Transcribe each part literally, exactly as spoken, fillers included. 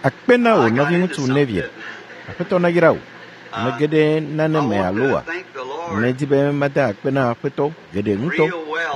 Akpe na wò nɔviŋutsu Neville. Aƒetɔ nayra wò. Mege ɖe nane me alo wa? Medi be mada akpe na aƒetɔ geɖe ŋutɔ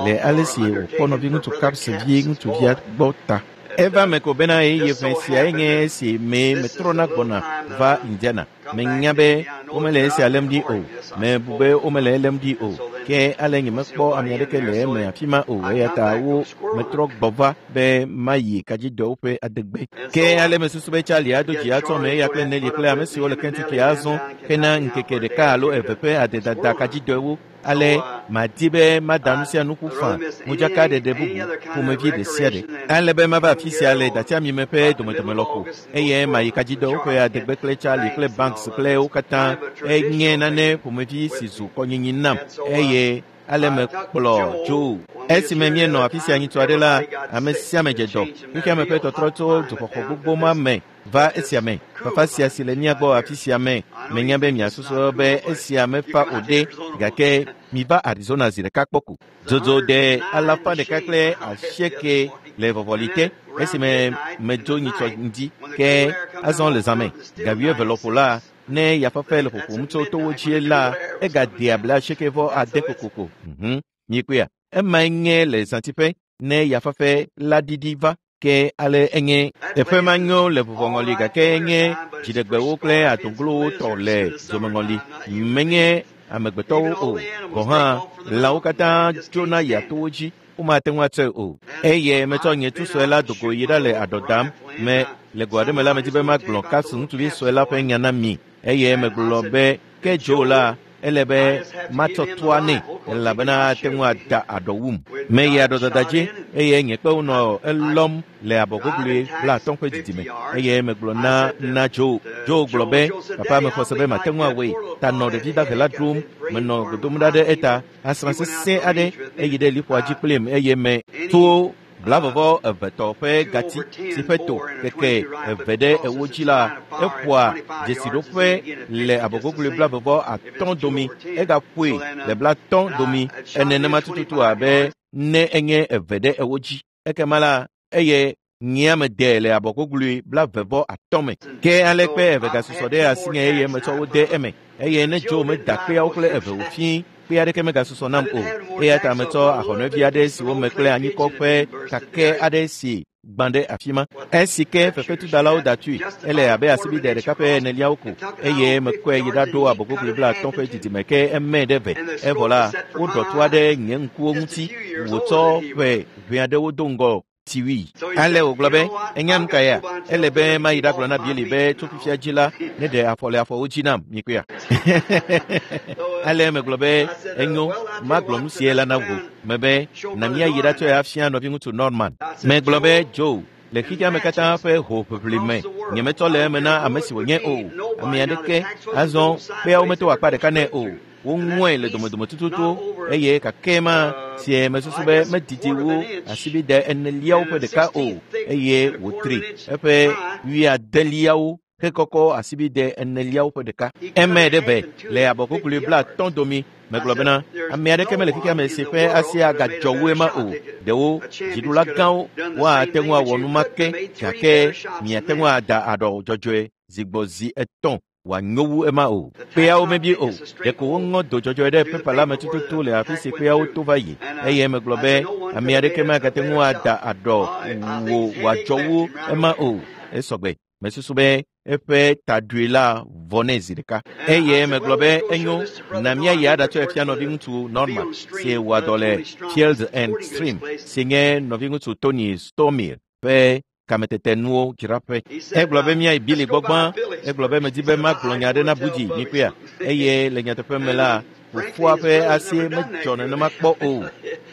le ale si wòkpɔ nɔviŋutsu Capps vi ŋutsuvia gbɔ ta. Eva me ko bena ɣeyiɣi ʋɛ siae nye esi mee metrɔna gbɔna va Indiana. Menya be womele esia lém ɖi o. Mebu be womele elém ɖi o. Ke ale nyemekpɔ ame aɖeke le eme afi ma o eya ta wo metrɔ gbɔ va be mayi kadzidɔwo ƒe adegbe. Ke ale mesusu be Charlie ado dzi atsɔ me eya kple Nelly kple ame siwo le Kentucky azɔ hena ŋkeke ɖeka alo eve ƒe adedada kadzidɔewo. Ale madi be mada nu sia nu ƒu faa modzakaɖeɖe bubu ƒomevi ɖe sia ɖe. Ale be mava afi sia le datiamime ƒe domedome lɔƒo eye mayi kadzidɔwo ƒe adegbe kple Charlie kple Banks kple wo katã enye nane ƒomevi si zu kɔnyinyi nam eye ale mekplɔ Joe. Esime míenɔ afi sia nyitɔ aɖe la, ame sia ame dze dɔ. Xexeame ƒe tɔtrɔ tso dzoxɔxɔ gbogbo ma me va esia me. Fafa sia si le mía gbɔ afi sia me. Menya be miasusɔ be esia mefa o ɖe, gake miva Arizona zi ɖeka kpɔ ko. Dzodzo de alafa ɖeka kple asieke le vɔvɔli te esime medzo nyitsɔ ŋdi ke azɔ le zãme. Ga wuieve lɔƒo la, ne yafafa le ƒoƒom tso towo dzi la, egadea bla asieke vɔ ade kokoko. Mhm, miekpɔea? Emae nye le zãtiƒe ne yafafa la ɖiɖi va. Ke ale enye teƒe ma nyo le vuvɔŋɔli gake enye dziɖegbewo kple adoglowo tɔ le dzomeŋɔli. Menye amegbetɔwo o. Gɔ̃ hã lãwo katã tsona yia towo dzi. Womate ŋu atsɔe o. Eye metsɔ nye tu sue la dogo yi ɖa le aɖɔ dam me le go aɖe me la medi be magblɔ Capps ŋutsuvi sue la ƒe nya na mi. Eye megblɔ be ke Joe la ele be matsɔ toa nɛ elabena ate ŋu ada aɖɔ wum. Meyi aɖɔdada dzi eye nye kpewo nɔ elɔm le abɔgogoe blaatɔ̃ ƒe didime. Eye megblɔ na na Joe. Joe gblɔ be papa mexɔ se be mate ŋu awɔe. Ta nɔ ɖevi dahe la ɖom. Menɔ godom ɖa ɖe eta. Asrã sesẽ aɖe eyi ɖe liƒoa dzi kplim eye me to blavɔvɔ evetɔ ƒe gati si ƒe to keke eve ɖe ewo dzi la eƒoa dzesiɖoƒe le abɔgogoe blavɔvɔ atɔ̃ domi egaƒoe le blatɔ̃ domi enenema tututu abe ne enye eve ɖe ewo dzi. Ekema la eye nyea me de le abɔgogoe blavevɔ atɔ̃ me. Ke ale kpe eve gasusɔ ɖe asinye eye metsɔ wo de eme eye ne Joe meda kpeawo kple eve wòfii kpe aɖeke megasusɔ nam o. Eya ta metsɔ ahɔnɔevi aɖe si wome kple anyikɔ ƒe kakɛ aɖe si gbã ɖe afi ma. Esi ke fefetudalawo da tui, ele abe asibide ɖeka ƒe eneliawo ko eye mekɔe yi ɖaɖo abɔgogoe blaatɔ̃ ƒe didime ke eme ɖe ve. Evɔ la, woɖɔ toa ɖe nye ŋkuwo ŋuti wòtsɔ ƒe ʋɛ aɖewo do ŋgɔ tiwui. Ale wògblɔ be, enya nu ka ya? Ele be mayi ɖagblɔ na Billy be tso fifia dzi la, ne ɖe afɔ le afɔwo dzi nam, mikpɔea? Ale megblɔ be, enyo, magblɔ nu sie la na wò. Mebe, na míayi ɖatsɔe afia nɔviŋutsu Norman. Megblɔ be, Joe, le xexea me katã ƒe hoʋiʋli me, nyemetsɔ le eme na ame si wònye o. Ame aɖeke azɔ kpeawo meto akpa ɖeka nɛ o. Woŋɔe le domedome tututu eye kake ma sie mesusu be medidi wu asibide eneliawo ƒe ɖeka o eye wòtri eƒe wuiadeliawo hekɔkɔ asibide eneliawo ƒe ɖeka. Eme ɖe ve le abɔgogoe blaatɔ̃ domi. Megblɔ bena ame aɖeke mele xexea me si ƒe asi agadzɔ wu ema o. Ɖewo dziɖula gãwo woate ŋu awɔ nu ma ke gake miate ŋu ada aɖɔ dzɔdzɔe zi gbɔ zi etɔ̃ wòanyo wu ema o. Kpeawo mebi o. Ɖeko woŋɔ do dzɔdzɔe ɖe pepa la me tututu le afi si kpeawo to va yi. Eye megblɔ be ame aɖeke magate ŋu ada aɖɔ wò wòadzɔ wu ema o. Esɔgbe. Mesusu be eƒe taɖui la vɔ nɛ zi ɖeka. Eye megblɔ be enyo na míayi aɖatsɔe fia nɔviŋutsu Norman si wɔa dɔ le Field and Stream si nye nɔviŋutsu Tony Stomil ƒe kametetenuwo dzraƒe. Egblɔ be míayi Billy gbɔ gbã. Egblɔ be medi be magblɔ nya aɖe na Budzi mikpɔea. Eye le nyateƒe me la, fofoa ƒe asi medzɔ nenema kpɔ o.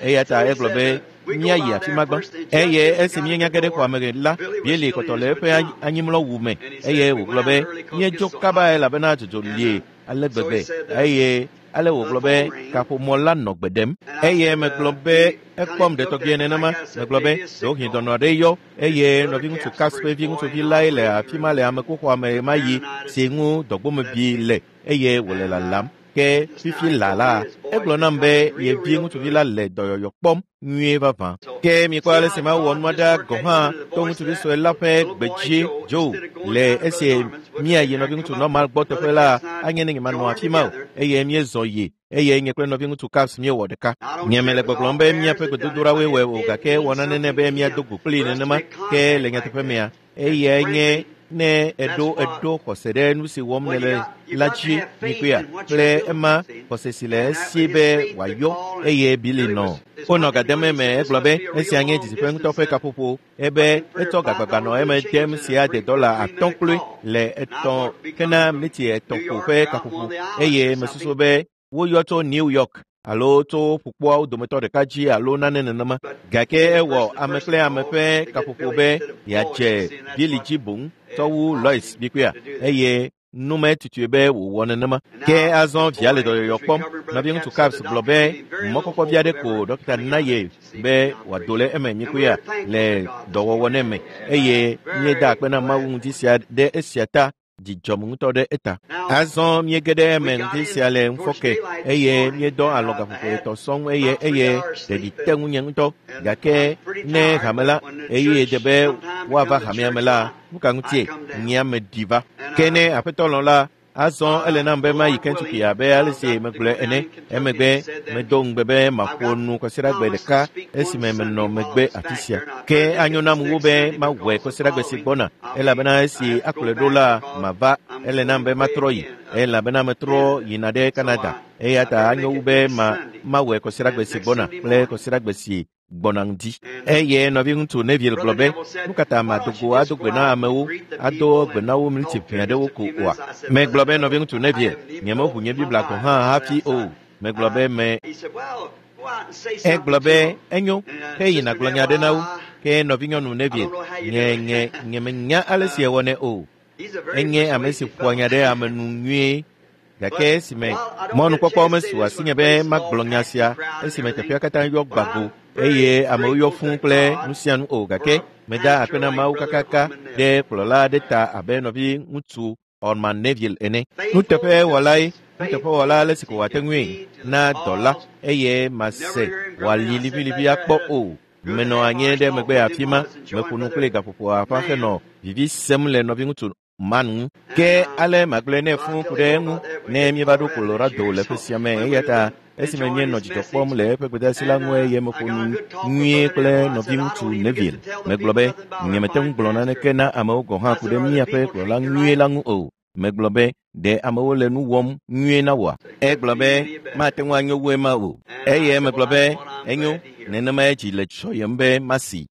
Eya ta egblɔ be míayi afi ma gbã. Eye esi míenya ge ɖe xɔa me la, Billy kpɔtɔ le eƒe anyimlɔwu me eye wògblɔ be míedzo kaba elabena dzodzo lie ale gbegbe eye ale wògblɔ be kaƒomɔ la nɔ gbe ɖem. Eye megblɔ be ekpɔm ɖetɔgbie nenema. Megblɔ be ɖewohĩ dɔnɔ aɖe yɔ eye nɔviŋutsu Capps ƒe viŋutsuvi lae le afi ma le amekuxɔa me ma yi si ŋu dɔgbomebi le eye wòle lalam. Ke fifi la la egblɔ nam be ye vi ŋutsuvi la le dɔyɔyɔ kpɔm nyuie vavã. Ke mikpɔ ale si mawɔ nua ɖa gɔ̃ hã to ŋutsuvi sue la ƒe gbe dzi dzo le esi míayi nɔviŋutsu Norman gbɔ teƒe la anye ne nyemanɔ afi ma o eye míezɔ yi eye nye kple nɔviŋutsu Capps míewɔ ɖeka. Nye mele gbɔgblɔm be míaƒe gbedodoɖawoe wɔe o gake wɔ nane be míado go kplii nenema ke le nyateƒe mea eyae nye ne eɖo eɖo xɔse ɖe nu si wɔm nele la dzi mikpea kple ema xɔse si le esi be wòayɔ eye Billy nɔ. Wonɔ gademe me egblɔ be esia nye didiƒe ŋutɔ ƒe kaƒoƒo ebe etsɔ gagbagba nɔ eme dem sia de dɔla atɔ̃ kloe le etɔ̃ kena miniti etɔ̃ ko ƒe kaƒoƒo eye mesusu be woyɔ tso New York alo tso ƒukpoawo dometɔ ɖeka dzi alo nane nenema gake ewɔ ame kple ame ƒe kaƒoƒo be yeadze Billy dzi boŋ tsɔ wu Lois mikpea eye nume tutue be wòwɔ nenema. Ke azɔ via le dɔyɔyɔ kpɔm. Nɔviŋutsu Capps gblɔ be mɔkpɔkpɔ vi aɖe ko dɔkita na ye be wòado le eme mikpea le dɔwɔwɔ ne me eye míeda akpe na Mawu ŋuti sia ɖe esia ta dzidzɔm ŋutɔ ɖe eta. Azɔ míege ɖe eme ŋdi sia le ŋufɔke eye míedɔ alɔ gaƒoƒo etɔ̃ sɔŋ eye eye ɖeɖi te ŋunye ŋutɔ gake ne hame la eye de be woava hamea me la nu ka ŋutie nyea meɖi va. Ke ne aƒetɔ lɔ̃ la azɔ ele nam be mayi Kentucky abe ale si megblɔe ene. Emegbe medo ŋugbe be maƒo nu kɔsiɖagbe ɖeka esime menɔ megbe afi sia. Ke anyo nam wu be mawɔe kɔsiɖagbe si gbɔna elabena esi akplɔe ɖo la mava ele nam be matrɔ yi elabena metrɔ yina ɖe Canada eya ta anyo wu be ma mawɔe kɔsiɖagbe si gbɔna kple kɔsiɖagbe si gbɔna ŋdi. Eye nɔviŋutsu Neville gblɔ be nu ka ta mado go ado gbe na amewo ado gbe na wo miniti ʋɛ aɖewo ko oa? Megblɔ be nɔviŋutsu Neville nyemeʋu nye Biblia gɔ̃ hã hafi o. Megblɔ be me egblɔ be enyo ke yina gblɔ nya aɖe na wo. Ke nɔvinyɔnu Neville nye nye nyemenya ale si ewɔnɛ o. Enye ame si ƒoa nya ɖe ame nu nyuie. Gake esime mɔnukpɔkpɔ mesu asinye be magblɔ nya sia esime teƒea katã yɔ gbago eye amewo yɔ fũu kple nu sia nu o gake meda akpe na Mawu kakaka ɖe kplɔla aɖe ta abe nɔviŋutsu Orman Neville ene. Nuteƒewɔlae nuteƒewɔla ale si ko wòate ŋui na dɔla eye mase wòali liʋiliʋi akpɔ o. Menɔ anyi ɖe megbe afi ma meƒo nu kple gaƒoƒo aƒa henɔ vivi sem le nɔviŋutsu Man ŋu. Ke ale magblɔe nɛ fũu ku ɖe eŋu ne míeva ɖo Colorado le ƒe sia me eya ta esime míenɔ dzidzɔ kpɔm le eƒe gbedeasi la ŋu eye meƒo nu nyuie kple nɔviŋutsu Neville. Megblɔ be nyemete ŋu gblɔ naneke na amewo gɔ̃ hã ku ɖe míaƒe kplɔla nyuie la ŋu o. Megblɔ be ɖe amewo le nu wɔm nyuie na wòa? Egblɔ be mate ŋu anyo wu ema o. Eye megblɔ be enyo nenemae dzi le dzɔyem be masi.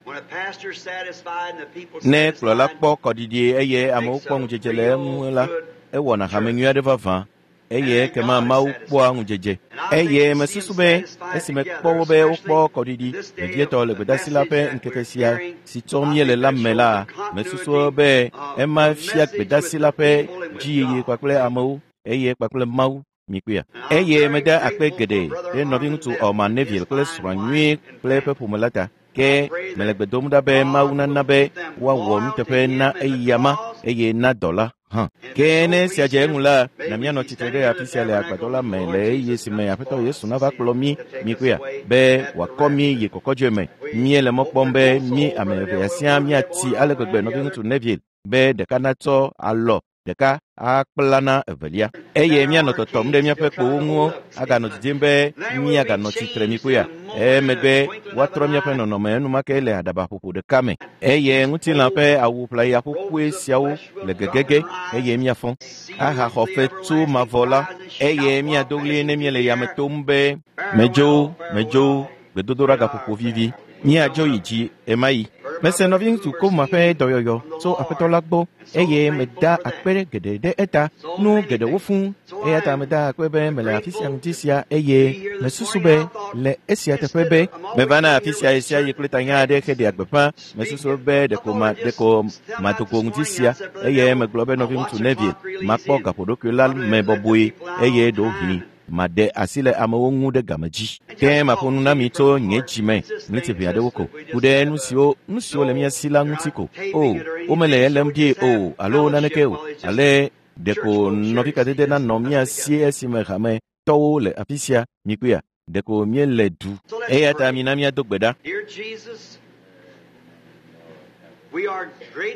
Ne kplɔla kpɔ kɔɖiɖi eye amewo kpɔ ŋudzedze le eŋu la ewɔna hame nyui aɖe vavã eye ekema Mawu kpɔa ŋudzedze. Eye mesusu be esime kpɔ wo be wokpɔ kɔɖiɖi vevietɔ le gbedeasi la ƒe ŋkeke sia si tsɔm míele la me la mesusu be ema fia gbedeasi la ƒe dziyiyi kpakple amewo eye kpakple Mawu mikpea. Eye meda akpe geɖe ɖe nɔviŋutsu Orman Neville kple srɔ̃a nyuie kple eƒe ƒome la ta. Ke mele gbe dom ɖa be Mawu nana be woawɔ nuteƒe na eyama eye na dɔla hã. Ke ne esia dze eŋu la, na míanɔ tsitre ɖe afi sia le agbadɔ la me le ɣeyiɣi si me Aƒetɔ Yesu nava kplɔ mí mikpea be wòakɔ mí yi kɔkɔdzoe me. Míele mɔ kpɔm be mí ame evea siaa míati ale gbegbe nɔviŋutsu Neville be ɖeka natsɔ alɔ ɖeka akpla na evelia eye míanɔ tɔtɔm ɖe míaƒe kpowo ŋu aganɔ didim be míaganɔ tsitre mikpea. Emegbe woatrɔ míaƒe nɔnɔme enumake le aɖabaƒoƒo ɖeka me eye ŋutilã ƒe awu ʋlaya ƒoƒoe siawo le gegege eye míafɔ ahaxɔ fetu mavɔ la eye míado ɣli ne míele yame tom be medzo medzo gbedodoɖa gaƒoƒo vivi míadzo yi dzi ema yi. Mese nɔviŋutsu Koma ƒe dɔyɔyɔ tso aƒetɔ la gbɔ eye meda akpe geɖe ɖe eta nu geɖewo fũu eya ta meda akpe be mele afi sia ŋuti sia eye mesusu be le esia teƒe be mevana afi sia ɣe sia ɣi kple tanya aɖe heɖea gbeƒã mesusu be ɖeko ma ɖeko madogo ŋuti sia eye megblɔ be nɔviŋutsu Neville makpɔ gaƒoɖokui la me bɔbɔe eye ɖewohĩ maɖe asi le amewo ŋu ɖe game dzi. Ke maƒo nu na mi tso nye dzi me ɣleti ʋɛ aɖewo ko ku ɖe nu siwo nu siwo le mía si la ŋuti ko. O womele elém ɖi o alo naneke o ale ɖeko nɔvikadede nanɔ mía si esime hame tɔwo le afi sia mikpɔea ɖeko míele du eya ta mina míado gbe ɖa.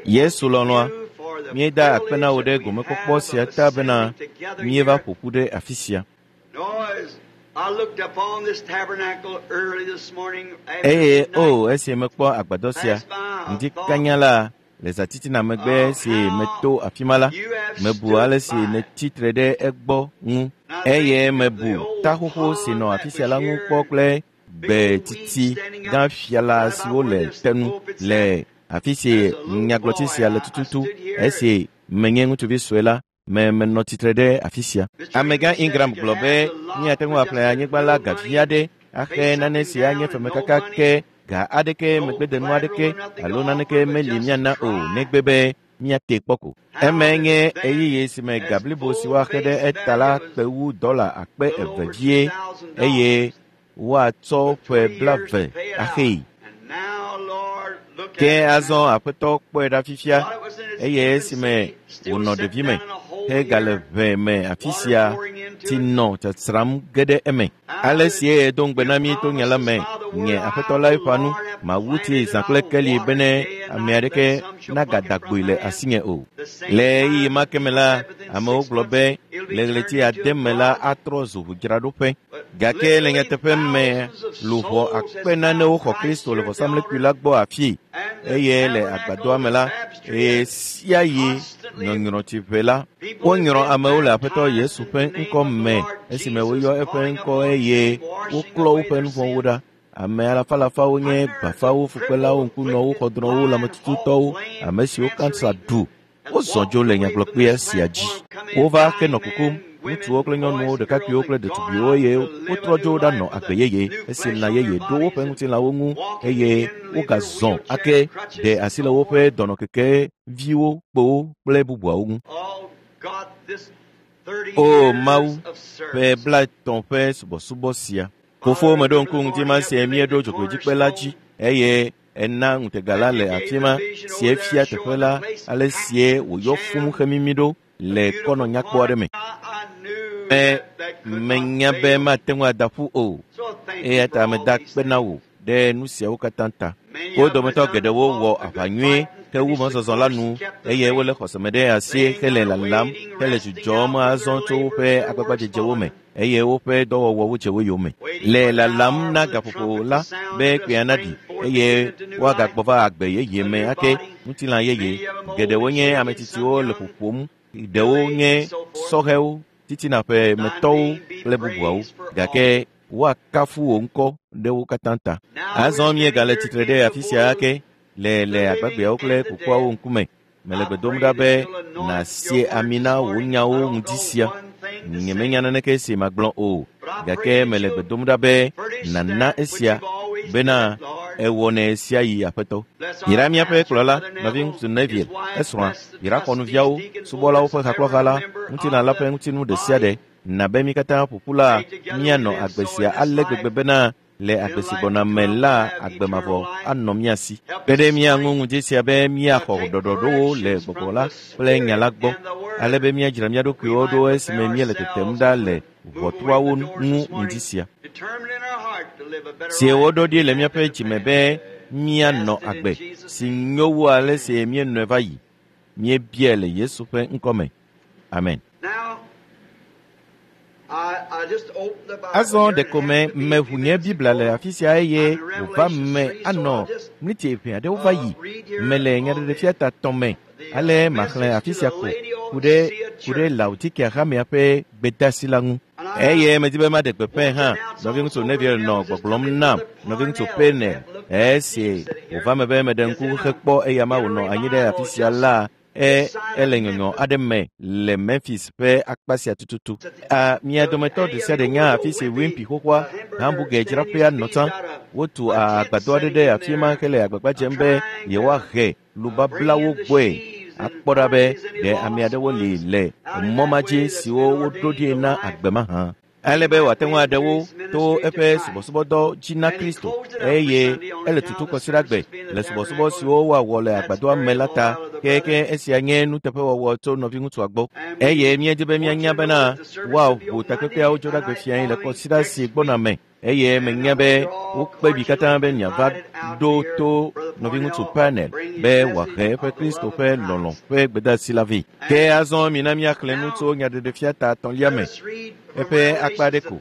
Yesu lɔlɔ̃a, míeda akpe na wò ɖe gomekpɔkpɔ sia ta bena míeva ƒo ƒu ɖe afi sia. Eye o esi mekpɔ agbadɔ sia ŋdi kanya la le zãtitina megbe si meto afi ma la, mebu ale si nètsi tre ɖe egbɔ ŋu eye mebu ta xoxo si nɔ afi sia la ŋu kpɔ kple gbe titi gã fiala siwo le tenu le afi si nyagblɔtsi sia le tututu esi menye ŋutsuvi sue la me menɔ tsitre ɖe afi sia. Amegã Ingram gblɔ be míate ŋu aƒle anyigba la gavi aɖe axe nane si anye femekaka ke ga aɖeke megbedenu aɖeke alo naneke meli míana o negbe be míate kpɔ ko. Eme nye ɣeyiɣi si me ga blibo si woaxe ɖe eta la kpe wu dɔla akpe eve vie eye woatsɔ ƒe blaeve axee. Ke azɔ aƒetɔ kpɔe ɖa fifia eye esime wònɔ ɖevime hegale ʋe me afi sia tsi nɔ tsatsram ge ɖe eme. Ale si edo ŋugbe na mí to nya la me, nye aƒetɔ la eƒã nu, mawu tsi zã kple keli bene ame aɖeke nagada gboe le asinye o. Le ɣeyiɣi ma ke me la, amewo gblɔ be le ɣleti ade me la atrɔ zu ʋudzraɖoƒe. Gake le nyateƒe me, luʋɔ akpe nanewo xɔ Kristo le vɔsamlekpui la gbɔ afii eye le agbadɔa me la, eye sia yi nyɔnyrɔtsiʋe la, wonyrɔ amewo le Aƒetɔ Yesu ƒe ŋkɔ me esime woyɔ eƒe ŋkɔ eye woklɔ woƒe nu vɔ̃wo ɖa. Ame alafalafawo nye bafawo, fukpelawo, ŋkunɔwo, xɔdrɔ̃wo, lãmetututɔwo, ame siwo kansa ɖu. Wozɔ dzo le nyagblɔkpea sia dzi. Wova henɔ kukum, ŋutsuwo kple nyɔnuwo, ɖekakpuiwo kple ɖetugbiwo eye wotrɔ dzo ɖanɔ agbe yeye esi lã yeye ɖo woƒe ŋutilãwo ŋu eye wogazɔ ake ɖe asi le woƒe dɔnɔkeke viwo, kpowo kple bubuawo ŋu. O Mawu, ƒe blaetɔ̃ ƒe subɔsubɔ sia. Fofo meɖo ŋku ŋdi ma sie míeɖo dzogoedzikpe la dzi eye ena ŋutega la le afi ma sie fia teƒe la ale sie wòyɔ fũu hemimi ɖo le kɔnɔ nyakpɔ aɖe me. Me menya be mate ŋu ada ƒu o eya ta meda akpe na wò ɖe nu siawo katã ta. Wo dometɔ geɖewo wɔ aʋa nyuie hewu mɔzɔzɔ la nu eye wole xɔseme ɖe asi hele lalam hele dzudzɔm azɔ tso woƒe agbagbadzedzewo me eye woƒe dɔwɔwɔwo dze wo yome. Le lalam na gaƒoƒo la be kpea naɖi eye woagagbɔ va agbe yeye me ake ŋutilã yeye. Geɖewo nye ame tsitsiwo le ƒoƒom, ɖewo nye sɔhɛwo, titina ƒe metɔwo kple bubuawo gake woakafu wò ŋkɔ ɖe wo katã ta. Azɔ míegale tsitre ɖe afi sia ake le le agbagbeawo kple kukuawo ŋkume. Mele gbe dom ɖa be nàsie ami na wò nyawo ŋdi sia. Nyemenya naneke si magblɔ o gake mele gbe dom ɖa be nàna esia bena ewɔnɛ sia yi Aƒetɔ. Yra míaƒe kplɔla, nɔviŋutsu Neville, esrɔ̃a, yra xɔnuviawo, subɔlawo ƒe hakplɔha la, ŋutilã la ƒe ŋutinu ɖe sia ɖe. Na be mí katã ƒoƒu la míanɔ agbe sia ale gbegbe bena le agbe si gbɔna me la agbe mavɔ anɔ mía si. Kpe ɖe mía ŋu ŋdi sia be míaxɔ ɖɔɖɔɖowo le gbɔgbɔ la kple nya la gbɔ ale be míadzra mía ɖokuiwo ɖo esime míele tetem ɖa le ʋɔtruawo ŋu ŋdi sia. Sie woɖo ɖi le míaƒe dzime be míanɔ agbe si nyo wu ale si míenɔe va yi. Míebiae le Yesu ƒe ŋkɔ me. Amen. Azɔ ɖeko me meʋu nye Biblia le afi sia eye wòva me anɔ mliti eve aɖewo va yi. Mele nyaɖeɖefia ta tɔ̃ me ale maxlẽ afi sia ko ku ɖe ku ɖe Laodikea hamea ƒe gbedeasi la ŋu. Eye medi be maɖe gbeƒãe hã. Nɔviŋutsu Neville nɔ gbɔgblɔm nam nɔviŋutsu Penel esi wòva me be meɖe ŋku hekpɔ eya ma wònɔ anyi ɖe afi sia la e ele nyɔnyɔ aɖe me le Memphis ƒe akpa sia tututu. A mia dometɔ ɖe sia ɖe nya afi si Wimpy xoxoa hamburger dzraƒea nɔ tsã. Wotu agbadɔ aɖe ɖe afi ma hele agbagba dzem be yewoahe lubablawo gbɔe akpɔ ɖa be ɖe ame aɖewo li le mɔ ma dzi siwo woɖo ɖi na agbe ma hã. Ale be wòate ŋu aɖe wo to eƒe subɔsubɔdɔ dzi na Kristo eye ele tutu kɔsiɖagbe le subɔsubɔ siwo woawɔ le agbadɔa me la ta keke esia nye nuteƒewɔwɔ tso nɔviŋutsua gbɔ eye míedi be míanya bena woaʋu takpekpeawo dzo ɖe gbe le kɔsiɖa si gbɔna me eye menya be wokpe mi katã be miava ɖo to nɔviŋutsu Parnell be wòahe eƒe Kristo ƒe lɔlɔ̃ ƒe gbedeasi la vɛ. Ke azɔ mina míaxlẽ nu tso nyaɖeɖefia ta etɔ̃lia me eƒe akpa ɖe ko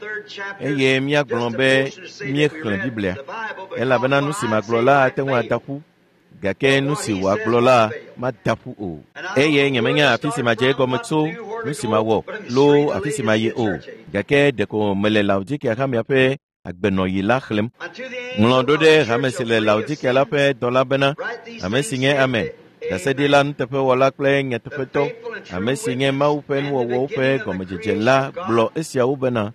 eye míagblɔ be míexlẽ Biblia elabena nu si magblɔ la ate ŋu ada ƒu gake nu si wòagblɔ la mada ƒu o eye nyemenya afi si madze egɔme tso nu si mawɔ loo afi si mayi o gake ɖeko mele Laodikea hamea ƒe agbenɔɣi la xlẽm. Ŋlɔ ɖo ɖe hame si le Laodikea la ƒe dɔla bena ame si nye ame ɖaseɖila nuteƒewɔla kple nyateƒetɔ ame si nye Mawu ƒe nuwɔwɔwo ƒe gɔmedzedze la gblɔ esiawo bena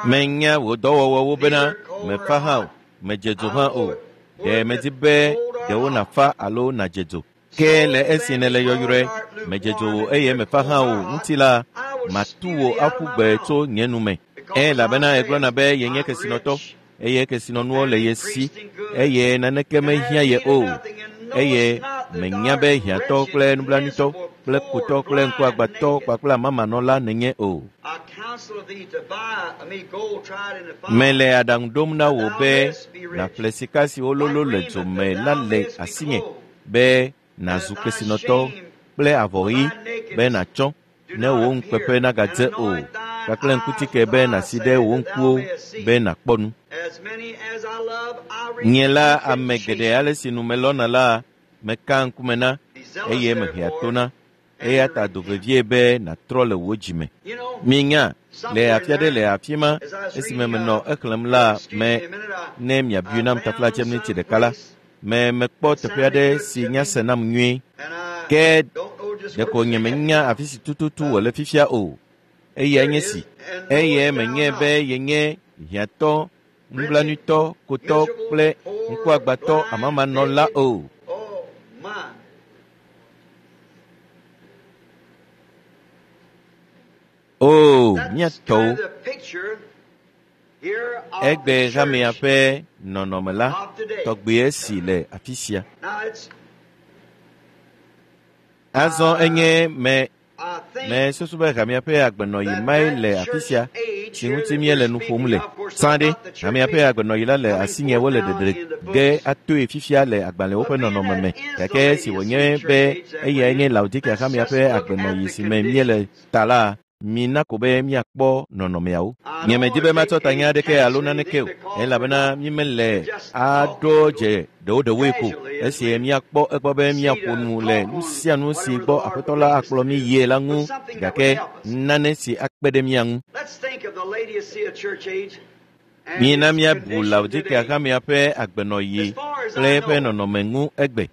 menya wò dɔwɔwɔwo bena mefa hã o medze dzo hã o ɖe medi be ɖewo nàfa alo nàdze dzo ke le esi nèle yɔyrɔe medze dzo wò eye mefa hã o ŋuti la matu wò aƒu gbe tso nye nu me elabena egblɔna be yenye kesinɔtɔ eye kesinɔnuwo le ye si eye naneke mehiã ye o eye menya be hiãtɔ kple nublanuitɔ kple kutɔ kple ŋkuagbãtɔ kpakple amamanɔla nènye o. Mele aɖaŋu ɖom na wò be nàƒle sika si wololo le dzo me la le asinye be nàzu kesinɔtɔ kple avɔ ɣi be nàtsɔ ne wò ŋukpeƒe nagadze o kpakple ŋkutike be nàsi ɖe wò ŋkuwo be nàkpɔ nu. Nye la ame geɖe ale si nu melɔna la meka ŋkume na eye mehea to na eya ta do vevie be nàtrɔ le wò dzime. Minya le afi aɖe le afi ma esime menɔ exlẽm la me ne miabui nam taflatse miniti ɖeka la me mekpɔ teƒe aɖe si nya se nam nyuie ke ɖeko nyemenya afi si tututu wòle fifia o eyae nye si eye menye be yenye hiãtɔ nublanuitɔ kotɔ kple ŋkuagbãtɔ amamanɔla o. O míatɔwo egbe hamea ƒe nɔnɔme la tɔgbe si le afi sia. Azɔ enye me me susu be hamea ƒe agbenɔɣi mae le afi sia si ŋuti míele nu ƒom le. Sã ɖe hamea ƒe agbenɔɣi la le asinye wole ɖeɖe ge atoe fifia le agbalẽwo ƒe nɔnɔme me gake si wònye be eyae nye Laodikea hamea ƒe agbenɔɣi si me míele ta la mina ko be míakpɔ nɔnɔmeawo. Nyemedi be matsɔ tanya aɖeke alo naneke o elabena mímele aɖo dze ɖewoɖewoe ko esi míakpɔ egbɔ be míaƒo nu le nu sia nu si gbɔ Aƒetɔ la akplɔ mí yie la ŋu gake nane si akpe ɖe mía ŋu. Mina míabu Laodikea hamea ƒe agbenɔɣi kple eƒe nɔnɔme ŋu egbe.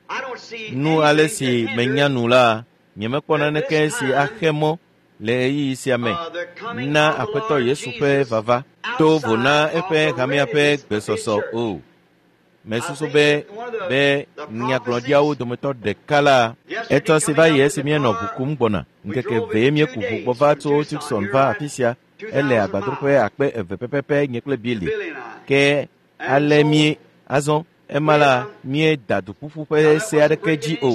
Nu ale si menya nu la nyemekpɔ naneke si axe mɔ le ɣeyiɣi sia me na Aƒetɔ Yesu ƒe vava to vo na eƒe hamea ƒe gbesɔsɔ o. Mesusu be be nyagblɔɖiawo dometɔ ɖeka la etsɔ si va yi esi míenɔ ʋu kum gbɔna ŋkeke vee míeku ʋu gbɔ va tso Tucson va afi sia ele agbadroƒe akpe eve pɛpɛpɛ nye kple Billy ke ale mí azɔ ema la míeda duƒuƒu ƒe se aɖeke dzi o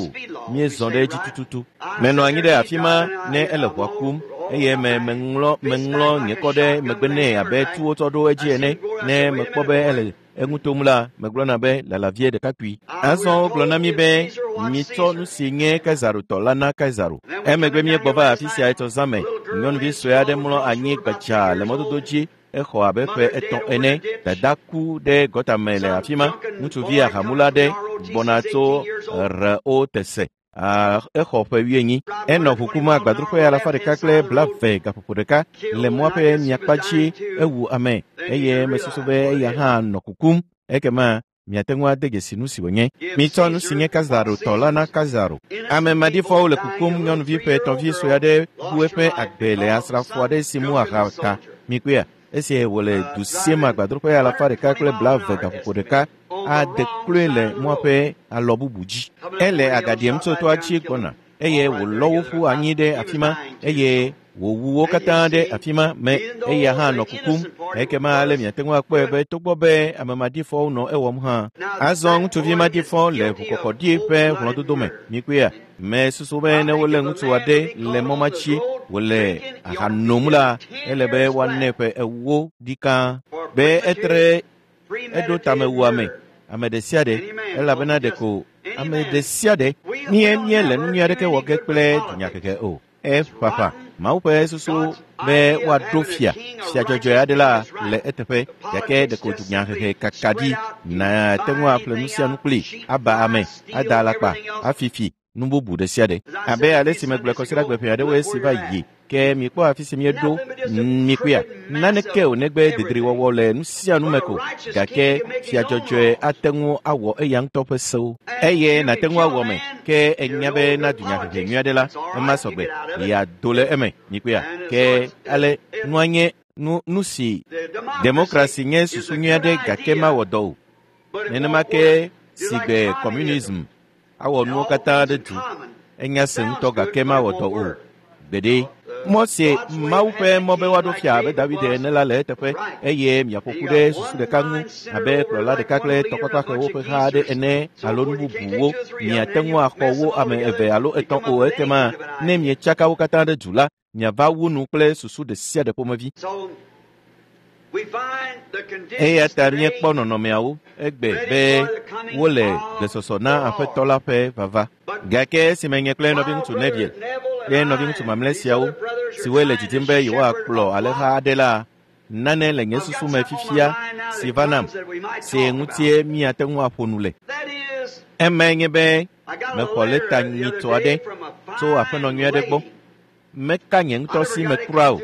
míezɔ ɖe edzi tututu. Menɔ anyi ɖe afi ma ne ele ʋua kum eye me meŋlɔ meŋlɔ nye kɔ ɖe megbe nɛ abe tu wotsɔ ɖo edzi ene ne mekpɔ be ele eŋu tom la megblɔna be lalavie ɖekakpui. Azɔ wogblɔ na mí be mitsɔ nu si nye Kaisaro tɔ la na Kaisaro. Emegbe míegbɔ va afi sia etsɔ zã me. Nyɔnuvi sue aɖe mlɔ anyi gbadzaa le mɔdodo dzi exɔ abe ƒe etɔ̃ ene. Dada ku ɖe gɔta me le afi ma. Ŋutsuvi ahamula aɖe gbɔna tso R O T S exɔ ƒe wuienyi. Enɔ ʋu kum agbadroƒe alafa ɖeka kple blaeve gaƒoƒo ɖeka le mɔa ƒe miakpa dzi ewu ame eye mesusu be eya hã nɔ kukum. Ekema miate ŋu ade dzesi nu si wònye. Mitsɔ nu si nye Kaisaro tɔ la na Kaisaro. Ame maɖifɔwo le kukum. Nyɔnuvi ƒe etɔ̃vi sue aɖe bu eƒe agbe le asrafo aɖe si mu aha ta. Mikpɔea esi wòle du siem agbadroƒe alafa ɖeka kple blaeve gaƒoƒo ɖeka ade kloe le mɔa ƒe alɔ bubu dzi. Ele agaɖiem tso toa dzi gbɔna. eye wòlɔ wo ƒu anyi ɖe afi ma eye wòwu wo katã ɖe afi ma me eya hã nɔ kukum. Ekema ale miate ŋu akpɔe be togbɔ be ame maɖifɔwo nɔ ewɔm hã. Azɔ ŋutsuvi maɖifɔ le ʋukɔkɔɖi ƒe hlɔ̃dodo me. Mikpɔea? Mesusu be ne wolé ŋutsu aɖe le mɔ ma dzi wòle aha nom la, ele be woanɛ ƒe ewo ɖikaa be etre eɖo tame wu ame ame ɖe sia ɖe elabena ɖeko ame ɖe sia ɖe mie míele nu nyui aɖeke wɔ ge kple dunyahehe o. Eƒaƒã Mawu ƒe susu be woaɖo fia fia dzɔdzɔe aɖe la le eteƒe gake ɖeko dunyahehe kaka ɖi nàte ŋu aƒle nu sia nu kpli aba ame ada alakpa afifi nu bubu ɖe sia ɖe. Abe ale si megblɔe kɔsiɖagbe ƒe aɖewoe si va yi ke mikpɔ afi si míeɖo mikpɔea naneke o negbe dedriwɔwɔ le nu sia nu me ko gake fia dzɔdzɔe ate ŋu awɔ eya ŋutɔ ƒe sewo eye nàte ŋu awɔ me ke enya be na dunyahehe nyui aɖe la ema sɔgbe yeado le eme mikpɔea ke ale nua nye nu nu si demokrasi nye susu nyui aɖe gake mawɔ dɔ o. Nenema ke si gbe communism awɔ nuwo katã ɖe du enya se ŋutɔ gake mawɔ dɔ o. Gbeɖe mɔ si Mawu ƒe mɔ be woaɖo fia abe David ene la le eteƒe eye miaƒoƒu ɖe susu ɖeka ŋu abe kplɔla ɖeka kple tɔkpakpaxewo ƒe ha aɖe ene alo nu bubuwo miate ŋu axɔ wo ame eve alo etɔ̃ o ekema ne mietsaka wo katã ɖe du la miava wu nu kple susu ɖe sia ɖe ƒomevi. Eya ta míekpɔ nɔnɔmeawo egbe be wole gbesɔsɔ na Aƒetɔ la ƒe vava. Gake esime nye kple nɔviŋutsu Neville kple nɔviŋutsu mamlɛ siawo siwoe le didim be yewoakplɔ alẽha aɖe la, nane le nye susu me fifia si va nam si ŋutie míate ŋu aƒo nu le. Emae nye be mexɔ lɛta nyitɔ aɖe tso aƒenɔ nyui aɖe gbɔ. Meka nye ŋutɔ si me kura o,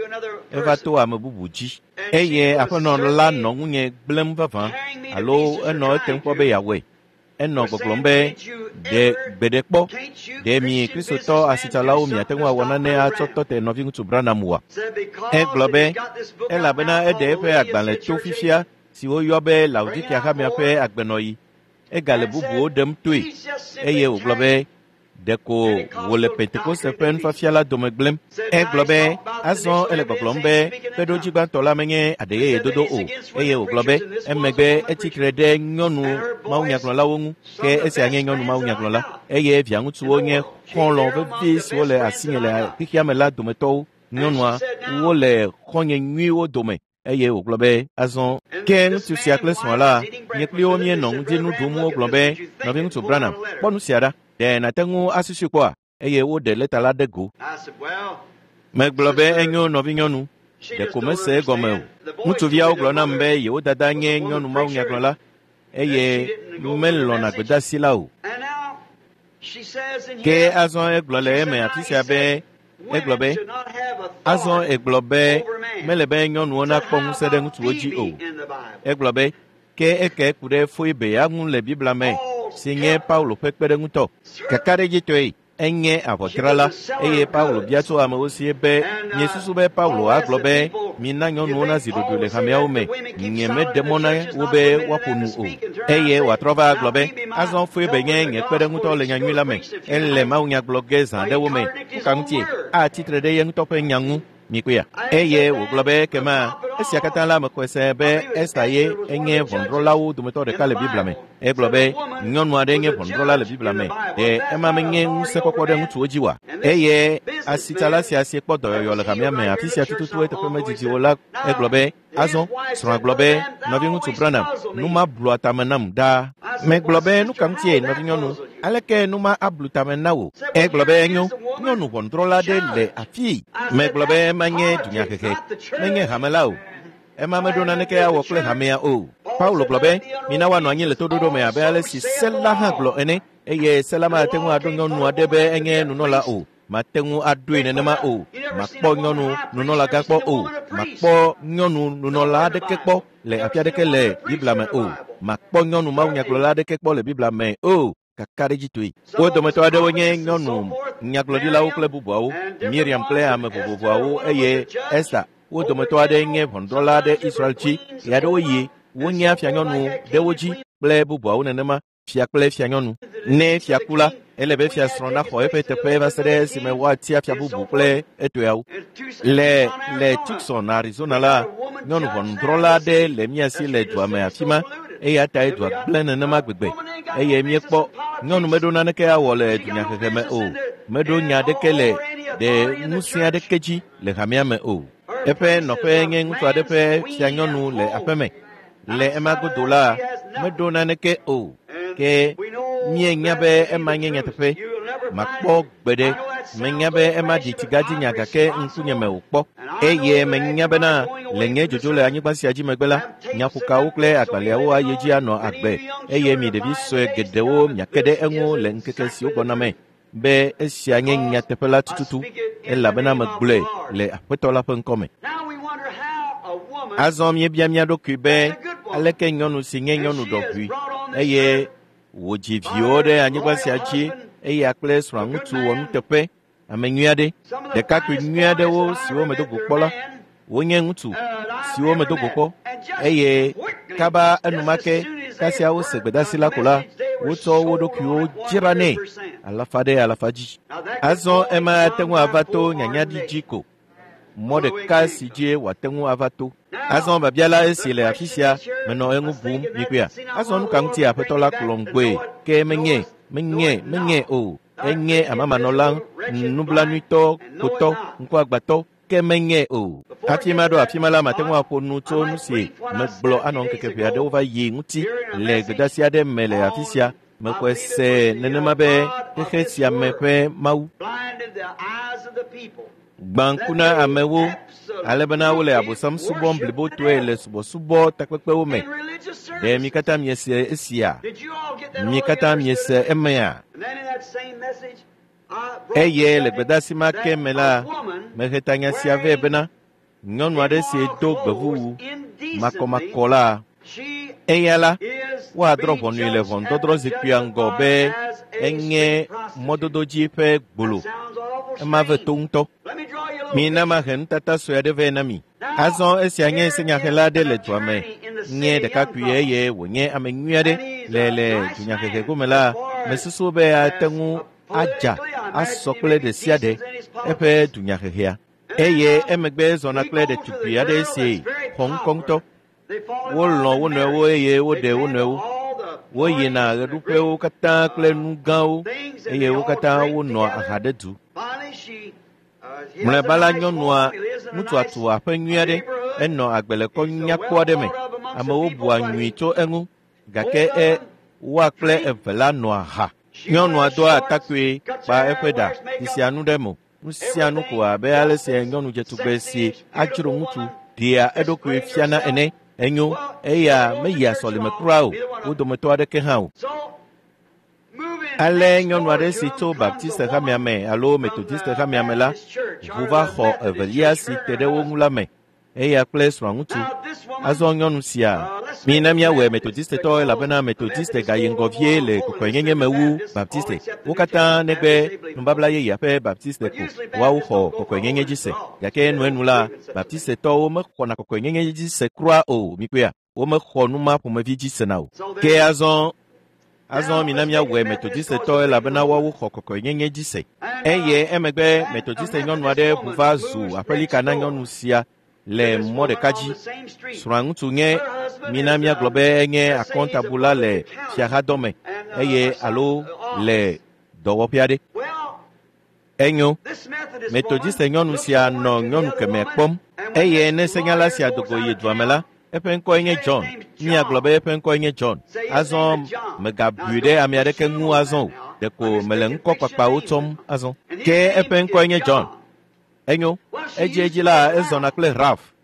eva to ame bubu dzi. Eye aƒenɔ la nɔ ŋunye gblẽm vavã alo enɔ etem kpɔ be yeawɔe. Enɔ gbɔgblɔm be ɖe gbe ɖe kpɔ ɖe mi Kristotɔ asitsalawo miate ŋu awɔ nane atsɔ tɔ te nɔviŋutsu Branham oa? Egblɔ be elabena eɖe eƒe agbalẽ to fifia si woyɔ be Laodikea hamea ƒe agbenɔɣi. Egale bubuwo ɖem toe eye wògblɔ be ɖeko wòle Pentekoste ƒe nufiafia la dome gblẽm. Egblɔ be azɔ ele gbɔgblɔm be kpeɖodzi gbãtɔ la menye aɖeyeye dodo o eye wògblɔ be emegbe etsi tre ɖe nyɔnu mawunyagblɔlawo ŋu ke esia nye nyɔnu mawunyagblɔla eye viaŋutsuwo nye xɔlɔ̃ vevi siwo le asinye le xexea me la dometɔwo. Nyɔnua wole xɔ̃nye nyuiwo dome eye wògblɔ be azɔ ke ŋutsu sia kple srɔ̃a la nye kpli wo míenɔ ŋdinu ɖum wogblɔ be nɔviŋutsu Branham kpɔ nu sia ɖa. Ɖe nàte ŋu asusui kpɔa? Eye woɖe lɛta la ɖe go. Megblɔ be enyo nɔvinyɔnu, ɖeko mese egɔme o. Ŋutsuviawo gblɔ nam be yewo dada nye nyɔnu mawunyagblɔla eye melɔ̃na gbedeasi la o. Ke azɔ egblɔ le eme afi sia be egblɔ be azɔ egblɔ be mele be nyɔnuwo nakpɔ ŋusẽ ɖe ŋutsuwo dzi o. Egblɔ be ke eke ku ɖe Foibe ya ŋu le Biblia me si nye Paulo ƒe kpeɖeŋutɔ. Kakaɖedzitɔe enye avɔdzrala eye Paulo bia tso amewo sie be miesusu be Paulo agblɔ be mina nyɔnuwo nazi ɖoɖoe le hameawo me nye meɖe mɔ na wo be woaƒo nu o. Eye wòatrɔ va agblɔ be azɔ Foibe nye nye kpeɖeŋutɔ le nyanyui la me ele mawunya gblɔ ge zã ɖewo me nuka ŋutie atsi tre ɖe ye ŋutɔ ƒe nya ŋu mikpɔea. Eye wògblɔ be ekema esia katã la mexɔe se be Esta ye enye ʋɔnudrɔ̃lawo dometɔ ɖeka le Biblia me. Egblɔ be nyɔnu aɖe nye ʋɔnudrɔ̃la le Biblia me ɖe ema menye ŋusẽkpɔkpɔ ɖe ŋutsuwo dzi oa? Eye asitsala sia si kpɔ dɔyɔyɔ le hamea me afi sia tututu eteƒe medidi o la egblɔ be azɔ srɔ̃a gblɔ be nɔviŋutsu Branham nu ma blua tame nam ɖaa. Megblɔ be nu ka ŋutie nɔvinyɔnu aleke nu ma ablu tame na wò? Egblɔ be enyo nyɔnu ʋɔnudrɔ̃la aɖe le afii. Megblɔ be ema nye dunyahehe menye hame la o. Ema meɖo naneke awɔ kple hamea o. Paulo gblɔ be mina woanɔ anyi le toɖoɖo me abe ale si se la hã gblɔ ene eye se la mate ŋu aɖo nyɔnu aɖe be enye nunɔla o. Mate ŋu aɖoe nenema o. Makpɔ nyɔnu nunɔlagã kpɔ o. Makpɔ nyɔnu nunɔla aɖeke kpɔ le afi aɖeke le Biblia me o. Makpɔ nyɔnu mawunyagblɔla aɖeke kpɔ le Biblia me o. Kakaɖedzitɔe. Wo dometɔ aɖewo nye nyɔnu nyagblɔɖilawo kple bubuawo, Miriam kple ame vovovoawo eye Esta. Wo dometɔ aɖe nye ʋɔnudrɔ̃la ɖe Israel dzi. Ɣeaɖewoɣi wonyea fianyɔnu ɖe wo dzi kple bubuawo nenema, fia kple fianyɔnu. Ne fia ku la, Ele be fiasrɔ̃ naxɔ eƒe teƒe va se ɖe esime woatia fia bubu kple etɔeawo. Le le Tucson, Arizona la, nyɔnu ʋɔnudrɔ̃la aɖe le mía si le dua me afi ma eya tae dua gblẽ nenema gbegbe eye míekpɔ nyɔnu meɖo naneke awɔ le dunyahehe me o. Meɖo nya aɖeke le ɖe ŋusẽ aɖeke dzi le hamea me o. Eƒe nɔƒe nye ŋutsu aɖe ƒe fianyɔnu le aƒeme. Le ema godo la, meɖo naneke o. Ke míenya be ema nye nyateƒe. Makpɔ gbeɖe. Menya be ema ɖi tsigadzinya gake ŋkunye me wòkpɔ. Eye menya bena le nye dzodzo le anyigba sia dzi megbe la, nyaƒokawo kple agbalẽawo ayi edzi anɔ agbe eye mi ɖevi sue geɖewo miake ɖe eŋu le ŋkeke siwo gbɔna me be esia nye nyateƒe la tututu elabena megblɔe le Aƒetɔ la ƒe ŋkɔme. Azɔ míebia mía ɖokui be aleke nyɔnu si nye nyɔnu ɖɔʋui eye wòdzi viwo ɖe anyigba sia dzi eya kple srɔ̃ŋutsu wɔ nuteƒe ame nyui aɖe ɖekakpui nyui aɖewo siwo medo go kpɔ la wonye ŋutsu siwo medo go kpɔ eye kaba enumake kasia wose gbedeasi la ko la wotsɔ wo ɖokuiwo dzra nɛ alafa ɖe alafa dzi. Azɔ ema ate ŋu ava to nyanyaɖi dzi ko. Mɔ ɖeka si dzie wòate ŋu ava to. Azɔ biabia la esi le afi sia menɔ eŋu bum mikpɔea. Azɔ nu ka ŋuti Aƒetɔ la kplɔm gbɔe ke menye menye menye o. Enye amamanɔla nublanuitɔ kotɔ ŋkuagbãtɔ ke menye o. Hafi maɖo afi ma la mate ŋu aƒo nu tso nu si megblɔ anɔ ŋkeke ʋɛ aɖewo va yi ŋuti le gbedeasi aɖe me le afi sia. Mexɔe se nenema be xexe sia me ƒe Mawu gbã ŋku na amewo ale bena wole Abosam subɔm blibotɔe le subɔsubɔ takpekpewo me. Ɖe mi katã miese esia? Mi katã miese emea? Eye le gbedeasi ma ke me la, mehe tanya sia vɛ bena nyɔnu aɖe si do gbevuwu makɔmakɔ la, eya la woadrɔ̃ ʋɔnui le ʋɔnudɔdrɔ̃ zikpuia ŋgɔ be enye mɔdodo dzi ƒe gbolo. Ema ve to ŋutɔ. Mina mahe nutata sue aɖe vɛ na mi. Azɔ esia nye senyahela aɖe le dua me. Nye ɖekakpui eye wònye ame nyui aɖe le le dunyahehe gome la, mesusu be ate ŋu adza asɔ kple ɖe sia ɖe eƒe dunyahehea. Eye emegbe zɔna kple ɖetugbui aɖe si xɔ ŋkɔ ŋutɔ. Wolɔ̃ wo nɔewo eye woɖe wo nɔewo. Woyina ɣeɖuƒewo katã kple nu gãwo eye wo katã wonɔa aha ɖe du. Mlɔeba la nyɔnua ŋutsua tu aƒe nyui aɖe enɔ agbe le kɔ nyakpɔ aɖe me. Amewo bua nyui tso eŋu gake e woa kple eve la nɔa ha. Nyɔnua doa atakpui kpa eƒe ɖa ɖi nu ɖe mo. Nu sia nu ko abe ale si nyɔnu dzetugbe si adzro ŋutsu ɖea eɖokui fiana ene. Enyo eya meyia sɔlime kura o, wo dometɔ aɖeke hã o. Ale nyɔnu aɖe si tso Baptiste hamea me alo Methodiste hamea me la ʋu va xɔ evelia si te ɖe wo ŋu la me. Eya kple srɔ̃ŋutsu. Azɔ nyɔnu sia, mina míawɔe Methodistetɔ elabena Methodiste gayi ŋgɔ vie le kɔkɔenyenye me wu Baptiste. Wo katã negbe nubabla yeyea ƒe Baptiste ko woawo xɔ kɔkɔenyenye dzi se. Gake enuenu la, Baptistetɔwo mexɔna kɔkɔenyenye dzi se kura o. Mikpɔea, womexɔ nu ma ƒomevi dzi sena o. Ke azɔ Azɔ mina míawɔe Methodistetɔ elabena woawo xɔ kɔkɔenyenye dzi se. Eye emegbe Methodiste nyɔnu aɖe ʋu va zu aƒelika na nyɔnu sia le mɔ ɖeka dzi. Srɔ̃aŋutsu nye mina míagblɔ be enye akɔntabula le fiahadɔme eye alo le dɔwɔƒe aɖe. Enyo, Methodiste nyɔnu sia nɔ nyɔnu kemɛ kpɔm eye ne senyala sia do go yi dua me la, eƒe ŋkɔe nye John. Míagblɔ be eƒe ŋkɔe nye John. Azɔ megabui ɖe ame aɖeke ŋu azɔ o. Ɖeko mele ŋkɔ kpakpawo tsɔm azɔ. Ke eƒe ŋkɔe nye John. Enyo, edziedzi la ezɔna kple Ralph.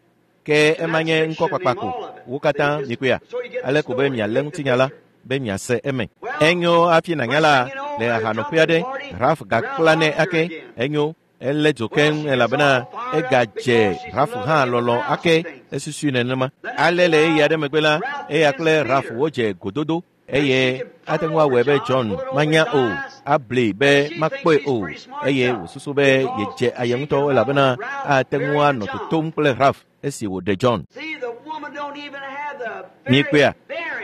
Ke ema nye ŋkɔ kpakpa ko. Wo katã mikpɔea. Ale ko be mialé ŋutinya la be miase eme. Enyo hafi nànya la le ahanɔƒe aɖe, Ralph gakpla nɛ ake. Enyo, elé dzo keŋ elabena egadze Ralph hã lɔlɔ̃ ake esusui nenema. Ale le ɣeyiɣi aɖe megbe la, eya kple Ralph wodze gododo eye ate ŋu awɔe be John manya o, abli be makpɔe o eye wòsusu be yedze aye ŋutɔ elabena ate ŋu anɔ totom kple Ralph esi wòɖe John. Mikpɔea,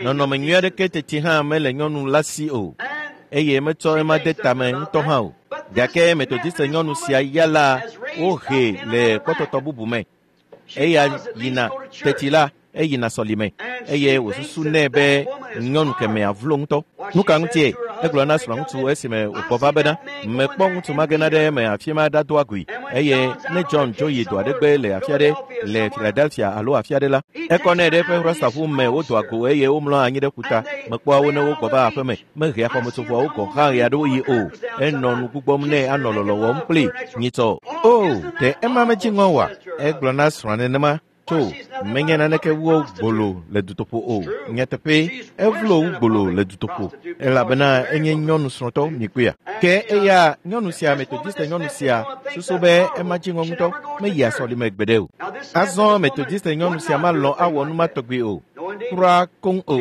nɔnɔme nyui aɖeke teti hã mele nyɔnu la si o. eye metsɔ ema de tame ŋutɔ hã o. Gake Metodiste nyɔnu sia ya la wohee le kpɔtɔtɔ bubu me. Eya yina teti la eyina sɔlime eye wòsusu nɛ be nyɔnu kemea vlo ŋutɔ. Nu ka ŋutie? Egblɔ na srɔ̃ŋutsu esime wògbɔ va bena mekpɔ ŋutsu ma gena ɖe eme afi ma ɖadoa goe eye ne John dzo yi do aɖe gbe le afi aɖe le Philadelphia alo afi aɖe la, ekɔnɛ ɖe eƒe rastaʋu me wodoa go eye womlɔa anyi ɖe ƒuta. Mekpɔa wo ne wogbɔ va aƒeme. Mehea xɔmetsovɔawo gɔ̃ hã ɣeaɖewoɣi yi o. Enɔ nu gbugbɔm nɛ anɔ lɔlɔ wɔm kpli nyitsɔ. O, ɖe ema medzi ŋɔ oa? Egblɔ na srɔ̃a nenema. Tso, menye naneke wu gbolo le dutoƒo o. Nyateƒe, evlo wu gbolo le dutoƒo elabena enye nyɔnu srɔ̃tɔ mikpɔea. Ke eya nyɔnu sia Metodiste nyɔnu sia susu be ema dzi ŋɔ ŋutɔ meyia sɔlime gbeɖe o. Azɔ Metodiste nyɔnu sia malɔ̃ awɔ nu ma tɔgbi o. Kura koŋ o.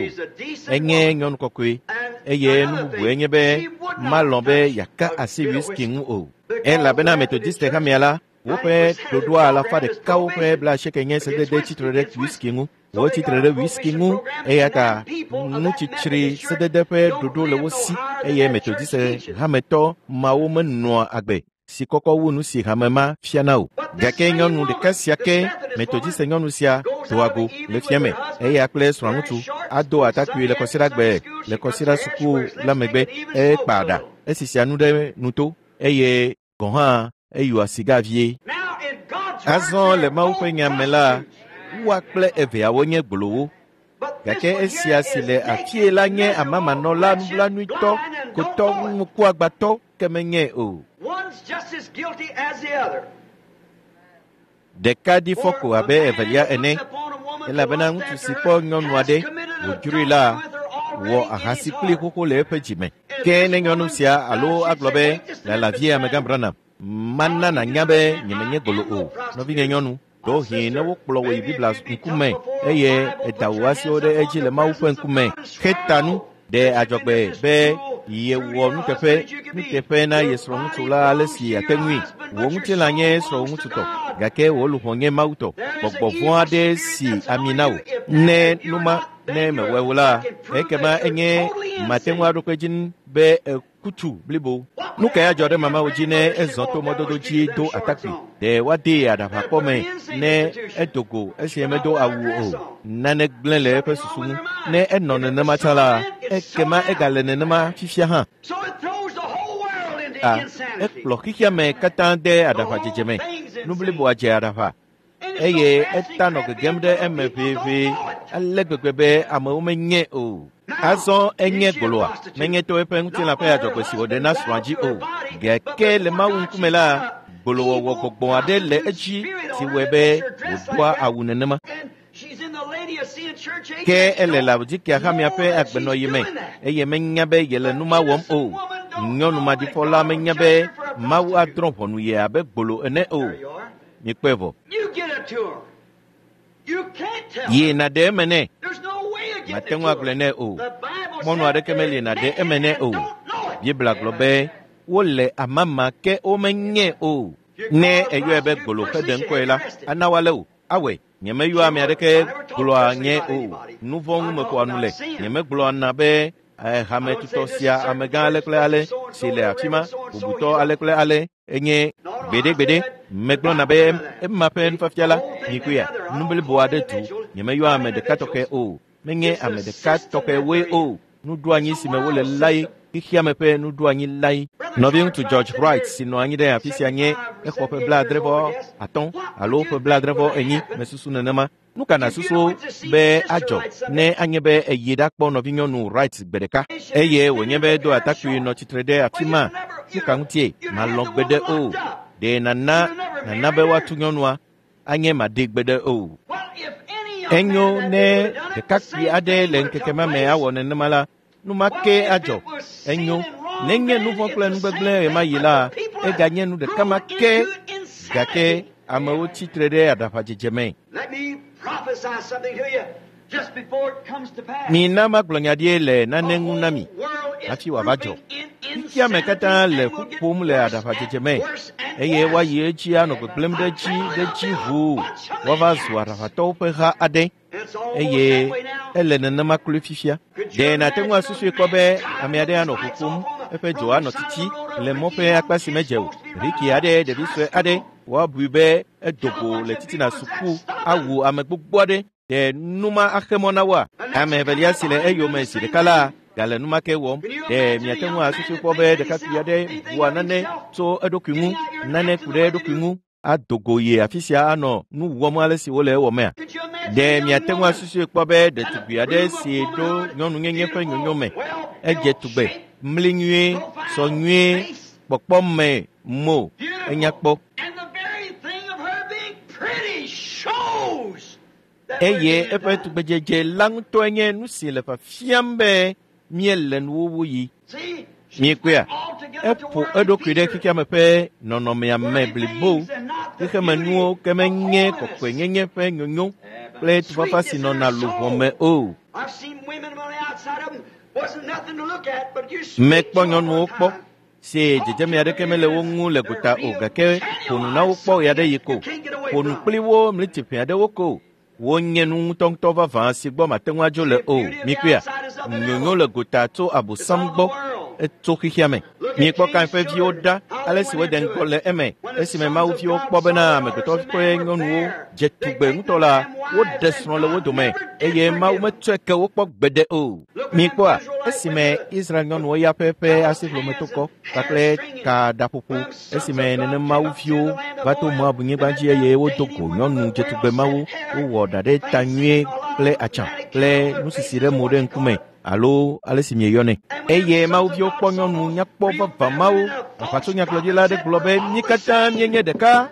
Enye nyɔnu kɔkɔe eye nu bubu enye be malɔ̃ be yeaka asi whisky ŋu o. Elabena Metodiste hamea la woƒe ɖoɖoa alafa ɖekawo ƒe blaasieke nye sedede tsitre ɖe whisky ŋu. Wotsitre ɖe whisky ŋu eya ta nutsitsri sedede ƒe ɖoɖo le wo si eye Metodiste hametɔ mawo menɔa agbe si kɔkɔ wu nu si hame ma fiana o. Gake nyɔnu ɖeka sia ke Metodiste nyɔnu sia doa go le fiame eya kple srɔ̃ŋutsu ado atakpui le kɔsiɖagbe le kɔsiɖa suku la megbe ekpa ɖa esisia nu ɖe nuto eye gɔ̃ hã eyɔa siga vie. Azɔ le Mawu ƒe nya me la, woa kple eveawo nye gbolowo. Gake esia si le afie la nye amamanɔla nublanuitɔ, kotɔ ŋkuagbãtɔ ke menye o. Ɖeka ɖi fɔ ko abe evelia ene, elabena ŋutsu si kpɔ nyɔnu aɖe wòdzroe la wɔ ahasi kpli xoxo le eƒe dzime. Ke ne nyɔnu sia alo agblɔ be lala vie amegã Branham, mana nànya be nyemenye gbolo o. Nɔvinye nyɔnu, ɖewohĩ ne wokplɔ wò yi Biblia ŋkume eye eda wò asiwo ɖe edzi le Mawu ƒe ŋkume heta nu ɖe adzɔgbe be yewɔ nuteƒe nuteƒe na ye srɔ̃ŋutsu la ale si yeate ŋui. Wò ŋutilã nye srɔ̃ŋutsu tɔ, gake wò luʋɔ nye Mawu tɔ. Gbɔgbɔ vɔ̃ aɖe si ami na wò. Ne nu ma ne mewɔe o la, ekema enye mate ŋu aɖo kpe edzi be kutu blibo. Nu kae adzɔ ɖe mamawo dzi ne ezɔ to mɔdodo dzi do atakpui? Ɖe woadee aɖaʋakpɔ me ne edo go esi medo awu o. Nane gblẽ le eƒe susu ŋu. Ne enɔ nenema tsã la, ekema egale nenema fifia hã. A, ekplɔ xexea me katã de aɖaʋadzedze me. Nu bliboa dze aɖaʋa eye eta nɔ gegem ɖe eme ʋeʋe ale gbegbe be amewo menye o. Azɔ enye gboloa, menye to eƒe ŋutilã ƒe adzɔgbe si wòɖe na srɔ̃a dzi o. Gake le Mawu ŋkume la, gbolowɔwɔ gbɔgbɔ aɖe le edzi si wɔe be wòdoa awu nenema. Ke ele Laodikea hamea ƒe agbenɔɣi me eye menya be yele nu ma wɔm o. Nyɔnu maɖifɔ la menya be Mawu adrɔ̃ ʋɔnu ye abe gbolo ene o. Mikpɔe vɔ. Yi nàɖe eme nɛ. Mate ŋu agblɔe nɛ o. Mɔnu aɖeke meli nàɖe eme nɛ o. Biblia gblɔ be wole amama ke womenye o. Ne eyɔe be gbolo heɖe ŋkɔe la, ana woalé wò. Awɔe. Nyemeyɔa ame aɖeke gblɔa nye o. Nu vɔ̃ ŋu meƒoa nu le. Nyemegblɔa na be hametutɔ sia amegã ale kple ale si le afi ma, bubutɔ ale kple ale enye gbeɖegbeɖe. Megblɔna be ema ƒe nufiafia la, mikpɔea, nu blibo aɖe du. Nyemeyɔa ame ɖeka tɔxɛ o. Menye ame ɖeka tɔxɛwoe o. Nuɖoanyi si me wole lae, xexeame ƒe nuɖoanyi lae. Nɔviŋutsu George Wright si nɔ anyi ɖe afi sia nye exɔ ƒe blaadre vɔ atɔ̃ alo ƒe blaadre vɔ enyi mesusu nenema. Nu ka nàsusu be adzɔ ne anye be eyi ɖakpɔ nɔvinyɔnu Wright gbe ɖeka eye wònye be do atakpui nɔ tsitre ɖe afi ma? Nu ka ŋutie malɔ̃ gbeɖe o? Ɖe nana nana be woatu nyɔnua anye maɖe gbeɖe o. Enyo ne ɖekakpui aɖe le ŋkeke ma me awɔ nenema la, nu ma ke adzɔ. Enyo nenye nu vɔ̃ kple nugbegblẽ ɣemaɣi la, eganye nu ɖeka ma ke gake amewo tsitre ɖe aɖaʋadzedze me. Mina magblɔ nya ɖi le nane ŋu na mi hafi wòava dzɔ. Xexea me katã le ƒu ƒom le aɖaʋadzedze me eye woayi edzi anɔ gbegblẽm ɖe edzi ɖe edzi ʋuu woava zu aɖaʋatɔwo ƒe ha aɖe. Eye ele nenema kloe fifia. Ɖe nàte ŋu asusui kpɔ be ame aɖe anɔ ƒoƒom, eƒe dzo anɔ tsitsi le mɔ ƒe akpa si medze o. Riki aɖe, ɖevi sue aɖe, woabui be edo go le titina suku awu ame gbogbo aɖe. Ɖe nu ma axe mɔ na woa? Ame evelia si le eyome zi ɖeka la gale nu ma ke wɔm. Ɖe miate ŋu asusui kpɔ be ɖekakpui aɖe bua nane tso eɖokui ŋu, nane ku ɖe eɖokui ŋu, ado go yi afi sia anɔ nu wɔm ale si wole ewɔmea? Ɖe miate ŋu asusui kpɔ be ɖetugbui aɖe si ɖo nyɔnunyenye ƒe nyonyo me, edze tugbe, mli nyuie, sɔ nyuie, kpɔkpɔ me mo, enya kpɔ. And the very thing of her being pretty shows that we're Eye in the eƒe end time. tugbedzedze la ŋutɔe nye nu si le fiafiam be míele nuwuwu yi. See, she's Miekpɔea? altogether to Eƒo worldly eɖokui ɖe features. xexeame ƒe nɔnɔmea me Worldly blibo. things and not the Xexemenuwo beauty ke of menye holiness. kɔkɔenyenye ƒe nyonyo kple tufafa si Sweetness in nɔna her luʋɔ soul. me o. I've seen women on the outside of them wasn't nothing to look at, but you speak Mekpɔ to 'em nyɔnuwo one kpɔ time. si dzedzeme aɖeke mele wo ŋu le gota o gake ƒo nu na wo kpɔ ɣe aɖe yi ko. Ƒo nu kpli wo mlitiƒe aɖewo ko. Wonye nu ŋutɔŋutɔ vavã si gbɔ mate ŋu adzo le The o. beauty of the Mikpɔea? outside is of the Nyonyo devil. le gota tso It's abosam all the gbɔ world. etso xexea me. Look at Miekpɔ Kain Cain's ƒe viwo children, ɖa how ale they si went wode into ŋgɔ it. le eme When the esime sons Mawu of viwo God kpɔ saw bena the amegbetɔ daughters of ƒe man were nyɔnuwo fair, dze they tugbe take ŋutɔ unto la, them woɖe wives, and srɔ̃ le wo God dome never did eye Mawu forgive them. metsɔe ke wo kpɔ gbeɖe o. Look at them Mikpɔa? Israelites with Esime the, Israel the nyɔnuwo ya ƒe ƒe palace asiƒlometokɔ hands and kpakple hair stringing. kaɖaƒoƒo When them sons esime of God nenem came Mawu up to viwo the land of va to Moab, Moab they nyigba met dzi them eye wodo dainty go women nyɔnu with dzetugbe well mawo set hair wowɔ ɖa and ɖe ta fancy nyuie and a lot kple of atsã magic kple on their nusisi faces ɖe and mo what ɖe you call ŋkume it. alo ale si mieyɔnɛ. And when them Eye sons Mawu of viwo God kpɔ saw nyɔnu those nyakpɔ real vavã fair mawo. women, a false Aʋatsonyagblɔɖila prophet aɖe said, gblɔ We're be all mí the katã same. míenye ɖeka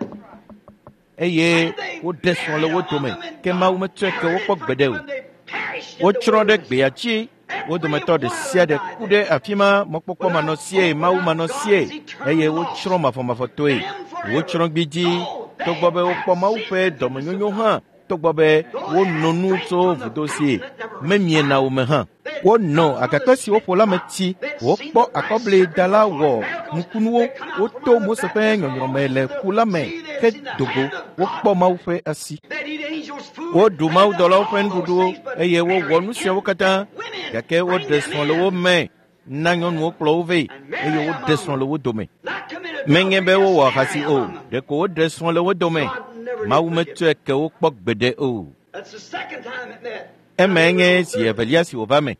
eye And they woɖe srɔ̃ le married wo among dome them, and ke Mawu God metsɔe ke never wo did kpɔ gbeɖe forgive o. them. They perished in the Wotsrɔ̃ ɖe wilderness. gbea dzi. Wo Every dometɔ one ɖe of sia them ɖe died ku there. ɖe afi ma mɔkpɔkpɔ Without manɔsie, hope, Mawu without manɔsie God's eternal eye law. wotsrɔ̃ mafɔmafɔtɔe. Them forever. Wotsrɔ̃ gbidzi Though they togbɔ be wokpɔ have Mawu seen ƒe the goodness of dɔmenyonyo God. hã, togbɔ be Though they wono had nu drank tso from the vudo si fountain that never memiena ran o me hã. They had Wonɔ come from the agakpe si woƒo la me spit rock. tsi, They had seen wokpɔ the brass akɔbli serpent da la perform wɔ miracles. nukunuwo, They come out from woto under the Mose ƒe baptism nyɔnyrɔme le of the ƒu la me sea. They had ke seen the do go, hand of God. wokpɔ Mawu ƒe asi. They'd eat angels' food. Woɖu They done mawudɔlawo ƒe all those nuɖuɖuwo things, but eye wowɔ married nu siawo in katã women. gake Bring woɖe them srɔ̃ le wo in me na nyɔnuwo kplɔ wo vɛ and eye marry woɖe among srɔ̃ le them. wo dome. Not commit Menye adultery, be just wowɔ marry ahasi o, among them. ɖeko woɖe srɔ̃ le wo dome. God never did Mawu forgive them. metsɔe ke wo kpɔ gbeɖe o. That's the second time it met. Now Emae here we nye go zi third. evelia si wòva me.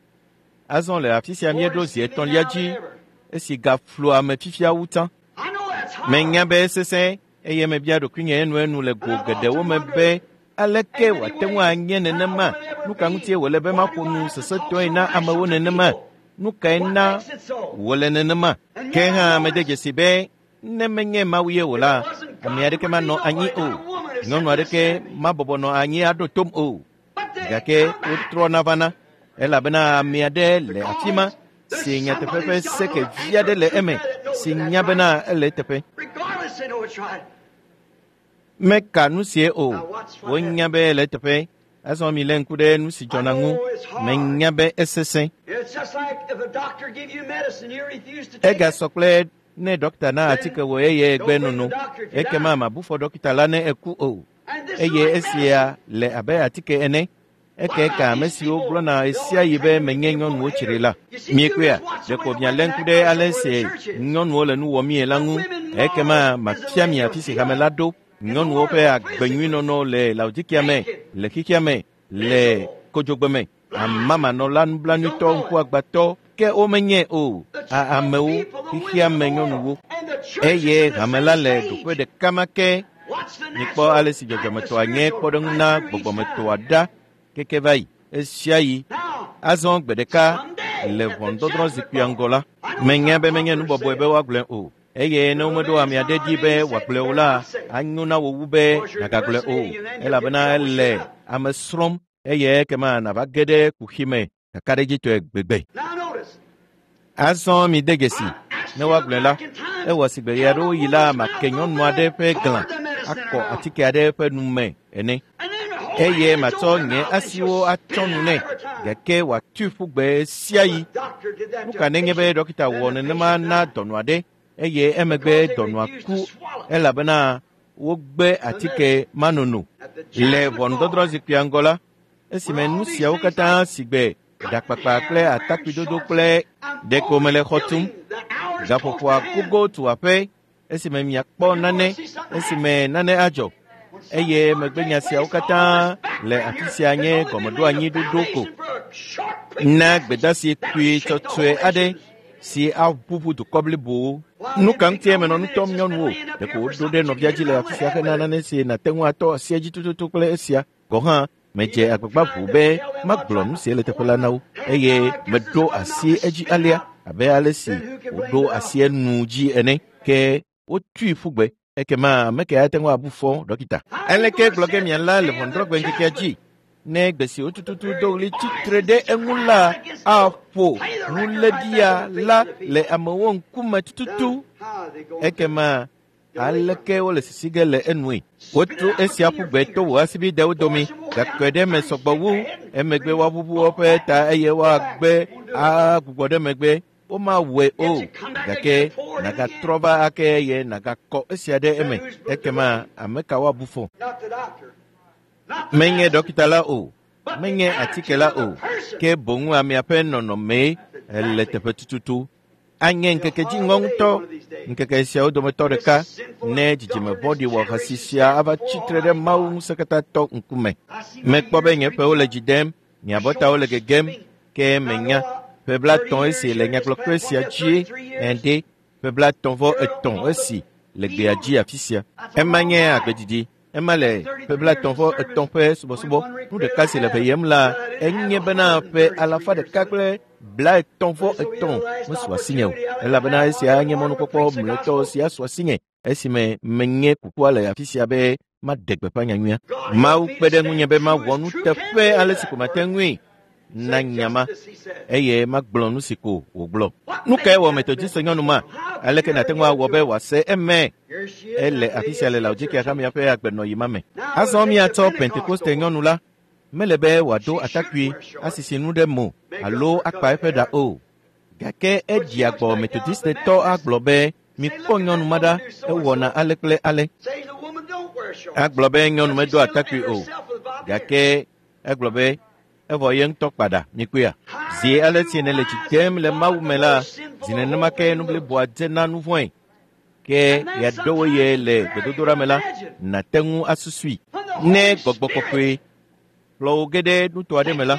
Azɔ le afi sia More míeɖo zi deceiving etɔ̃lia now dzi than ever. esi gaflu ame fifia wu tsã. I know that's Menya hard. be esesẽ eye mebia ɖokuinye enuenu le go And I've geɖewo often me wondered be aleke in many wòate ŋu ways anye how nenema? will it ever Nu ka be? ŋutie wòle be Why maƒo do I nu have to talk sesẽtɔe so na rational amewo to nenema? people? Nu kae What na makes it so? wòle nenema? And Ke yet I hã mede notice dzesi be ne menye Mawu ye o if la, it wasn't ame God, there aɖeke would be manɔ anyi nobody, o. not a woman Nyɔnu except to aɖeke stand me. mabɔbɔ nɔ anyi aɖo tom o. But they Gake come back wotrɔna vana elabena ame aɖe le afi ma because there's si nyateƒe somebody ƒe who's got a seke little vi anchor aɖe of le truth eme there that knows si that that's nya right. bena ele eteƒe. Regardless, they know it's right. Meka nu sie o. Now watch what Wonya happens. be ele eteƒe. Azɔ milé ŋku ɖe nu si I dzɔna ŋu. know it's hard. Menya be esesẽ. It's just like if a doctor give you medicine, you refuse to take it. Egasɔ kple ne dɔkita na Then atike wò eye egbe don't blame the nono. doctor if you Ekema die. mabu fɔ dɔkita la ne eku o. And this is Eye like esia medicine. le abe atike ene. What Eke about ka ame these siwo people? gblɔna They ɣesia always ɣi be claim to be menye people nyɔnuwo tsri haters. la. You see, you Miekpɔea? just watch the Ɖeko way the mialé women ŋku act ɖe worse ale than where the si church is. nyɔnuwo le nu wɔmie la The ŋu. women Ekema model is the mafia mi afi si hame Laodicea la ɖo. in the Nyɔnuwo ƒe world, physically, agbenyuinɔnɔ le Laodikea me, naked, le xexea me, le miserable, kodzogbe me. blind, Amamanɔla don't nublanuitɔ, know it. ŋkuagbãtɔ, ke womenye o. The A twelve amewo, people, the xexea women of me the world, nyɔnuwo. and the church is Eye in the hame same la le ɖoƒe stage. ɖeka ma ke. Watch the Mikpɔ natural ale si like the dzɔdzɔmetɔa nye spiritual kpɔɖeŋu right na through each gbɔgbɔmetɔa time. ɖa keke va yi. Esia yi. Now, Azɔ gbe ɖeka someday le at the ʋɔnudɔdrɔ̃ judgment zikpuia bar, ŋgɔ la, I know it's menya not be menye nu popular to bɔbɔe say be it. woagblɔe o. Eye ne If a womeɖo man's ame not aɖe dzi ordained, be he said, wòagblɔe you o better la, not say it. anyo na wò wu be Because you're nàgagblɔe o. impersonating and then you'll get Elabena trouble sure ele enough. ame srɔ̃m eye ekema nàva ge ɖe kuxi me kakaɖedzitɔe gbegbe. Now notice, Azɔ mide dzesi. I asked Ne you to woagblɔe la, back in time, ewɔ sigbe ɣe can a aɖewo yi la woman's mouth make nyɔnu open aɖe up ƒe glã pour the medicine in akɔ her mouth? atike aɖe ƒe nu me ene. And then hold her Eye hands matsɔ over her nye mouth and she'll asiwo spit atsɔ it nu out nɛ every time. gake wòatui ƒu gbe ɣe sia Well, ɣi. the doctor did that Nu to ka a nenye be patient, dɔkita then wɔ the nenema patient na died dɔnɔ aɖe eye emegbe because they dɔnɔa refused ku to swallow elabena wogbe the atike medicine. manono. At the Le judgment ʋɔnudɔdrɔ̃ bar, zikpuia ŋgɔ la, Esime nu siawo katã si gbe ɖakpakpa kple atakpuidodo kple ɖeko mele xɔ tum. Gaƒoƒoa gogo tu aƒe esime miakpɔ nane esime nane adzɔ. Eye megbenya siawo katã le afi sia nye gɔmeɖoanyi ɖoɖo ko na gbedasi kpui tsɔtsɔe aɖe si aʋuʋu dukɔ blibowo. Nu ka ŋutie menɔ nu tɔm nyɔnuwo? Ɖeko woɖo ɖe nɔvia dzi le afi sia hena nane si nàte ŋu atɔ asi edzi tututu kple esia. Gɔ̃ hã medze agbagba ʋu be magblɔ nu si le teƒe la na wo eye meɖo asi edzi alea abe ale si woɖo asi enu dzi ene. Ke wotui ƒu gbe. Ekema ame ke ate ŋu abu fɔ dɔkita. Aleke gblɔ ge miala le ʋɔnudrɔ̃gbe ŋkekea dzi ne gbe si wotututu do ɣli tsitre ɖe eŋu la aƒo nuléɖia la le amewo ŋkume tututu. Ekema aleke wole sisi ge le enue? Wotu esia ƒu gbe to wò asibidewo dome gakpe ɖe eme sɔgbɔ wu. Emegbe woaʋuʋu woƒe ta eye woagbe agbugbɔ ɖe megbe. Womawɔe o gake nàgatrɔ va ake eye nàgakɔ esia ɖe eme. Ekema ame ka woabu fɔ? Menye dɔkita la o, menye atike la o, ke boŋ amea ƒe nɔnɔmee le teƒe tututu. Anye ŋkeke dziŋɔ ŋutɔ, ŋkeke siawo dometɔ ɖeka ne dzidzime vɔ̃ɖi wɔ hasi sia ava tsitre ɖe Mawu ŋusẽkatãtɔ ŋkume. Mekpɔ be nye ƒewo le dzi dem, nye abɔtawo le gegem, ke menya ƒe blaetɔ̃ esi le nyagblɔkpe sia dzi ende, ƒe blaetɔ̃ vɔ etɔ̃ esi le gbea dzi afi sia. Ema nye agbedidi. Ema le ƒe blaetɔ̃ vɔ etɔ̃ ƒe subɔsubɔ. Nu ɖeka si le ʋeyem la enye bena ƒe alafa ɖeka kple blaetɔ̃ vɔ etɔ̃ mesu asinye o, elabena esia nye mɔnukpɔkpɔ mlɔetɔ si asu asinye esime menye kukua le afi sia be maɖe gbeƒã nyanyuia. Mawu kpe ɖe ŋunye be mawɔ nuteƒe ale si ko mate ŋui na nyama eye magblɔ nu si ko wògblɔ. Nu kae wɔ Metodist nyɔnu ma? Aleke nàte ŋu awɔ be wòase eme? Ele afi sia le Laodikea hamea ƒe agbenɔyi ma me. Azɔ míatsɔ Pentekoste nyɔnu la. Mele be wòado atakpui asisi nu ɖe mo alo akpa eƒe ɖa o. Gake eɖia gbɔ Metodistetɔ agblɔ be mikpɔ nyɔnu ma ɖa, ewɔna ale kple ale. Agblɔ be nyɔnu medo atakpui o. Gake egblɔ be evɔ ye ŋutɔ kpa ɖa, mikpɔea? Zi ale si nèle dzi dem le Mawu me la, zi nenema ke nu bliboa dzena nu vɔ̃e. Ke ɣeaɖewo ye le gbedodoɖa me la, nàte ŋu asusui. Ne gbɔgbɔ kɔkɔe kplɔ wò ge ɖe nuto aɖe me la,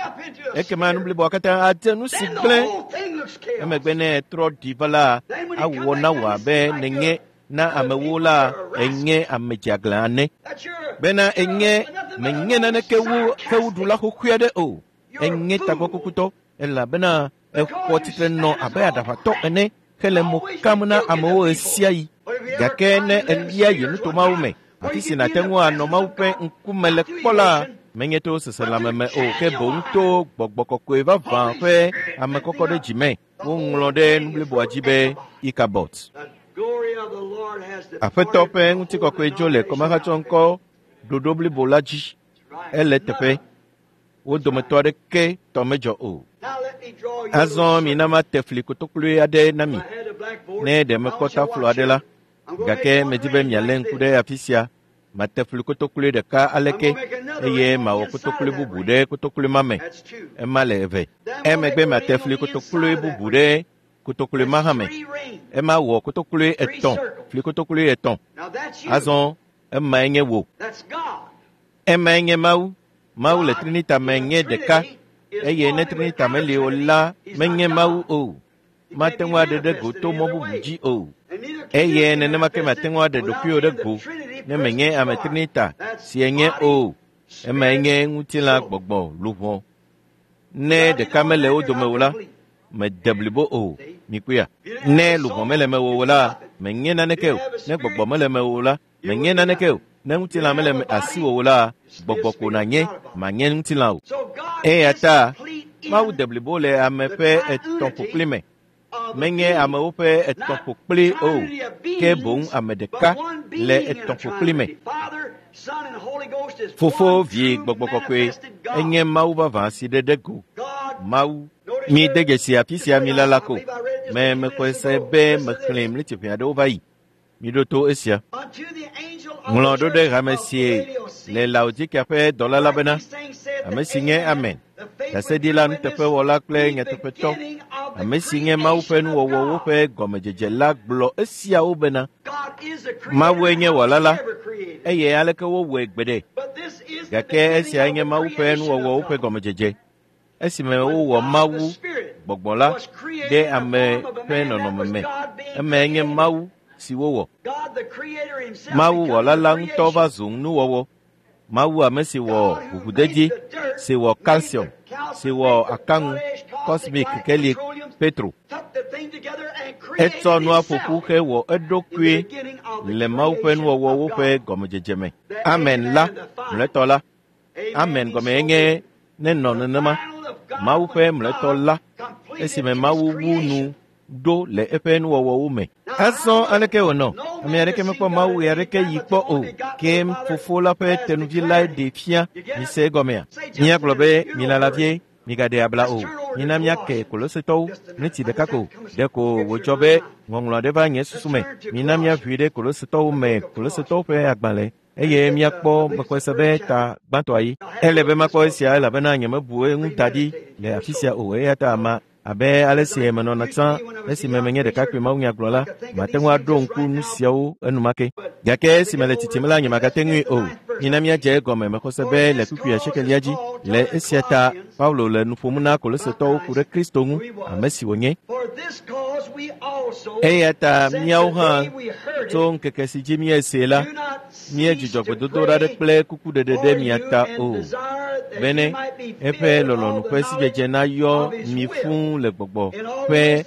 ekema nu bliboa katã adze nu si gblẽ. Emegbe ne etrɔ ɖi va la, awɔ na wò abe nènye na amewo la enye ame dzeaglã ene. Bena enye menye naneke wu xewuɖula xoxoe aɖe o. Enye tagbɔkukutɔ elabena exɔ tsitre nɔ abe aɖaʋatɔ ene hele mo kam na amewo ɣesiaɣi. Gake ne elia yi nuto mawo me, afi si nàte ŋu anɔ Mawu ƒe ŋkume le kpɔ la, menye to seselãme me o, ke boŋ to gbɔgbɔ kɔkɔe vavã ƒe ame kɔkɔ ɖe dzi me. Woŋlɔ ɖe nu bliboa dzi be Ikabot. Aƒetɔ ƒe ŋutikɔkɔe dzo le kɔmahatsɔŋkɔ ɖoɖo blibo la dzi. Ele teƒe. Wo dometɔ aɖeke tɔ medzɔ o. Azɔ mina mate fli kotokloe aɖe na mi. Ne ɖe mekpɔ taflo aɖe la, gake medi be mialé ŋku ɖe afi sia. Mate fli kotokloe ɖeka aleke eye mawɔ kotokloe bubu ɖe kotokloe ma me. Ema le eve. Emegbe mate fli kotokloe bubu ɖe kotokloe ma hã me. Ema wɔ kotokloe etɔ̃, fli kotokloe etɔ̃. Azɔ emae nye wò. Emae nye Mawu. Mawu le Trinita me nye ɖeka eye ne Trinita meli o la menye Mawu o. Mate ŋu aɖe ɖe go to mɔ bubu dzi o. Eye nenema ke mate ŋu aɖe ɖokuiwò ɖe go ne menye ame Trinita si enye o. Emae nye ŋutilã gbɔgbɔ luʋɔ. Ne ɖeka mele wo dome o la, mede blibo o. Mikpɔea? Ne luʋɔ mele mewò o la, menye naneke o. Ne gbɔgbɔ mele mewò o la, menye naneke o. Ne ŋutilã mele asiwò o la, gbɔgbɔ ko nànye, manye ŋutilã o. Eya ta Mawu de blibo le ame ƒe etɔ̃ ƒokpli me. Menye amewo ƒe etɔ̃ ƒokpli o, ke boŋ ame ɖeka le etɔ̃ ƒokpli me. Fofo, Vi, Gbɔgbɔ Kɔkɔe enye Mawu vavã si ɖe ɖe go. Mawu. Mi de dzesi afi sia mi lala ko. Me mexɔe se be mexlẽ mletiʋe aɖewo va yi. Miɖo to esia. Ŋlɔ ɖo ɖe hame si le Laodikea ƒe dɔla la bena, ame si nye Amen, ɖaseɖila nuteƒewɔla kple nyateƒetɔ, ame si nye Mawu ƒe nuwɔwɔwo ƒe gɔmedzedze la gblɔ esiawo bena, Mawue nye wɔla la, eye aleke wowɔe gbeɖe. Gake esiae nye Mawu ƒe nuwɔwɔwo ƒe gɔmedzedze. Esime wowɔ Mawu, gbɔgbɔ la, ɖe ame ƒe nɔnɔme me. Emae nye Mawu si wowɔ. Mawu wɔla la ŋutɔ va zu nuwɔwɔ. Mawu ame si wɔ ʋuʋudedi, si wɔ calcium, si wɔ akaŋu, cosmic kekeli, petro. Etsɔ nua ƒo ƒu hewɔ eɖokui le Mawu ƒe nuwɔwɔwo ƒe gɔmedzedze me. Amen la, mlɔetɔ la. Amen gɔmee nye nenɔ nenema. Mawu ƒe mlɔetɔ la, esime Mawu wu nu ɖo le eƒe nuwɔwɔwo me. Azɔ aleke wònɔ? Ame aɖeke mekpɔ Mawu ɣe aɖeke yi kpɔ o. Ke Fofo la ƒe tenuvi lae ɖee fia. Mise egɔmea? Míagblɔ be milala vie, migaɖe abla o. Mina míake Kolosetɔwo ɣleti ɖeka ko. Ɖeko wòdzɔ be ŋɔŋlɔ aɖe va nye susu me. Mina míaʋui ɖe Kolosetɔwo me, Kolosetɔwo ƒe agbalẽ, eye míakpɔ mexɔe be ta gbãtɔa yi. Ele be makpɔ esia elabena nyemebu eŋu da ɖi le afi sia o eya ta ma abe ale si menɔna tsã esime menye ɖekakpui mawunyagblɔla, mate ŋu aɖo ŋku nu siawo enumake. Gake esime le tsitsim la, nyemagate ŋui o. Mina míadze egɔme mexɔse be le kpukpui asiekelia dzi. Le esia ta, Paulo le nu ƒom na Kolosetɔwo ku ɖe Kristo ŋu, ame si wònye. Eya ta míawo hã tso ŋkeke si dzi míesee la, míedzudzɔ gbedodoɖa ɖe kple kukuɖeɖe ɖe mia ta o, bene eƒe lɔlɔ̃nu ƒe sidzedze nayɔ mi fũu le gbɔgbɔ ƒe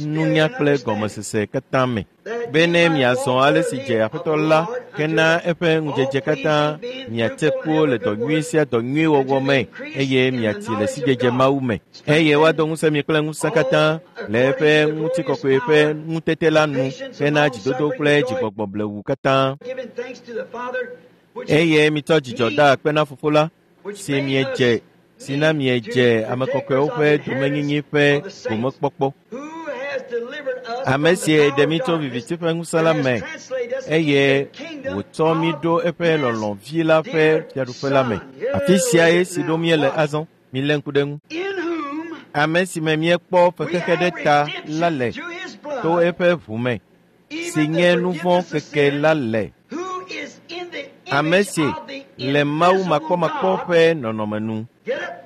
nunya kple gɔmesese katã me, bene miazɔ ale si dze Aƒetɔ la hena eƒe ŋudzedze katã, miatse ku le dɔ nyui sia dɔ nyui wɔwɔ me, eye miatsi le sidzedze Mawu me, eye woado ŋusẽ mi kple ŋusẽ katã le eƒe ŋutikɔkɔe ƒe ŋutete la nu hena dzidodo kple dzigbɔgbɔ blewu katã. Eye mitsɔ dzidzɔ da akpe na Fofo la, si miedze si na miedze ame kɔkɔewo ƒe domenyinyi ƒe gomekpɔkpɔ. Ame si ɖe mí tso viviti ƒe ŋusẽ la me, eye wòtsɔ mí ɖo eƒe lɔlɔ̃vi la ƒe fiaɖuƒe la me. Afi siae si ɖo míele azɔ. Milé ŋku ɖe eŋu. Ame si me míekpɔ fexexe ɖe ta la le to eƒe ʋu me, si nye nu vɔ̃ keke la le. Ame si le Mawu makpɔmakpɔ ƒe nɔnɔme nu.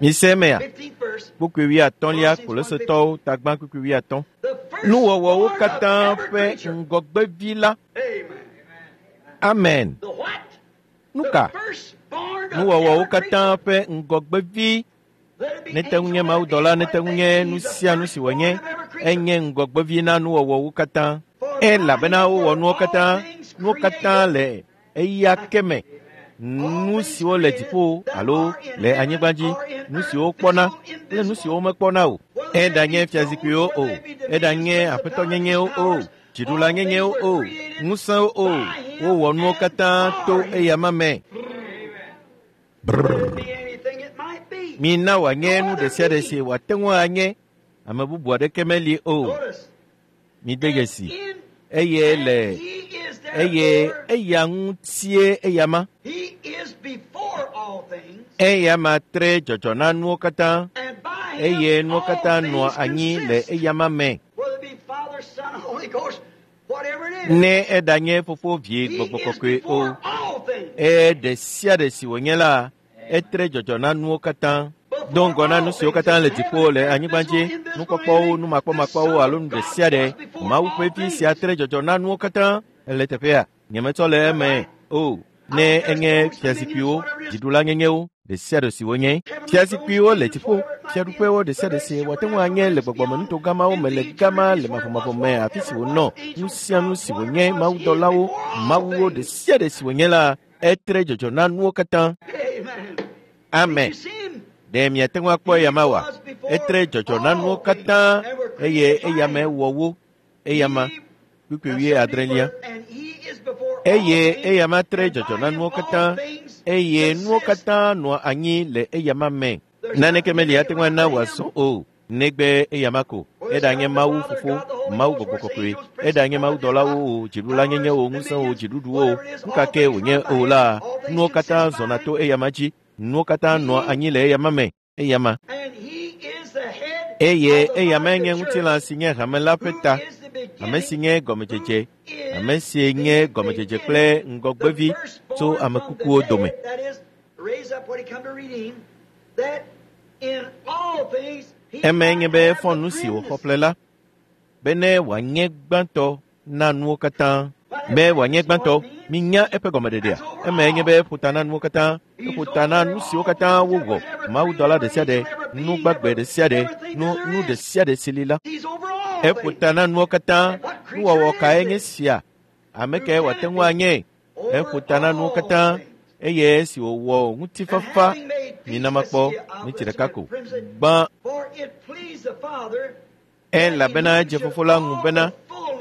Mise emea? Kpukpui wuiatɔ̃lia Kolosetɔwo tagbã kpukpui wuiatɔ̃. Nuwɔwɔwo katã ƒe ŋgɔgbevi la. Amen. Nuka? Nuwɔwɔwo katã ƒe ŋgɔgbevi. Nete ŋu nye mawudɔla, nete ŋu nye nu sia nu si wònye, enye ŋgɔgbevi na nuwɔwɔwo katã. Elabena wowɔ nuwo katã, nuwo katã le eya ke me. Nu siwo le dziƒo alo le anyigba dzi, nu siwo wokpɔna kple nu siwo womekpɔna o. Eɖanye fiazikpuiwo o, eɖanye aƒetɔnyenyewo o, dziɖulanyenyewo o, ŋusẽwo o, wowɔ nuwo katã to eyama me. Brrr. Mina wòanye nu ɖe sia ɖe si wòate ŋu anye, ame bubu aɖeke meli o. Mide dzesi. Eye le eye eya ŋutie eyama. Eyama tre dzɔdzɔ na nuwo katã, eye nuwo katã nɔa anyi le eyama me. Ne eɖanye Fofo, Vie, Gbɔgbɔ Kɔkɔe o, eye ɖe sia ɖe si wònye la, etre dzɔdzɔ na nuwo katã. Do ŋgɔ na nu siwo katã le dziƒo le anyigba dzi, nukpɔkpɔwo, numakpɔmakpɔwo alo nu ɖe sia ɖe, Mawu ƒe vi sia tre dzɔdzɔ na nuwo katã. Ele teƒea, nyemetsɔ le eme o. Ne enye fiazikpuiwo, dziɖulanyenyewo, ɖe sia ɖe si wonye. Fiazikpuiwo le dziƒo, fiaɖuƒewo ɖe sia ɖe si wòate ŋu anye le gbɔgbɔmenuto gamawo me le gama le mavɔmavɔ me afi si wònɔ, nu sia nu si wònye, mawudɔlawo, mawuwo ɖe sia ɖe si wònye la, etre dzɔdzɔ na nuwo katã. Amen. Ɖe miate ŋu akpɔ eyama oa? Etre dzɔdzɔ na nuwo katã eye eyame wɔ wo. Eyama kpukpui wuiadrelia. Eye eyama tre dzɔdzɔ na nuwo katã eye nuwo katã nɔa anyi le eyama me. Naneke meli ate ŋu ana wòazɔ o, negbe eyama ko. Eɖanye Mawu Fofo, Mawu Gbɔgbɔ Kɔkɔe, eɖanye mawudɔlawo o, dziɖulanyenyewo, ŋusẽwo, dziɖuɖuwo, nu ka ke wònye o la, nuwo katã zɔna to eyama dzi. Nuwo katã nɔa anyi le eyama me, eyama. Eye eyamae nye ŋutilã si nye hame la ƒe ta, ame si nye gɔmedzedze, ame si nye gɔmedzedze kple ŋgɔgbevi tso ame kukuwo dome. Emae nye be efɔ nu si wòxɔ ƒle la, bene wòanye gbãtɔ na nuwo katã. Be wòanye gbãtɔ, minya eƒe gɔmeɖeɖea. Emae nye be eƒo ta na nuwo katã, eƒo ta na nu siwo katã wowɔ, mawudɔla ɖe sia ɖe, nu gbagbe ɖe sia ɖe, nu nu ɖe sia ɖe si li la. Eƒo ta na nuwo katã, nuwɔwɔ kae nye sia? Ame kae wòate ŋu anye? Eƒo ta na nuwo katã, eye esi wòwɔ ŋutifafa, mina makpɔ minti ɖeka ko. Gbã, elabena edze fofo la ŋu bena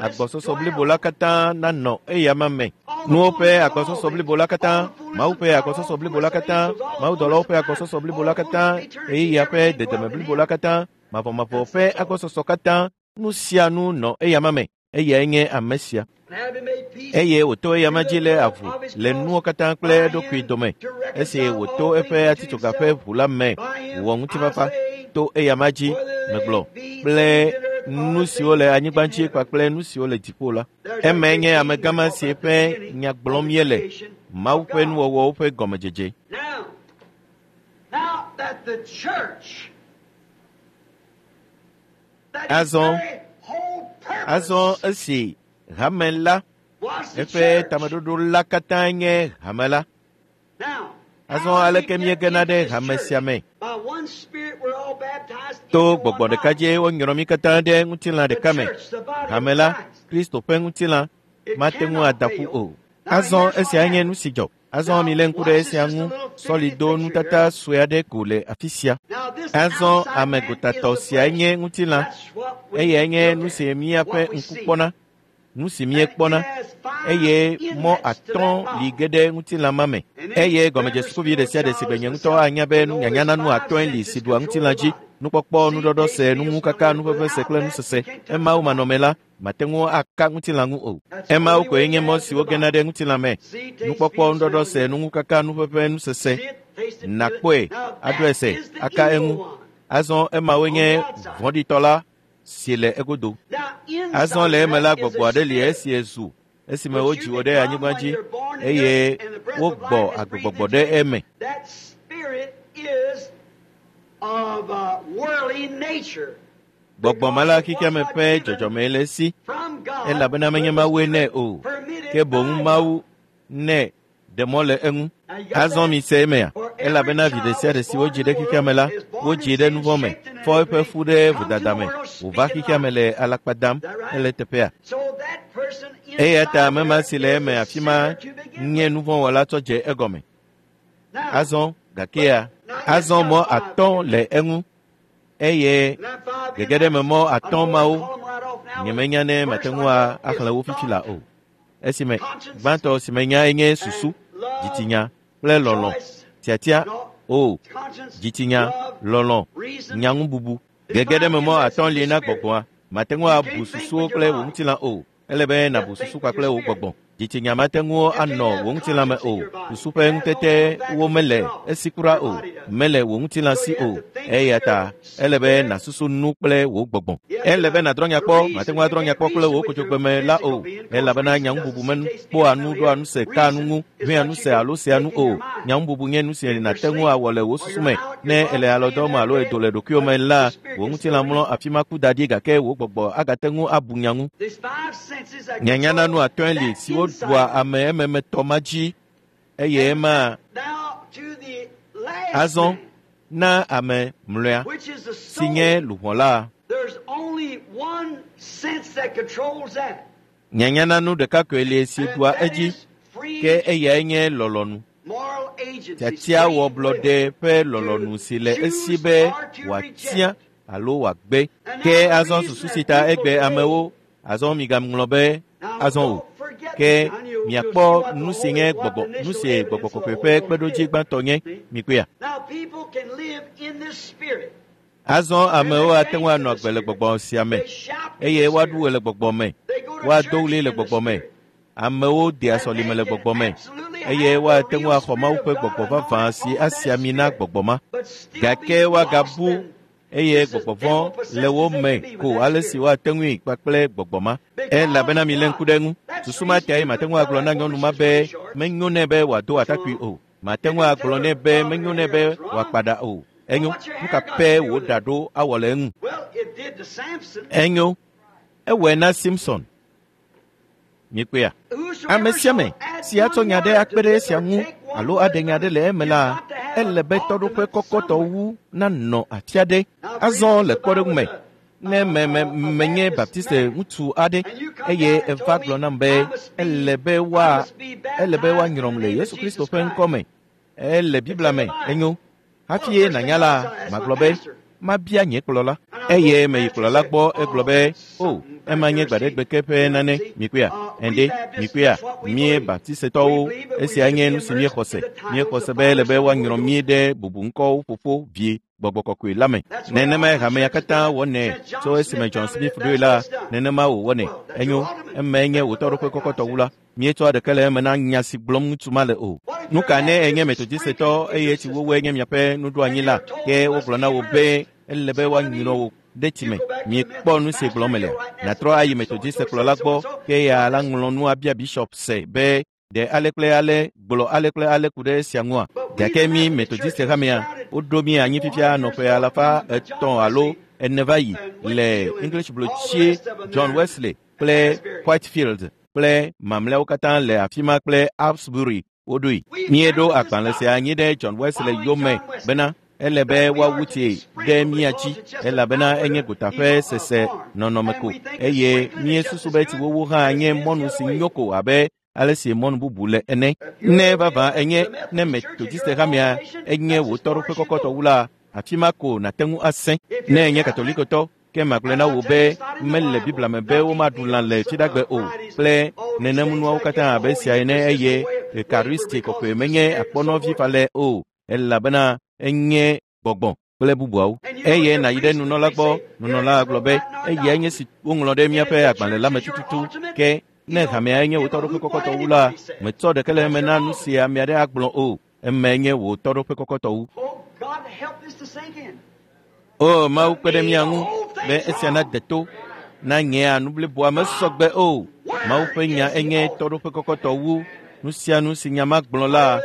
agbɔsɔsɔ blibo la katã nanɔ eyama me. Nuwo ƒe agbɔsɔsɔ blibo la katã, Mawu ƒe agbɔsɔsɔ blibo la katã, mawudɔlawo ƒe agbɔsɔsɔ blibo la katã, ɣeyiɣia ƒe dedeme blibo la katã, mavɔmavɔ ƒe agbɔsɔsɔ katã, nu sia nu nɔ eyama me. Eyae nye ame sia. Eye wòto eyama dzi le avu le nuwo katã kple eɖokui dome. Esi wòto eƒe atitsoga ƒe ʋu la me wòwɔ ŋutifafa to eyama dzi, megblɔ, kple nu siwo le anyigba dzi kpakple nu siwo le dziƒo la. Emae nye amegã ma si ƒe nya gblɔm míele, Mawu ƒe nuwɔwɔwo ƒe gɔmedzedze. Azɔ, azɔ esi hame la, eƒe tameɖoɖo la katã nye hame la. Azɔ aleke míegena ɖe hame sia me? To gbɔgbɔ ɖeka dzie wonyrɔ mí katã ɖe ŋutilã ɖeka me. Hame la, Kristo ƒe ŋutilã, mate ŋu ada ƒu o. Azɔ esia nye nu si dzɔ. Azɔ milé ŋku ɖe esia ŋu. Sɔli do nutata sue aɖe ko le afi sia. Azɔ ame gotatɔ siae nye ŋutilã. Eyae nye nu si míaƒe ŋku kpɔna, nu si míekpɔna, eye mɔ atɔ̃ li ge ɖe ŋutilã ma me. Eye gɔmedzesukuvi ɖe sia ɖe si gbe nye ŋutɔ anya be nunyanya na nu atɔ̃e li si ɖua ŋutilã dzi: nukpɔkpɔ, nuɖɔɖɔse, nuŋukaka, nuʋeʋẽse kple nusese. Emawo manɔme la, mate ŋu aka ŋutilã ŋu o. Emawo koe nye mɔ siwo gena ɖe ŋutilã me: nukpɔkpɔ, nuɖɔɖɔse, nuŋukaka, nuʋeʋẽ, nusese. Nàkpɔe, aɖɔe se, aka eŋu. Azɔ emawoe nye vɔ̃ɖitɔ la si le egodo. Azɔ le eme la, gbɔgbɔ aɖe li esi ezu esime wodzi wò ɖe anyigba dzi eye wogbɔ agbegbɔgbɔ ɖe eme. Gbɔgbɔ ma la xexeame ƒe dzɔdzɔme le esi, elabena menye Mawue nɛ o, ke boŋ Mawu nɛ ɖe mɔ le eŋu. Azɔ mise emea, elabena vi ɖe sia ɖe si wodzi ɖe xexeame la, wodzi ɖe nuvɔ̃ me, fɔ eƒe fu ɖe vodada me, wòva xexeame le alakpa dam ele teƒea. Eya ta ame ma si le eme afi ma nye nuvɔ̃wɔla tsɔ dze egɔme. Azɔ gakea, azɔ mɔ atɔ̃ le eŋu, eye gege ɖe me mɔ atɔ̃ mawo nyemenya ne mate ŋu axlẽ wo fifi la o. Esime gbãtɔ si menyae nye susu, dzitsinya kple lɔlɔ̃. Tiatia, o, dzitsinya, lɔlɔ̃, nyaŋububu. Gege ɖe me mɔ atɔ̃ li na gbɔgbɔa. Mate ŋu abu susuwo kple wò ŋutilã o. Ele be nàbu susu kpakple wò gbɔgbɔ. Dzitsinya mate ŋu anɔ wò ŋutilã me o. Susu ƒe ŋutetewo mele esi kura o. Mele wò ŋutilã si o. Eya ta ele be nàsusu nu kple wò gbɔgbɔ. Ele be nàdrɔ̃ nya kpɔ. Mate ŋu adrɔ̃ nya kpɔ kple wò kodzogbe la o. Elabena nyaŋububu mekpɔa nu, ɖoa nu se, kaa nu ŋu, ʋẽa nu se alo sea nu o. Nyaŋububu nye nu si nàte ŋu awɔ le wò susu me. Ne èle alɔdɔm alo èdo le ɖokuiwò me la, wò ŋutilã mlɔ afi ma ku da ɖi gake wò gbɔgbɔ agate ŋu abu nya ŋu. Nyanya na nu atɔ̃e li siwo ɖua ame ememetɔ ma dzi eye ema azɔ na ame mlɔea si nye luʋɔ la. Nyanya na nu ɖeka koe li si ɖua edzi, ke eyae nye lɔlɔ̃nu. Tiatiawɔblɔɖe ƒe lɔlɔ̃nu si le esi be wòatia alo wòagbe. Ke azɔ susu si ta egbe amewo azɔ migaŋlɔ be azɔ o. Ke miakpɔ nu si nye gbɔgbɔ, nu si gbɔgbɔ kɔkɔe ƒe kpeɖodzi gbãtɔ nye, mikpɔea. Azɔ amewo ate ŋu anɔ agbe le gbɔgbɔ sia me, eye woaɖu ɣe le gbɔgbɔ me, woado ɣli le gbɔgbɔ me. Amewo dea sɔlime le gbɔgbɔ me, eye woate ŋu axɔ Mawu ƒe gbɔgbɔ vavã si asi ami na gbɔgbɔ ma. Gake woagabu eye gbɔgbɔ vɔ̃ le wo me ko ale si woate ŋui kpakple gbɔgbɔ ma. Elabena milé ŋku ɖe eŋu. Susu ma tae mate ŋu agblɔ na nyɔnu ma be menyo nɛ be wòado atakpui o. Mate ŋu agblɔ nɛ be menyo nɛ be wòakpa ɖa o. Enyo, nu ka pɛ wòɖa ɖo awɔ le eŋu? Enyo, ewɔe na Simpson. Mikpɔea? Ame sia ame si atsɔ nya ɖe akpe ɖe esia ŋu alo aɖe nya ɖe le eme la, ele be tɔɖoƒe kɔkɔtɔ wu nanɔ afi aɖe. Azɔ le kpɔɖeŋu me, ne me me menye Baptiste ŋutsu aɖe eye eva gblɔ nam be ele be woa ele be woanyrɔm le Yesu Kristo ƒe ŋkɔ me, ele Biblia me, enyo. Hafi ye nànya la, magblɔ be mabia nye kplɔla. Eye meyi kplɔla gbɔ egblɔ be, o, ema nye gbaɖegbe ke ƒe nane, mikpɔea? Ende, mikpɔea? Mí Baptistetɔwo, esia nye nu si míexɔ se. Míexɔ se be ele be woanyrɔ mí ɖe bubuŋkɔwo ƒoƒo vie gbɔgbɔ kɔkɔe la me. Nenemae hamea katã wɔnɛ tso esime John Smith ɖoe la, nenema wòwɔnɛ. Enyo, emae nye wò tɔɖoƒe kɔkɔtɔ wu la. Míetsɔa ɖeke le eme na nya si gblɔm ŋutsu ma le o. Nu ka ne enye Metodistetɔ eye tsi wowoe nye miaƒe nuɖoanyi la, ke wogblɔ na wò be ele be woanyrɔ wò ɖe tsi me. Miekpɔ nu si gblɔm melea? Nàtrɔ ayi Metodiste kplɔla gbɔ ke ya la ŋlɔ nu abia bishop se be ɖe ale kple ale gblɔ ale kple ale ku ɖe esia ŋua. Gake mí Metodiste hamea, woɖo mí anyi fifia nɔƒe alafa etɔ̃ alo ene va yi le English blotsie John Wesley kple Whitefield kple mamlɛawo katã le afi ma kple Asbury woɖoe. Míeɖo agbalẽ sia anyi ɖe John Wesley yome bena ele be woawu tsi ɖe mía dzi elabena enye gota ƒe sese nɔnɔme ko eye míesusu be tsiwowo hã nye mɔnu si nyo ko abe ale si mɔnu bubu le ene. Ne vavã enye ne Metodiste hamea enye wò tɔɖoƒe kɔkɔtɔ wu la, afi ma ko nàte ŋu asẽ. Ne enye Katolikotɔ, ke magblɔe na wò be mele Biblia me be womaɖu lã le Fiɖagbe o kple nenemunuawo katã abe esia ene eye Ekaristi kɔkɔe menye akpɔnɔvi falɛ o elabena enye gbɔgbɔ kple bubuawo. Eye nàyi ɖe nunɔla gbɔ, nunɔla gblɔ be eyae nye si woŋlɔ ɖe míaƒe agbalẽ la me tututu ke ne hamea nye wò tɔɖoƒe kɔkɔtɔ wu la, metsɔ ɖeke le eme na nu si ame aɖe agblɔ o, emae nye wò tɔɖoƒe kɔkɔtɔ wu. O Mawu kpe ɖe mía ŋu be esia nade to na nyea nu bliboa mesɔgbe o. Mawu ƒe nya enye tɔɖoƒe kɔkɔtɔ wu nu sia nu si nya ma gblɔ la,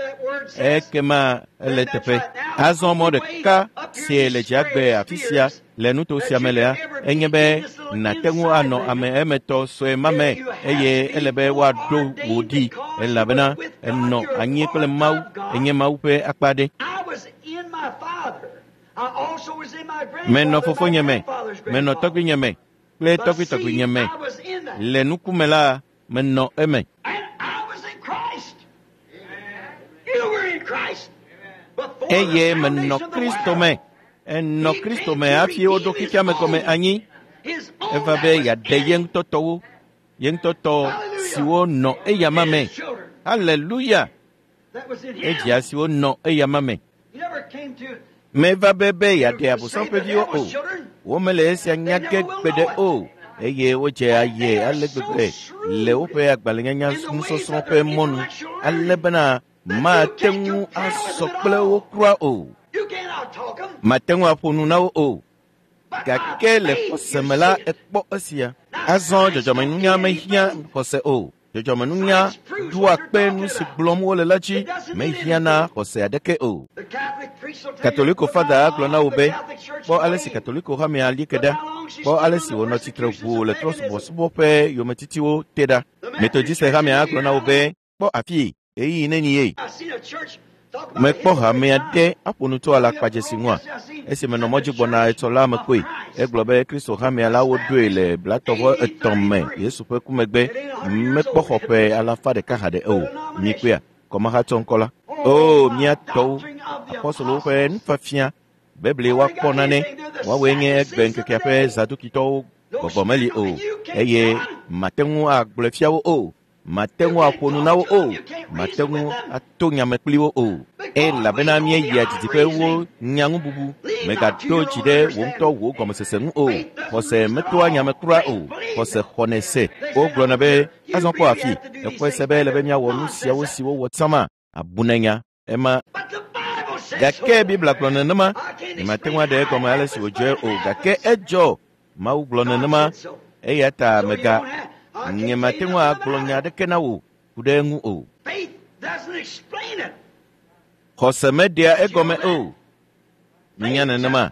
ekema ele teƒe. Azɔ mɔ ɖeka si le dziagbe afi sia le nuto sia me lea, enye be nàte ŋu anɔ ame emetɔ sue ma me eye ele be woaɖo wò ɖi elabena enɔ anyi kple Mawu, enye Mawu ƒe akpa ɖe. Menɔ fofonye me, menɔ tɔgbuinye me kple tɔgbuitɔgbuinye me. Le nukume la, menɔ eme. Eye menɔ Kristo me. Enɔ Kristo me hafi woɖo xexea me gɔme anyi. Eva be yeaɖe ye ŋutɔ tɔwo, ye ŋutɔ tɔ siwo nɔ eyama me. Haleluya! Edzia siwo nɔ eyama me. Meva be be yeaɖe Abosam ƒe viwo o. Womele esia nya ge gbeɖe o. Eye wodze aye ale gbegbe le woƒe agbalẽnyanya nusɔsrɔ̃ ƒe mɔnu ale bena mate ŋu asɔ kple wo kura o. Mate ŋu aƒo nu na wo o. Gake le xɔse me la, ekpɔ esia. Azɔ dzɔdzɔmenunya mehiã xɔse o. Dzɔdzɔmenunya ɖoa kpe nu si gblɔm wole la dzi, mehiã na xɔse aɖeke o. Katoliko fada gblɔ na wò be, kpɔ ale si Katoliko hamea li ke ɖa, kpɔ ale si wònɔ tsitre ʋuu le trɔ̃subɔsubɔ ƒe yometitiwo te ɖa. Metodiste hamea gblɔ na wò be, kpɔ afii, ɣeyiɣi neni ye. Mekpɔ hamea ɖe aƒo nu tso alakpadzesi ŋua. Esi menɔ mɔdzi gbɔna etsɔ la me koe, egblɔ be Kristo hamea la woɖoe le blatɔvɔ etɔ̃ me Yesu ƒe ku megbe, mekpɔ xɔ ƒe alafa ɖeka haɖe o. Mikpɔea, kɔmahatsɔ ŋkɔ la. O, mía tɔwo, apɔstolowo ƒe nufiafia, Biblia woakpɔ nane, woawoe nye egbe ŋkekea ƒe zadukitɔwo gbɔgbɔ meli o, eye mate ŋu agblɔe fia wo o. Mate ŋu aƒo nu na wo o, mate ŋu ato nyame kpli wo o. Elabena míeyia didiƒe wo nyaŋububu. Mègaɖo dzi ɖe wò ŋutɔ wò gɔmesese ŋu o. Xɔse metoa nyame kura o. Xɔse xɔnɛ se. Wogblɔna be Azɔ kpɔ afi exɔe se be ele be míawɔ nu siawo si wowɔ tsã abunenya ema. Gake Biblia gblɔ nenema. Nyemate ŋu aɖe egɔme ale si wòdzɔe o gake edzɔ. Mawu gblɔ nenema eya ta mega nyemate ŋu agblɔ nya aɖeke na wò ku ɖe eŋu o. Xɔse meɖea egɔme o. Minya nenema.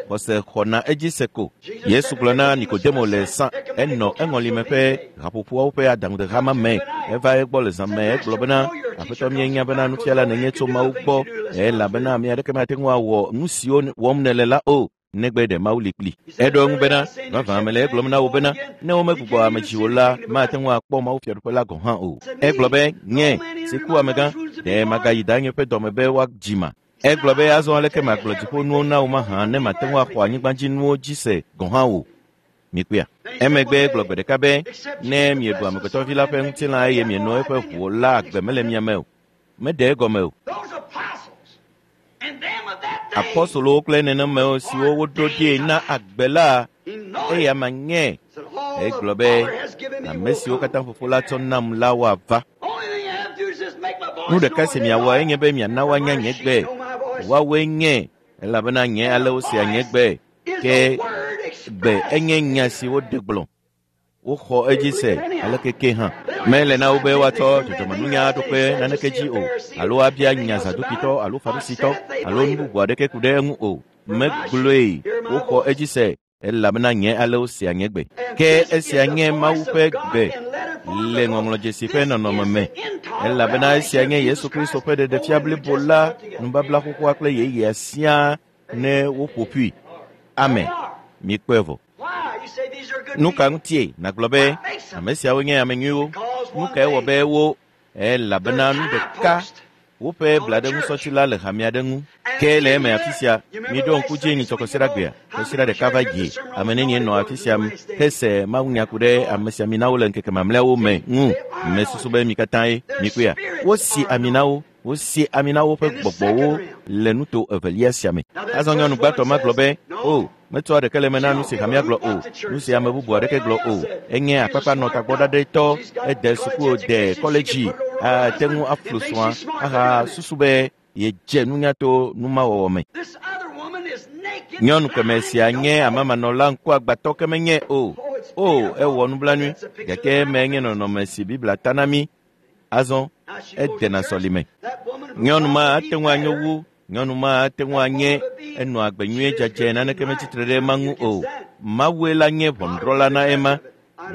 Xɔse xɔna edzi se ko. Yesu gblɔ na Nikodemo le sã enɔ eŋɔlime ƒe haƒoƒoawo ƒe adaŋudehama me. Eva egbɔ le zã me egblɔ bena aƒetɔ míenya bena nufiala nènye tso Mawu gbɔ elabena ame aɖeke mate ŋu awɔ nu siwo wɔm nèle la o negbe ɖe Mawu li kpli. Eɖo eŋu bena vavã mele egblɔm na wò bena ne womegbugbɔ ame dzi o la mate ŋu akpɔ Mawu fiaɖuƒe la gɔ̃ hã o. Egblɔ be nye si ku amegã ɖe magayi danye ƒe dɔme be woadzi ma. Egblɔ be azɔ aleke magblɔ dziƒonuwo na wò mahã ne mate ŋu axɔ anyigbadzinuwo dzi se gɔ̃ hã o. Mikpɔea. Emegbe egblɔ gbe ɖeka be ne mieɖu amegbetɔvi la ƒe ŋutilã eye mieno eƒe ʋu la agbe mele mia me o. Meɖe egɔme o. Apɔstolowo kple nenemewo siwo woɖo ɖee na agbe la eya ma nye. Egblɔ be ame siwo katã fofo la tsɔ nam la woava. Nu ɖeka si miawɔ enye be miana woanya nye gbe. Woawoe nye elabena nye ale wosea nye gbe. Ke gbe enye nya si woɖe gblɔ. Woxɔ edzi se aleke ke hã. Mele na wo be woatsɔ dzɔdzɔmenunya aɖo kpe naneke dzi o alo abia nya Zadukitɔ alo Farisitɔ alo nu bubu aɖeke ku ɖe eŋu o. Megblɔe woxɔ edzi se elabena nye ale wosea nye gbe. Ke esia nye Mawu ƒe gbe le ŋɔŋlɔdzesi ƒe nɔnɔme me elabena esia nye Yesu Kristo ƒe ɖeɖefia blibo la nubabla xoxoa kple yeyea siaa ne woƒo ƒui. Amen. Mikpɔe vɔ. Nu ka ŋutie nàgblɔ be ame siawo nye ame nyuiwo? Nu kae wɔ be wo elabena nu ɖeka woƒe blaɖeŋusɔtsi la le hame aɖe ŋu. Ke le eme afi sia, miɖo ŋku dzi nyitsɔ kɔsiɖagbea. Kɔsiɖa ɖeka va yi. Ame nenie nɔ afi sia hese mawunya ku ɖe ame siaminawo le ŋkeke mamlɛawo me ŋu. Mesusu be mi katã ye mikpɔea. Wosi ami na wo. Wosi ami na woƒe gbɔgbɔwo le nuto evelia sia me. Azɔ nyɔnu gbãtɔ ma gblɔ be o metsɔ ɖeke le me na nu si hamea gblɔ o, nu si ame bubu aɖeke gblɔ o. Enye akpakpa nɔ tagbɔɖaɖɛtɔ, ede suku de kɔledzi, ate ŋu aflu srɔ̃a aha susu be yedze nunya to numawɔwɔ me. Nyɔnu keme sia nye amamanɔla ŋkuagbãtɔ ke menye o. O, ewɔ nublanui gake eme nye nɔnɔme si Biblia ta na mí. Azɔ edena sɔlime. Nyɔnu ma ate ŋu anyo wu nyɔnu ma ate ŋu anye enɔ agbe nyuie dzadzɛ naneke metsitre ɖe ema ŋu o. Mawue la nye ʋɔnudrɔ̃la na ema.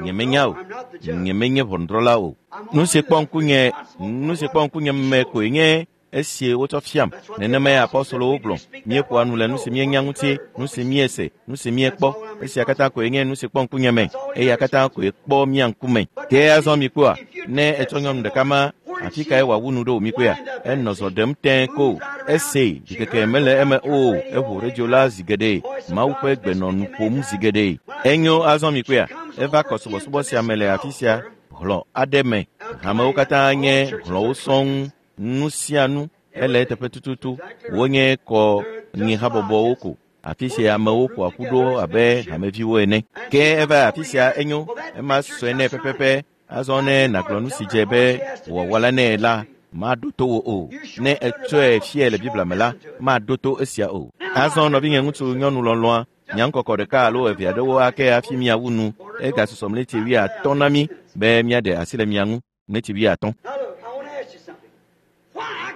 Nyemenya o. Nyemenye ʋɔnudrɔ̃la o. Nu si kpɔ ŋkunye nu si kpɔ ŋkunye me koe nye esi wotsɔ fiam. Nenemae apɔstolowo gblɔ. Míeƒoa nu le nu si míenya ŋuti, nu si míese, nu si míekpɔ. Esia katã koe nye nu si kpɔ ŋkunye me. Eya katã koe kpɔ mía ŋkume. Ke azɔ mikpɔa, ne etsɔ nyɔnu ɖeka ma, afi kae wòawu nu ɖo mikpɔea? Enɔ zɔ ɖem tẽe ko. Ese ɖikeke mele eme o. Eƒo redio la zi geɖe. Mawu ƒe gbe nɔ nu ƒom zi geɖe. Enyo azɔ mikpɔea, eva kɔ subɔsubɔ sia me le afi sia hlɔ̃ aɖe me. Hamewo katã nye hlɔ̃wo sɔŋ. Nu sia nu ele eteƒe tututu. Wonye kɔ nyihabɔbɔwo ko. Afi sia amewo ƒoa ƒu ɖo abe hameviwo ene. Ke eva afi sia enyo ema sɔe nɛ pɛpɛpɛ. Azɔ ne nàgblɔ nu si dze be wòawɔ la nɛ la, maɖo to wò o. Ne etsɔe fiae le Biblia me la, maɖo to esia o. Azɔ nɔvinye ŋutsu nyɔnu lɔlɔ̃a, nya ŋkɔkɔ ɖeka alo eve aɖewo ake hafi míawu nu. Egasusɔ mleti wuiatɔ̃ na mí be míaɖe asi le mia ŋu. Mleti wuiatɔ̃.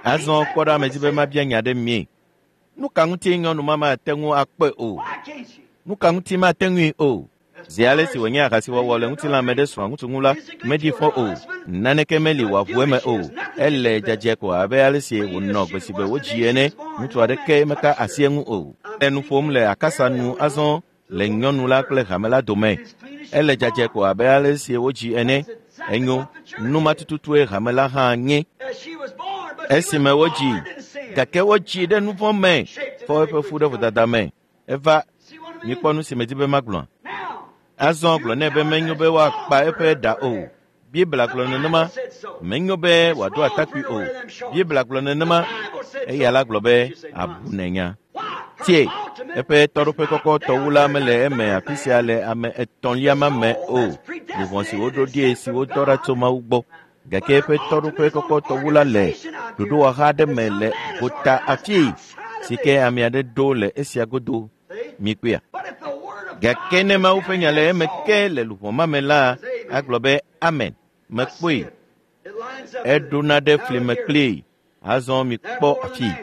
Azɔ kpɔ ɖe ame dzi be mabia nya ɖe mie. Nu ka ŋutie nyɔnu ma mate ŋu akpɔe o? Nu ka ŋuti mate ŋui o? Zi ale si wònye ahasiwɔwɔ le ŋutilãme ɖe srɔ̃a ŋutsu ŋu la, meɖi fɔ o. Naneke meli wòaʋu eme o. Ele dzadzɛ ko abe ale si wònɔ gbe si gbe wodzi ene. Ŋutsu aɖeke meka asi eŋu o. Le nu ƒom le akasa nu azɔ le nyɔnu la kple hame la dome. Ele dzadzɛ ko abe ale si wodzi ene. Enyo, nu ma tututue hame la hã nye. Esime wodzi, gake wodzi ɖe nu vɔ̃ me, fɔ eƒe fu ɖe vodada me. Eva, mikpɔ nu si medi be magblɔa. Azɔ gblɔ nɛ be menyo be woakpa eƒe ɖa o. Biblia gblɔ nenema. Menyo be wòado atakpui o. Biblia gblɔ nenema. Eya la gblɔ be abu nenya. Tie, eƒe tɔɖoƒe kɔkɔtɔ wu la mele eme afi sia le ame etɔ̃lia ma me o. Luʋɔ si woɖo ɖie si wodɔ ɖa tso Mawu gbɔ. Gake eƒe tɔɖoƒe kɔkɔtɔ wu la le ɖoɖowɔha aɖe me le gota afii si ke ame aɖe ɖo le esia godo. Mikpɔea? Gake ne Mawu ƒe nya le eme ke le luʋɔ ma me la, agblɔ be amen. Mekpɔe. Eɖona ɖe fli me kplii. Azɔ mikpɔ afii.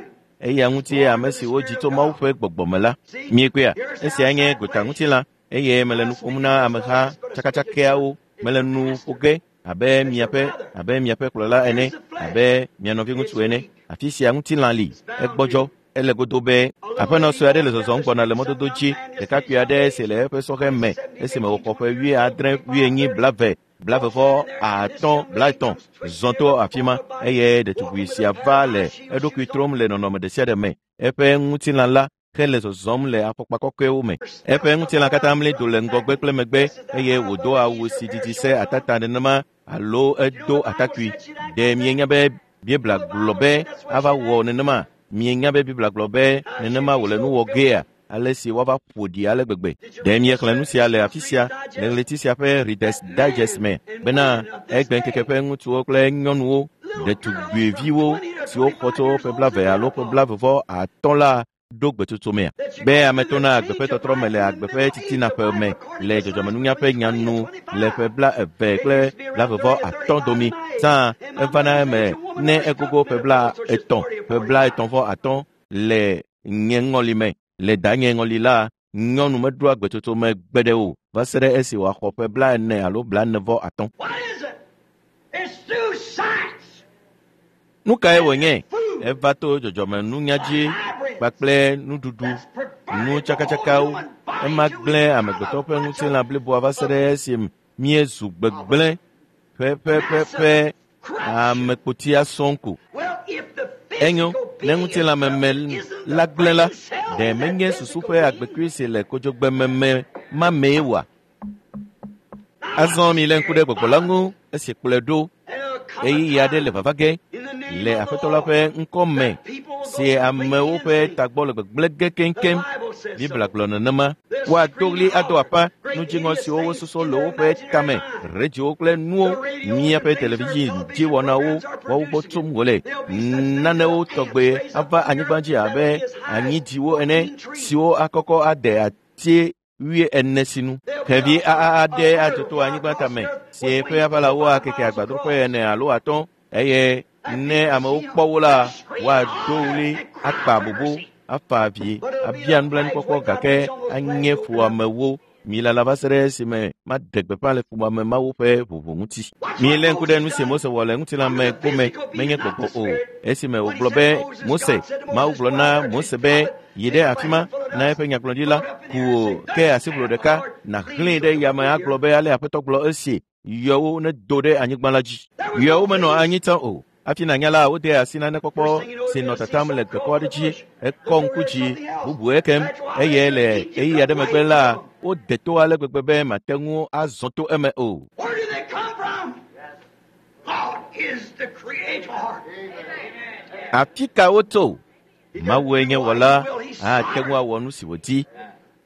Eya ŋutie ame si wodzi tso Mawu ƒe gbɔgbɔ me la. Miekpɔea? Esia nye gota ŋutilã eye mele nu ƒom na ameha tsakatsakɛawo. Mele nu ƒo ge abe miaƒe abe miaƒe kplɔla ene, abe mia nɔviŋutsu ene. Afi sia ŋutilã li, egbɔdzɔ, ele godo be aƒenɔ sue aɖe le zɔzɔm gbɔna le mɔdodo dzi. Ɖekakpui aɖe si le eƒe sɔhɛ me esime wòxɔ ƒe wuiadre, wuienyi, blave, blave vɔ atɔ̃, blaetɔ̃ zɔ to afi ma eye ɖetugbui sia va le eɖokui trom le nɔnɔme ɖe sia ɖe me. Eƒe ŋutilã la hele zɔzɔm le afɔkpa kɔkɔewo me. Eƒe ŋutilã katã mli do le ŋgɔgbe kple megbe eye wòdo awu si didi se atata nenema alo edo atakpui. Ɖe mienya be Biblia gblɔ be ava wɔ nenema? Mienya be Biblia gblɔ be nenema wòle nu wɔ gea? Ale si woava ƒo ɖi ale gbegbe. Ɖe miexlẽ nu sia le afi sia le ɣleti sia ƒe Reader's Digest me bena egbeŋkeke ƒe ŋutsuwo kple nyɔnuwo, ɖetugbiviwo siwo xɔ tso ƒe blave alo ƒe blave vɔ atɔ̃ la ɖo gbetsotso mea? Be ame tona agbe ƒe tɔtrɔ me le agbe ƒe titina ƒe me le dzɔdzɔmenunya ƒe nyanu le ƒe bla eve kple blave vɔ atɔ̃ domi. Zã evana eme ne egogo ƒe bla etɔ̃, ƒe bla etɔ̃ vɔ atɔ̃ le nye ŋɔli me. Le danye ŋɔli la, nyɔnu meɖoa gbetsotso me gbe ɖe o va se ɖe esi wòaxɔ ƒe bla ene alo bla ene vɔ atɔ̃. What is it? It's through science. Nu kae wònye? Eva to dzɔdzɔmenunya dzi kpakple nuɖuɖu, nu tsakatsakawo. Ema gblẽ amegbetɔ ƒe ŋutilã bliboa va se ɖe esi míezu gbegblẽ ƒeƒeƒeƒe amekpotia sɔŋ ko. Well, if the Enyo, physical ne being ŋutilãmeme isn't the la gblẽ la, brain cell ɖe that menye susu physical ƒe being? agbekui si le kodzogbememe ma mee oa? Azɔ milé ŋku ɖe gbɔgbɔ la ŋu esi kplɔe ɖo. And it'll come a Ɣeyiɣi aɖe le time vava ge in the name le of the Aƒetɔ la Lord ƒe ŋkɔ me that people will si go amewo completely ƒe insane. tagbɔ le gbegblẽ ge The keŋkeŋ. Bible says Biblia so. gblɔ nenema. They'll Woado scream ɣli and ado holler aƒa great nu dziŋɔ hideous siwo things wosusɔ in le their woƒe imaginary tame, mind. redziwo kple nuwo, The radios and míaƒe things, our television television dziwɔnawo programs are woawo gbɔ producing tsom it. wòle. There'll be such things as Nanewo ants tɔgbe raised up ava on the anyigba earth dzi that'll abe be as high as anyidiwo ene fourteen trees. siwo akɔkɔ ade ati wui ene sinu. There'll be Xevi a, aa a aɖe bird adzo to fly anyigba across tame the earth si with eƒe wings aʋalawo four five akeke miles agbadroƒe across. ene alo atɔ̃ eye And ne people amewo see kpɔ them, wo la, they'll scream and woado holler ɣli and cry akpa for bobo, mercy. afa avi, But it'll be abia the flags nublanuikpɔkpɔ waved out gake each on those flags anye open up. fuamewo. Milala va se ɖe esime maɖe gbeƒã le fuwɔame mawo ƒe ʋuʋu ŋuti. Watch what Milé ŋku ɖe Moses nu si done. Mose wɔ le Under ŋutilãme the gome physical being, menye not the gbɔgbɔ o. spirit. Esime When he wògblɔ sent be Moses, Mose, God said to Mawu Moses, gblɔ Go out na there to Mose his be prophet, yi take ɖe a afi ma blanket full of na dust, eƒe nyagblɔɖila, throw it up in ku the air and say, wò Thus ke asiʋlo saith the ɖeka, Lord, nàxlẽe these ɖe will yame be agblɔ here. be ale Aƒetɔ gblɔ esi yɔwo nedo ɖe anyigba la dzi. There was Yɔwo no menɔ fleas. anyi tsã o. Hafi nànya la, wode asi They're nanekpɔkpɔ singing over si nɔ there, see tatam le some gbekɔ crow in aɖe the dzi, bush. ekɔ Look over ŋku there, dzi, something else. bubu ekem After a while, eye they le keep you ɣeyiɣi cut aɖe megbe away la, from them. wode to ale gbegbe be màte ŋu azɔ to eme o. Where do they come from? God is the creator. Afi ka wotso? He can Mawue do nye what he wɔla, will. He's ate ŋu sovereign. awɔ nu si wòdi.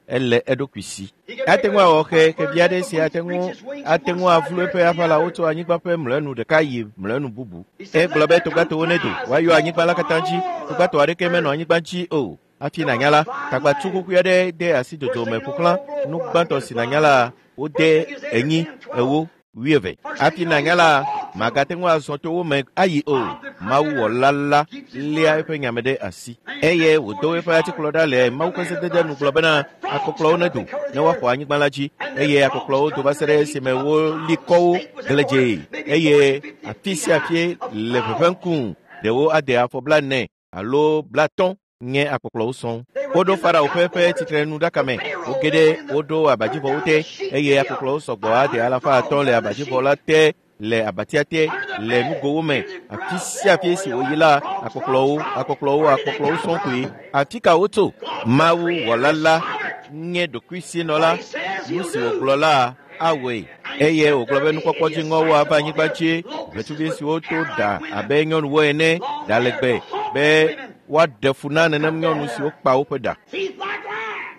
Ele eɖokui si. He can Ate make ŋu a, awɔ a xe bird xevi aɖe take si a ate breach ŋu its wings ate from one ŋu side of avlu the earth eƒe to the aʋalawo other. tso anyigba ƒe mlɔenu ɖeka yi mlɔenu bubu. He said, Egblɔ Let be there come togbatowo nedo, flies woayɔ and go anyigba la from katã dzi. all Togbatɔ the aɖeke menɔ earth. anyigba dzi o. Hafi There nànya were la, flying tagbatsu land. kuku aɖe de asi First dzodzo thing me you know, ƒo xlã an old nu blowfly gbãtɔ begin si to nànya fly. la, First wode thing is eight or enyi, ten, twelve. ewo, wuieve. First thing Hafi you know, nànya you la, can walk through màgate them. ŋu azɔ to wo me ayi o. God, the Mawu Creator, wɔla la keeps His léa word. eƒe nyame ɖe asi And he eye sent wòdo forth his eƒe atikplɔ rod ɖa le and Mawu ƒe commanded sedede God nu gblɔ said, bena Let frogs akɔkplɔwo come up nedo and cover ne the woaxɔ earth. anyigba la dzi And them eye frogs akɔkplɔwo do come va se till ɖe they esime heaped up woli all the kɔwo state was everywhere, gledzee maybe forty, eye fifty afi feet sia high afie of le frogs. ʋeʋẽm kum ɖewo ade afɔ blaene alo blatɔ̃ nye akpɔkplɔwo sɔŋ. They were Woɖo in the Farao ƒe eƒe cupboard of tsitrenuɖaka the me. Pharaoh. Woge They ɖe were in the woɖo threw abadzivɔwo down te the sheep eye field. akpɔkplɔwo sɔgbɔ Five ade hundred alafa frogs atɔ̃ le under the abadzivɔ sheep, la te le abatia te under the le bed, nugowo me. in the Afi ground. sia afi si Everywhere they wòyi went, la, frogs, frogs, akpɔkplɔwo, frogs. akpɔkplɔwo, Where did they akpɔkplɔwo come sɔŋ koe. from? Afi ka wotso? God, the Mawu Creator, wɔla is la sovereign. nye ɖokuisinɔla. What He says Nu He'll si do. wògblɔ la awɔe. And He Eye said wògblɔ there'll be be nukpɔkpɔ hideous dziŋɔwo sights ava upon anyigba the earth, dzi. locusts Ʋetsuvi with siwo to hair ɖa like women, abe nyɔnuwo ene, long ɖa hair, legbe the be hawk women, Woaɖe fu na nenem nyɔnu siwo kpa woƒe ɖa. Teeth like lion.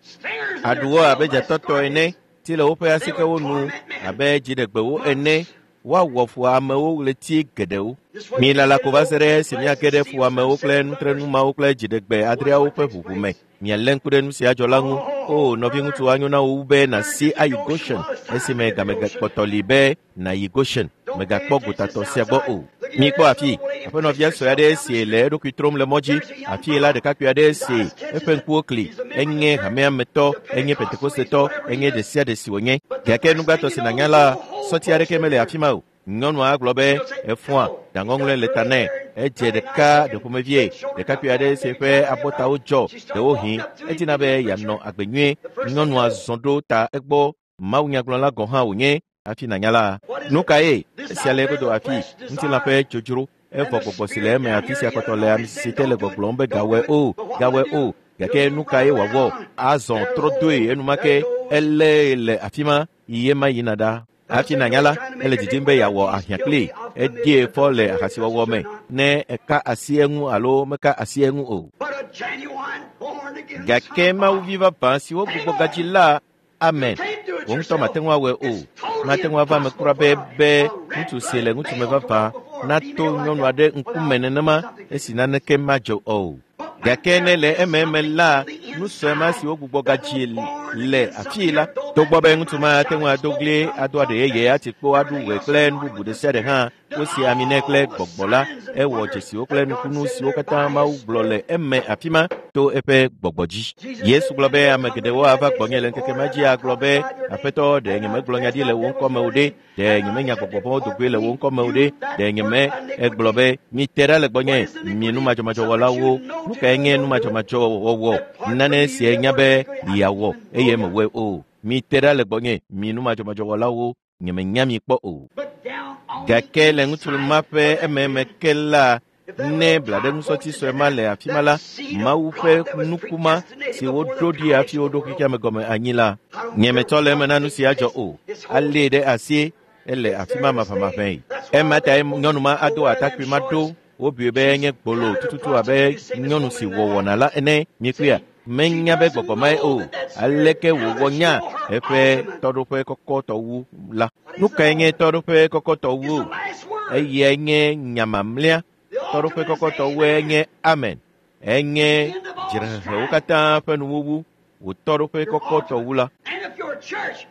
Stingers in their Aɖuwo tail abe like dzatɔtɔ ene, ti le woƒe asikewo nu abe dziɖegbewo ene. Woawɔ fu amewo ɣleti geɖewo. Milala ko va se ɖe esi miage ɖe fuamewo kple nutrenu mawo kple dziɖegbe adreawo ƒe ʋuʋu me. Mialé ŋku ɖe nu sia dzɔ la ŋu. O, nɔviŋutsu anyo na wò wu be nàsi ayi Goshen esime game kpɔtɔ li be nàyi Goshen. Mègakpɔ gotatɔ sia gbɔ o. Mikpɔ afi, aƒenɔvia sue aɖe si le eɖokui trom le mɔ dzi. Afii la ɖekakpui aɖe si eƒe ŋkuwo kli. Enye hamea me tɔ, enye Pentekostetɔ, enye ɖe sia ɖe si wònye. Gake nugbãtɔ si nànya la, sɔti aɖeke mele afi ma o. Nyɔnua gblɔ be efɔa ɖaŋɔŋlɔe le ta nɛ. Edze ɖeka ɖe ƒomevie. Ɖekakpui aɖe si eƒe abɔtawo dzɔ ɖewohĩ edina be yeanɔ agbe nyuie. Nyɔnua zɔ ɖo ta egbɔ. Mawunyagblɔla gɔ̃ hã wònye hafi nànya la. Nu kae? Esia le egodo afi. Ŋutilã ƒe dzodzro. Evɔ gbɔgbɔ si le eme afi sia kpɔtɔ le ame si te le gbɔgblɔm be gawɔe o, gawɔe o. Gake nu kae wòawɔ? Azɔ trɔ doe enumake. Elée le afi ma yi ema yina ɖa. Hafi nànya la, ele didim be yeawɔ ahiã kplii. Edie fɔ le ahasiwɔwɔ me ne eka asi eŋu alo meka asi eŋu o. But a genuine born again Gake son of Mawuvi God. vavã siwo gbugbɔ gadzi la, amen. Can't do it Wò ŋutɔ mate yourself. ŋu awɔe o. It's totally Mate ŋu ava eme impossible kura be for be a ŋutsu red si le blooded ŋutsume male to vavã walk before a nato female like nyɔnu that aɖe ŋkume without nenema something esi taking naneke madzɔ o. But when Gake ne there le is ememe something la, on the nu sue ma inside si wogbugbɔ that gadzi was born le again afii something la, here, though togbɔ that be man ŋutsu might ma ate shout ŋu and ado scold ɣli, and ado aɖe yeye, ati kpo, aɖu everything ɣe else kple and nu on bubu with ɖe the sia ɖe hã, Spirit, did wosi ami nɛ kple all the gbɔgbɔ la, signs and ewɔ wonders dzesiwo kple that God nukunu said in siwo their katã by Mawu His gblɔ le Spirit. eme afi ma to eƒe gbɔgbɔ dzi. Jesus Yesu said, gblɔ be Many will ame come to geɖewo me that ava day gbɔnye say, le ŋkeke Lord, ma have dzi I agblɔ be, prophesied your name? Aƒetɔ, ɖe Have I nyemegblɔ nya cast ɖi le out wò devils ŋkɔ in me o your ɖe? name? Ɖe Have I nyemenya said, gbɔgbɔ vɔ̃wo Depart dogoe le from wò me, ŋkɔ me o you ɖe? that Ɖe work nyeme egblɔ iniquity? be, mite ɖa le gbɔnye, What is mi iniquity? numadzɔmadzɔwɔlawo. Something you know Nu to kae do nye and don't do it. numadzɔmadzɔwɔwɔ? Depart from Nane me, si you that enya work be iniquity. I don't yeawɔ even know eye you. mewɔe o. Mite ɖa le gbɔnye, mi numadzɔmadzɔwɔlawo. Nyemenya mi kpɔ o. But down on the Gake le ŋutsu inside ma ƒe of that ememe man, ke la, if that ne little tot blaɖeŋusɔti grows sue into ma that, le afi ma that la, seed of Mawu ƒe God that was nuku ma predestinated si before woɖo the ɖi hafi foundation of woɖo the world, xexea me gɔme anyi la, I don't nye care metsɔ le eme what na nu takes si adzɔ place, o. it's Alée holy. ɖe asie, ele It's afi there ma to stay. maʋamaʋãe. That's why Ema all tae them folks nyɔnu ma will ado wear them atakpui ma ɖo. shorts. Wobui be She's enye gbolo kind of a tututu abe prostitute. You see this nyɔnu woman si in wɔ that wɔna act? la ene. Mikpɔea, See, she menya be doesn't gbɔgbɔ mae know o. that that spirit, Aleke how wòwɔ does she nya know her eƒe ultimate? tɔɖoƒe kɔkɔtɔ wu la? What Nu is the kae nye ultimate? tɔɖoƒe kɔkɔtɔ It's wu? the last word. Eyae nye nya mamlɛa. The Tɔɖoƒe ultimate is kɔkɔtɔ wue amen. nye amen. Enye The end of all dzrehehewo strife. katã ƒe nuwuwu. Wò tɔɖoƒe Your kɔkɔtɔ ultimate. wu la. And if your church,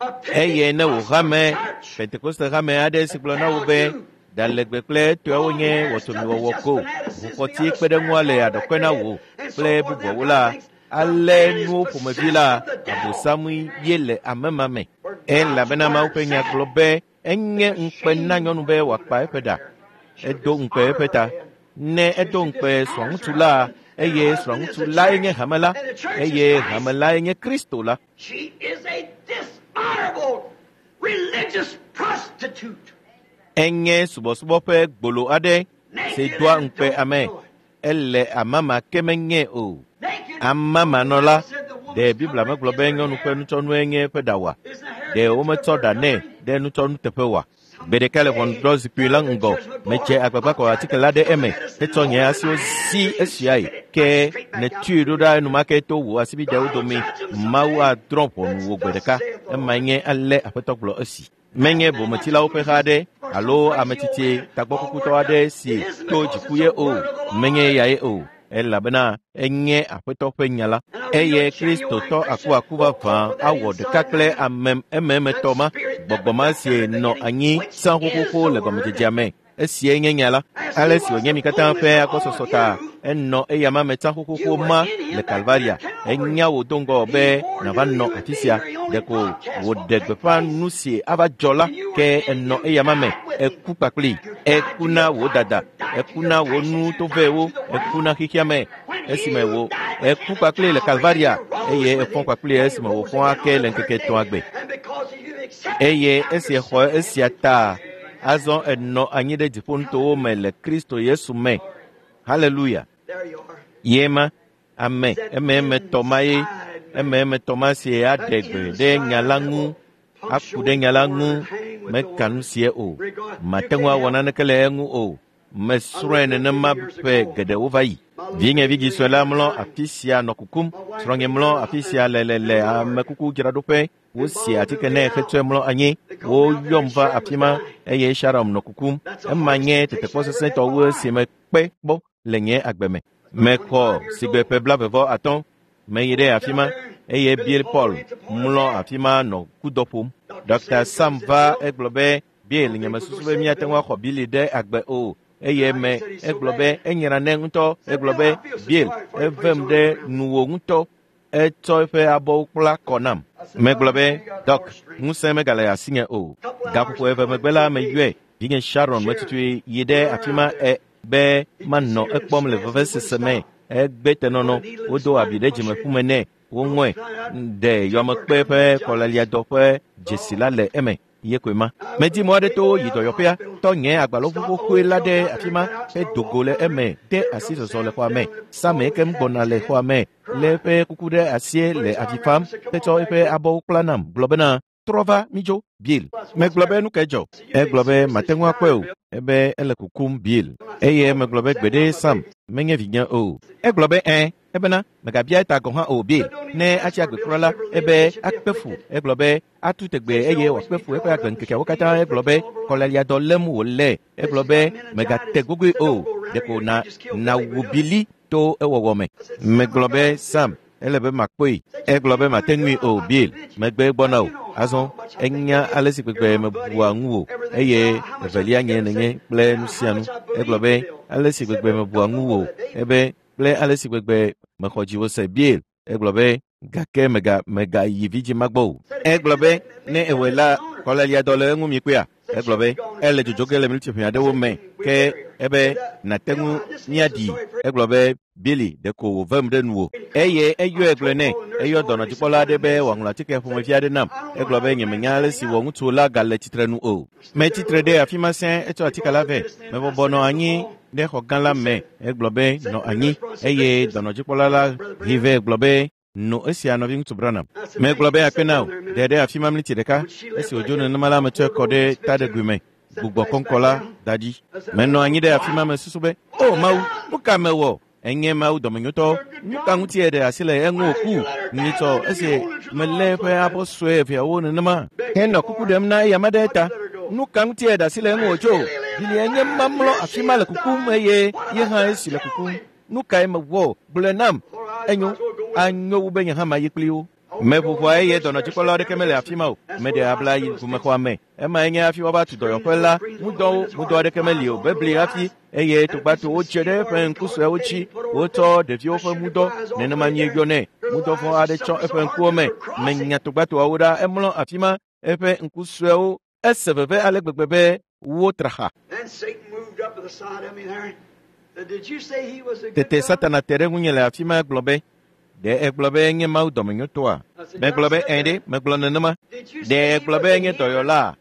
a Eye ne wò Pentecostal hame, church, Pentekoste hame aɖe si that gblɔ na wò tells be you ɖalegbe kple etɔawo long nye hair stuff is wɔtomiwɔwɔ just ko, fanaticism, the ʋukɔti other kpe ɖe ŋua spirit's le all back aɖɔkɔe their na head, wò and so kple forth, and that bubuawo kind of la, things. The ale man is nuwo ƒomevi possessed la, of the devil. abosamui ye le ame ma me. For God's Elabena Mawu word ƒe nya said gblɔ be enye it's a ŋukpe na shame nyɔnu for be a woman to wòakpa cover eƒe her ɖa. hair. She'll Edo ŋukpe dishonor eƒe her ta. head. Ne She edo should ŋukpe dishonor srɔ̃ŋutsu her la, husband, and her eye husband is srɔ̃ŋutsu the lae church, nye hame la, and the church is eye Christ. hame lae nye Kristo la. She is a dishonorable religious prostitute, Enye subɔsubɔ ƒe gbolo aɖe si naked doa and ŋukpe don't ame. know it. Ele amama ke menye o. Naked. Amamanɔla, Said the ɖe woman's Biblia covering megblɔ is be her nyɔnu ƒe hair. nutsɔnue nye eƒe ɖa oa? Isn't the hair Ɖe kept to wometsɔ her ɖa nɛ covering? ɖe nutsɔnu teƒe oa? Gbe ɖeka le ʋɔnudrɔ̃zikpui la ŋgɔ, medze agbagba kɔ atike la ɖe eme hetsɔ nye asiwo zi esiae ke nètui ɖo ɖa enumake to wò asibidewo dome. Mawu adrɔ̃ ʋɔnu wò gbe ɖeka. Emae nye ale Aƒetɔ gblɔ esi. Menye bometsilawo ƒe ha aɖe alo ametsitsi tagbɔkukutɔ aɖe si to dziku ye o. Menye eyae o. Elabena enye Aƒetɔ ƒe nya la. Eye Kristotɔ akuaku vavã awɔ ɖeka kple ame ememetɔ ma, gbɔgbɔ ma si nɔ anyi tsã xoxoxo le gɔmedzedzea me. Esiae nye nya la. Ale si wònye mi katã ƒe agbɔsɔsɔ ta, enɔ eyama me tsã xoxoxo You were ma in him le back there Kalvaria. at Calvary. Enya wò do ŋgɔ He be foreknew nàva you nɔ would afi be sia. here. He only Ɖeko broadcast wòɖe what take gbeƒã place. nu si ava dzɔ la And you were ke in enɔ you eyama me. died with him. Eku kpakplii. You died Eku to na your wò pride, dada. you died to Eku your na wò passions, nu you died tovɛwo. to the Eku world. na xexea me. When Esime you wò died with eku him at kpakplii le Calvary, Kalvaria you rose eye with efɔ him. kpakplii And he esime rose wòfɔ again ake on le the ŋkeke third etɔ̃a day. gbe. And because you accepted Eye now esi you're exɔ sitting esia in ta, azɔ enɔ anyi ɖe dziƒonutowo me le Kristo Yesu me. Haleluya. There you are. Ye ma, ame That emeemetɔ ma ye, inside man. emeemetɔ ma si aɖe That gbe ɖe nya inside la that ŋu, will aku ɖe punctuate nya the la word ŋu, and hang with the meka nu word. sie o. Regard, you Mate ŋu can't awɔ help it. naneke le eŋu o. Mesrɔ̃e nenema ƒe geɖewo va yi. Vinye vidzi sue la mlɔ afi sia nɔ kukum. Srɔ̃nye mlɔ afi sia le le le amekukudzraɖoƒe. Wosi atike nɛ hetsɔe mlɔ anyi. Woyɔm va afi ma eye Sharon nɔ kukum. Ema nye tetekpɔ sesẽtɔ wu esi mekpe kpɔ le nye agbe me. Mexɔ sigbe ƒe blaeve atɔ̃. Meyi ɖe afi ma eye Bill Paul mlɔ afi ma nɔ kudɔ ƒom. Dɔkta Sam va egblɔ be Bill nye mesusu be míate ŋu axɔ Billy ɖe agbe o. Eye me egblɔ be enyra nɛ ŋutɔ. Egblɔ be Bill evem ɖe nuwò ŋutɔ. Etsɔ eƒe abɔwo kpla kɔ nam. Megblɔ be Dɔk, ŋusẽ megale asinye o. Gaƒoƒo eve megbe la meyɔe. Vinye Sharon metutui yi ɖe afi ma e be manɔ ekpɔm le vevesese me. Egbe tenɔnɔ. Wodo abi ɖe dzimeƒume nɛ. Woŋɔe ɖe yɔmekpe ƒe kɔleliadɔ ƒe dzesi la le eme. Ye koe ma. Medi mɔ aɖe to yi dɔyɔƒea, tɔ nye agbalẽʋu xoxoe la ɖe afi ma hedo go le eme, de asi zɔzɔ le xɔa me. Sam ekem gbɔna le xɔa me, lé eƒe kuku ɖe asie le avi fam, hetsɔ eƒe abɔwo kpla nam, gblɔ bena, trɔ va mídzo, Bill. Megblɔ be nu ke dzɔ. Egblɔ be mate ŋu akpɔe o. Ebe ele kukum Bill. Eye megblɔ be gbeɖe Sam, menye vinye o. Egblɔ be ẽ, ebena megabia eta gɔ̃ hã o Bill. Ne atsi agbe kura la, ebe akpe fu. Egblɔ be atu tegbe eye wòakpe fu eƒe agbeŋkekeawo katã. Egblɔ be kɔleliadɔ lém wòle. Egblɔ be megate gogoe o. Ɖeko na nawu Billy to ewɔwɔ me. Megblɔ be Sam, ele be makpɔe. Egblɔ be mate ŋui o Bill. Megbe gbɔna o. Azɔ enya ale si gbegbe mebua ŋuwò eye evelia nye nenye kple nu sia nu. Egblɔ be ale si gbegbe mebua ŋuwò ebe kple ale si gbegbe mexɔ dziwò se Bill. Egblɔ be gake mega megayi vidzi ma gbɔ o. Egblɔ be ne ewɔe la kɔleliadɔ le eŋu mikpɔea. Egblɔ be ele dzodzo ge le miniti ʋɛ aɖewo me ke ebe nate ŋu míaɖi. Egblɔ be Billy ɖeko wòvem ɖe nuwò. Eye eyɔe gblɔe nɛ. Eyɔ dɔnɔdzikpɔla aɖe be wòaŋlɔ atike ƒomevi aɖe nam. Egblɔ be nyemenya ale si wɔ ŋutsu la gale tsitre nu o. Metsitre ɖe afi ma sẽ etsɔ atike la vɛ. Mebɔbɔ nɔ anyi ɖe xɔ gã la me. Egblɔ be nɔ anyi eye dɔnɔdzikpɔla la hi vɛ gblɔ be no esia nɔviŋutsu Branham. Megblɔ be akpe na wò. Ɖe ɖe afi ma miniti ɖeka. Esi wòdzo nenema la metsɔe kɔ ɖe taɖegui me. Gbugbɔ kɔŋkɔ la da ɖi. Menɔ anyi ɖe afi ma mesusu be, o Mawu, nu ka mewɔ? Enye Mawu dɔmenyotɔ. Nu ka ŋuti eɖe asi le eŋu wòku? Nyitsɔ esi melé eƒe abɔ sue eveawo nenema henɔ kuku ɖem na eya ma ɖe eta. Nu ka ŋuti eɖe asi le eŋu wòtso? Billy enye ma mlɔ afi ma le kukum eye ye hã esi le kukum. Nu kae mewɔ? Gblɔe nam. Enyo, anyo wu be nye hã mayi kpli wo. Meʋuʋua eye dɔnɔdzikpɔla aɖeke mele afi ma o. Meɖe abla yi ʋumexɔa me. Ema enye hafi woava tu dɔyɔƒe la. Ŋudɔwo, ŋudɔ aɖeke meli o. Bebli hafi eye togbatowo dze ɖe eƒe ŋku suewo dzi. Wotsɔ ɖeviwo ƒe ŋudɔ nenema míeyɔnɛ. Ŋudɔ vɔ̃ aɖe tsɔ eƒe ŋkuwo me. Menya togbatoawo ɖa. Emlɔ afi ma. Eƒe ŋku suewo ese veve ale gbegbe be wotra xa. Tete Satana te ɖe ŋunye le afi ma gblɔ be, ɖe egblɔ be nye Mawu dɔmenyotɔa? Megblɔ be ẽ ɖe, megblɔ nenema. Ɖe egblɔ be nye dɔyɔla?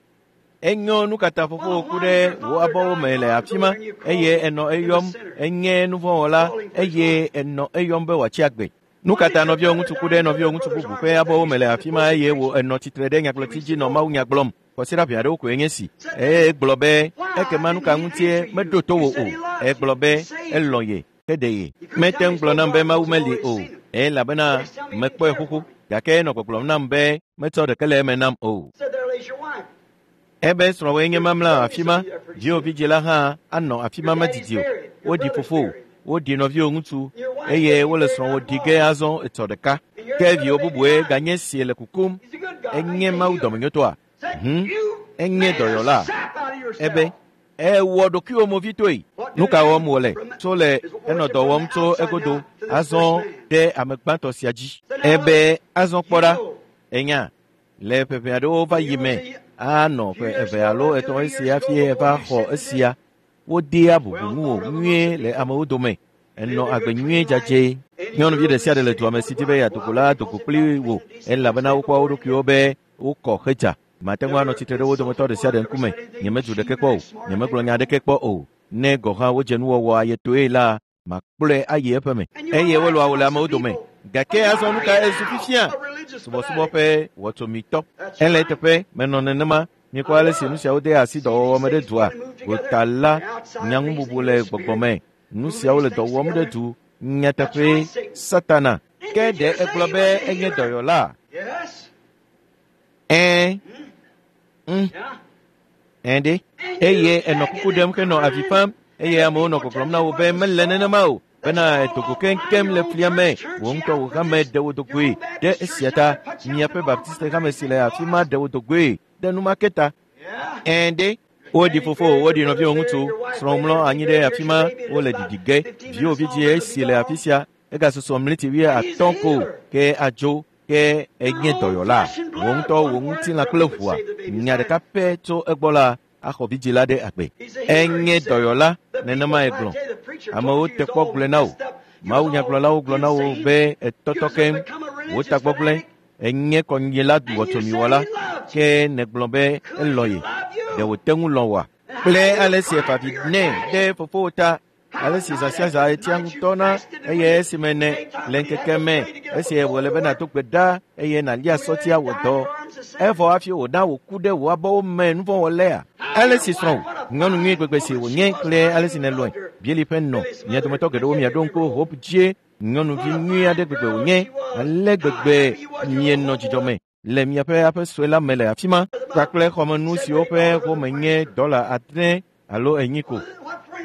Enyo nu katã fofo ku ɖe wò abɔwo me le afi ma eye enɔ eyɔm enye nuvɔ̃wɔla eye enɔ eyɔm be wòatsi agbe. Nu katã nɔviwo ŋutsu ku ɖe nɔviwo ŋutsu bubu ƒe abɔwo me le afi ma eye wò enɔ tsitre ɖe nyagblɔti dzi nɔ Mawu nya gblɔm. Kɔsiɖa ʋɛ aɖewo koe nye si. Eye egblɔ be ekema nu ka ŋutie meɖo to wò o. Egblɔ be elɔ̃ ye heɖe ye. Mete ŋu gblɔ nam be Mawu meli o elabena mekpɔe xoxo gake enɔ gbɔgblɔm nam be metsɔ ɖeke le eme nam o. Ebe srɔ̃woe nye mamla afi ma. Viwò vidzi la hã anɔ afi ma medidi o. Woɖi fofowò, woɖi nɔviwò ŋutsu eye wole srɔ̃wò ɖi ge azɔ etsɔ ɖeka. Ke viwò bubue ganye si le kukum. Enye Mawu dɔmenyotɔa? Hm, enye dɔyɔla. Ebe ewɔ ɖokuiwò movitoe. Nu ka wɔm wòle? Tso le enɔ dɔ wɔm tso egodo azɔ ɖe ame gbãtɔ sia dzi. Ebe azɔ kpɔ ɖa. Enya le ƒe ʋɛ aɖewo va yi me anɔ ƒe eve alo etɔ̃ esi hafi eva xɔ esia. Wodea bubu ŋuwò nyuie le amewo dome. Enɔ agbe nyuie dzadzɛ. Nyɔnuvi ɖe sia ɖe le dua me si di be yeado go la do go kpli wò elabena wokpɔa wo ɖokuiwo be wokɔ hedza. Mate ŋu anɔ tsitre ɖe wo dometɔ ɖe sia ɖe ŋkume. Nyemedu ɖeke kpɔ o. Nyemegblɔ nya aɖeke kpɔ o. Ne gɔ̃ hã wodze nuwɔwɔ ayetoe la, makplɔe ayi eƒe me. Eye wolɔa wò le amewo dome. Gake azɔ nu ka ezu fifia? Subɔsubɔ ƒe wɔtsomitɔ. Ele eteƒe menɔ nenema. Mikpɔ ale si nu siawo de asi dɔwɔwɔ me ɖe dua. Gota la, nyaŋububu le gbɔgbɔ me. Nu siawo le dɔ wɔm ɖe du. Nyateƒe Satana. Ke ɖe egblɔ be enye dɔyɔla? Ɛ̃. Mm. Ɛ̃ ɖe. Eye enɔ kuku ɖem henɔ avi fam eye amewo nɔ gbɔgblɔm na wo be mele nenema o. Bena edogo keŋkeŋ le flia me, wò ŋutɔ wò hame ɖe wo dogoe ɖe esia ta. Miaƒe Baptiste hame si le afi ma ɖe wo dogoe ɖe numake ta. Ɛ̃ ɖe. Woɖi fofo, woɖi nɔviwò ŋutsu, srɔ̃ mlɔ anyi ɖe afi ma, wole ɖiɖi ge. Viwò vidzie si le afi sia, egasusɔ mliti wuiatɔ̃ ko ke adzo ke enye dɔyɔla. Wò ŋutɔ wò ŋutilã kple ʋua, nya ɖeka pɛ tso egbɔ la, axɔ vidzĩ la ɖe agbe. Enye dɔyɔla, nenemae gblɔ. Amewo te kpɔ gblɔe na wò. Mawunyagblɔlawo gblɔ na wò be etɔtɔ keŋ, wò tagbɔgblẽ, enye kɔnyila wɔtsomiwɔla, ke nègblɔ be elɔ̃ ye. Ɖe wòte ŋu lɔ̃ wòa? Kple ale si efa vi nɛ ɖe fofowò ta, ale si zã sia zã etia ŋutɔ na eye esime ne le ŋkeke me, esi wòle be nàdo gbe ɖa eye nàlia sɔtia wò dɔ. Evɔ hafi wòna wòku ɖe wò abɔwo me nuvɔ̃wɔlea. Ale si srɔ̃wò, nyɔnu nyui gbegbe si wònye kple ale si nèlɔ̃e. Bieli ƒe nɔ, mia dometɔ geɖewo miaɖo ŋku Hope dzie, nyɔnuvi nyui aɖe gbegbe wònye, ale gbegbe mienɔ dzidzɔ me le miaƒe aƒe sue la me le afi ma, kpakple xɔmenu siwo ƒe home nye dɔla adre alo enyi ko,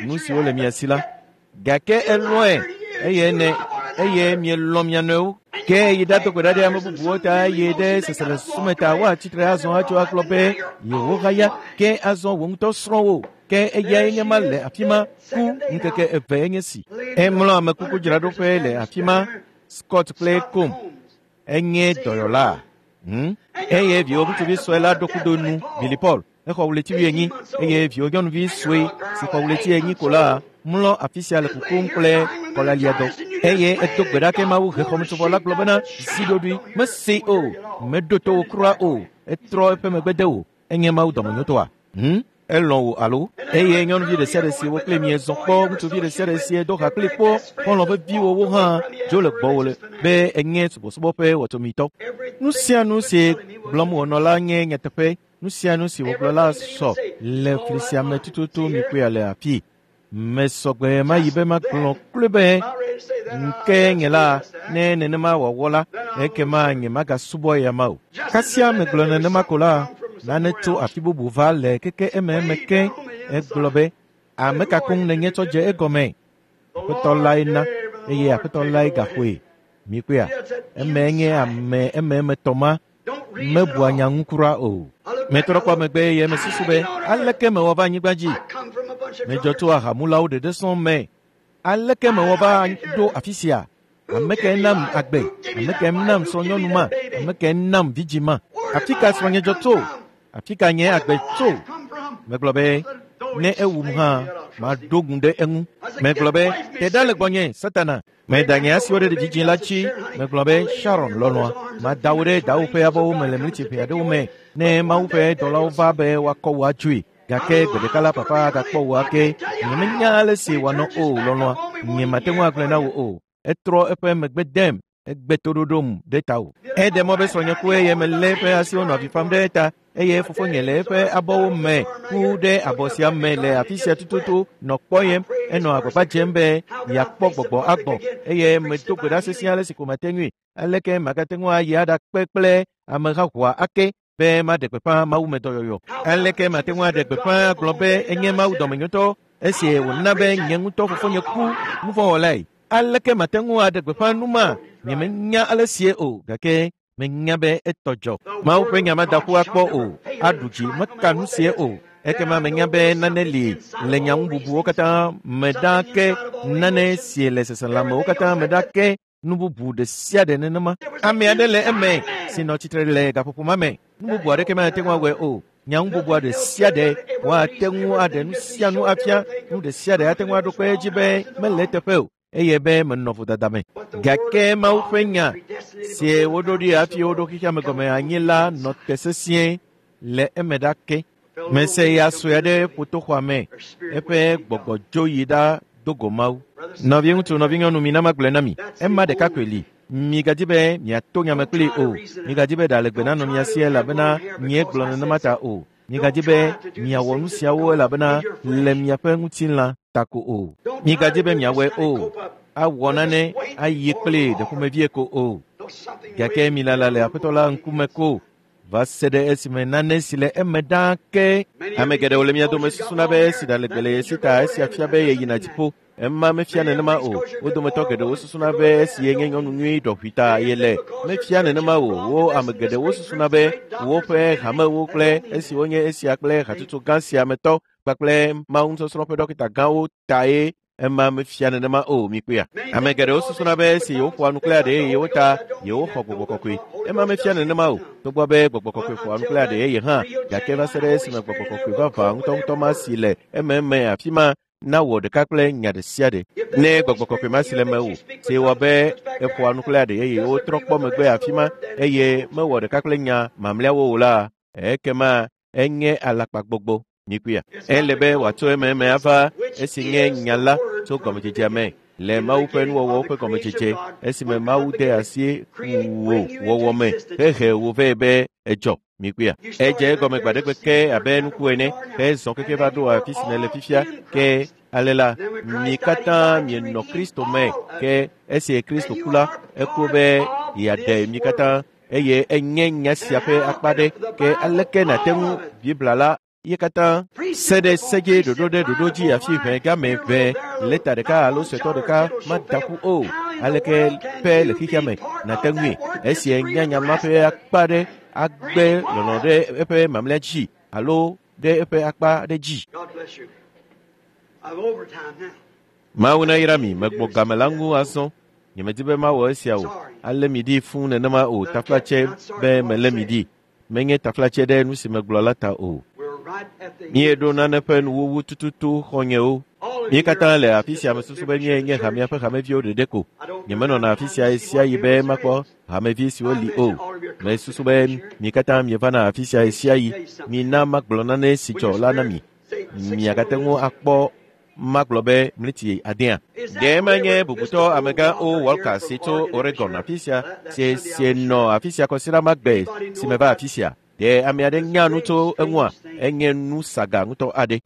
nu siwo le mia si la. Gake elɔ̃e eye ne eye mielɔ̃ mia nɔewo. Ke yi ɖado gbe ɖa ɖe ame bubuwo ta eye ɖe seselẽsume ta woatsi tre azɔ atso agblɔ be yewo haya. Ke azɔ wò ŋutɔ srɔ̃wò. Ke eyae nye ma le afi ma ku ŋkeke eve enye si. Emlɔ amekukudzraɖoƒe le afi ma, Scott kple Kom. Enye dɔyɔla. Hmm? Eye viwò ŋutsuvi sue la ɖo kudo nu, Billy Paul. Exɔ ɣleti wuienyi eye viwò nyɔnuvi sue si xɔ ɣleti enyi ko la mlɔ afi sia le kukum kple kɔlaliadɔ. Eye edo gbe ɖa ke Mawu hexɔmetsovɔ la gblɔ bena zi ɖoɖoe mese o, meɖo to wò kura o, etrɔ eƒe megbe de wò. Enye Mawu dɔmenyotɔa? Hmm? Elɔ̃ wò alo? Eye nyɔnuvi ɖe sia ɖe si wo kple miezɔ kpɔ, ŋutsuvi ɖe sia ɖe si do ha kpli kpɔ, xɔlɔ̃ veviwowo hã dzo le gbɔwò le be enye subɔsubɔ ƒe wɔtsomitɔ. Nu sia nu si gblɔm wònɔ la nye nyateƒe. Nu sia nu si wògblɔ la sɔ le fli sia me tututu mikpɔe le afi. Mesɔgbe mayi be magblɔ kloe be ŋke nye la ne nenema wòawɔ la, ekema nye magasubɔ ya ma o. Kasia megblɔ nenema ko la, nane tso afi bubu va le keke ememe ke egblɔ be ame ka koŋ nenye tsɔ dze egɔme. Aƒetɔ lae na eye aƒetɔ lae gaxɔe. Mikpɔea, eme nye ame ememetɔ ma mebua nya ŋu kura o. Metrɔ kpɔ megbe eye mesusu be aleke mewɔ va anyigba dzi. Medzɔ tso ahamulawo ɖeɖe sɔŋ me. Aleke mewɔ va ɖo afi sia? Ame kae nam agbe? Ame kae nam srɔ̃nyɔnu ma? Ame kae nam vidzĩ ma? Afi ka srɔ̃nye dzɔ tso? Afi ka nye agbe tso? Megblɔ be ne ewum hã maɖo ŋu ɖe eŋu. Megblɔ be te ɖa le gbɔnye, Satana. Meda nye asiwo ɖe vidzĩ la dzi. Megblɔ be Sharon lɔlɔ̃a, mada wo ɖe dawo ƒe abɔwo me le mliti ʋɛ aɖewo me ne Mawu ƒe dɔlawo va be woakɔ wò adzoe. Gake gbe ɖeka la papa agakpɔ wò ake. Nyemenya ale si wòanɔ o lɔlɔ̃a, nyemate ŋu agblɔe na wò o. Etrɔ eƒe megbe dem, egbe toɖoɖom ɖe tawò. Eɖe mɔ be srɔ̃nye ku eye melé eƒe asiwo nɔ avi fam ɖe eta eye fofonye le eƒe abɔwo me ku ɖe abɔ sia me le afi sia tututu nɔ kpɔyem. Enɔ agbagba dzem be yeakpɔ gbɔgbɔ agbɔ eye medo gbe ɖa sesĩe ale si ko mate ŋui. Aleke magate ŋu ayi aɖakpe kple amehahoa ake be maɖe gbeƒã mawumedɔyɔyɔ? Aleke mate ŋu aɖe gbeƒã agblɔ be enye Mawu dɔmenyotɔ esi wòna be nye ŋutɔ fofonye ku nuvɔ̃wɔlae? Aleke mate ŋu aɖe gbeƒã nu ma? Nyemenya ale sie o, gake menya be etɔ dzɔ. Mawu ƒe nya mada ƒu akpɔ o, aɖu dzi meka nu sie o. Ekema menya be nane li le nyaŋu bubuwo katã me ɖa ke nane sie le seselãmewo katã me ɖa ke nu bubu ɖe sia ɖe nenema. Ame aɖe le eme si nɔ tsitre le gaƒoƒo ma me. Nu bubu aɖeke mate ŋu awɔe o. Nyaŋu bubua ɖe sia ɖe woate ŋu aɖe nu sia nu afia. Nu ɖe sia ɖe ate ŋu aɖo kpe edzi be mele eteƒe o eye be menɔ vodada me. Gake Mawu ƒe nya si woɖo ɖi hafi woɖo xexea me gɔme anyi la nɔ te sesĩe le eme ɖa ke. Mese ya sue aɖe ƒo to xɔa me. Eƒe gbɔgbɔ dzo yi ɖa do go Mawu. Nɔviŋutsu, nɔvinyɔnu, mina magblɔe na mi. Ema ɖeka koe li. Migadi be miato nyame kplii o. Migadi be ɖa le gbe nanɔ mia si elabena nyee gblɔ nenema ta o. Migadzi be miawɔ nu siawo elabena le miaƒe ŋutilã ta ko o. Migadzi be miawɔe o. Awɔ nane ayi kple ɖeƒomevie ko o. Gake milala le Aƒetɔ la ŋkume ko va se ɖe esime nane si le eme ɖaa ke. Ame geɖewo le mia dome susuna be esi ɖa legbe le ye si ta esia fia be yeyina dziƒo. Ema mefia nenema o. Wo dometɔ geɖewo susuna be esi yenye nyɔnu nyui ɖɔʋui ta yele. Mefia nenema o. Wo ame geɖewo susuna be woƒe hamewo kple esiwo nye esia kple hatsotso gã sia me tɔ kpakple mawunusɔsrɔ̃ ƒe ɖɔkita gãwo tae. Ema mefia nenema o, mikpɔea. Ame geɖewo susuna be esi yewoƒoa nu kple aɖe yewo ta yewoxɔ gbɔgbɔ kɔkɔe. Ema mefia nenema o. Togbɔ be gbɔgbɔ kɔkɔe ƒoa nu kple aɖe yeye hã, gake va se ɖe esime gbɔgbɔ kɔkɔe vavã ŋutɔŋutɔ ma si le ememe afi ma nawɔ ɖeka kple nya ɖe sia ɖe. Ne gbɔgbɔ kɔkɔe ma si le mewò, si wɔ be eƒoa nu kple aɖe yeye wotrɔ kpɔ megbe afi ma eye mewɔ ɖeka kple nya mamlɛawo o la, ekema enye alakpagbɔgbɔ. Mikpɔea. Ele be wòatso ememe ava esi nye nya la tso gɔmedzedzea me le Mawu ƒe nuwɔwɔwo ƒe gɔmedzedze esime Mawu de asi wò wɔwɔ me hehe wò vɛ be edzɔ. Mikpɔea. Edze egɔme gbaɖegbe ke abe nuku ene hezɔ keke va ɖo afi si nèle fifia ke ale la mi katã mienɔ Kristo me ke esi Kristo ku la eku be yeaɖe mi katã eye enye nya sia ƒe akpa ɖe ke aleke nàte ŋu Biblia la ye katã se ɖe se dzi ɖoɖo ɖe ɖoɖo dzi afi ʋɛ game ʋɛ lɛta ɖeka alo suetɔ ɖeka mada ƒu o. Aleke ƒe le xexea me nàte ŋui esi nye nya ma ƒe akpa ɖe agbe lɔlɔ ɖe eƒe mamlɛa dzi alo ɖe eƒe akpa ɖe dzi. Mawu nayra mi, megbɔ game la ŋu azɔ. Nyemedi be mawɔ esia o. Ale mi ɖi fũu nenema o. Taflatse be melé mi ɖi. Menye taflatse ɖe nu si megblɔ la ta o. Míeɖo nane ƒe nuwuwu tututu xɔnyewo. Mí katã le afi sia mesusu be míenye hamea ƒe hameviwo ɖeɖe ko. Nyemenɔna afi sia ɣe sia ɣi be makpɔ hamevi siwo li o. Mesusu be mi katã mievana afi sia ɣe sia ɣi. Mina magblɔ nane si dzɔ la na mi. Miagate ŋu akpɔ magblɔ be mliti adea. Ɖe menye bubutɔ amegã O. Walker si tso Oregon afi sia si si nɔ afi sia kɔsiɖa magbe si meva afi sia. Ɖe ame aɖe nya nu tso eŋua? Enye nu saga ŋutɔ aɖe.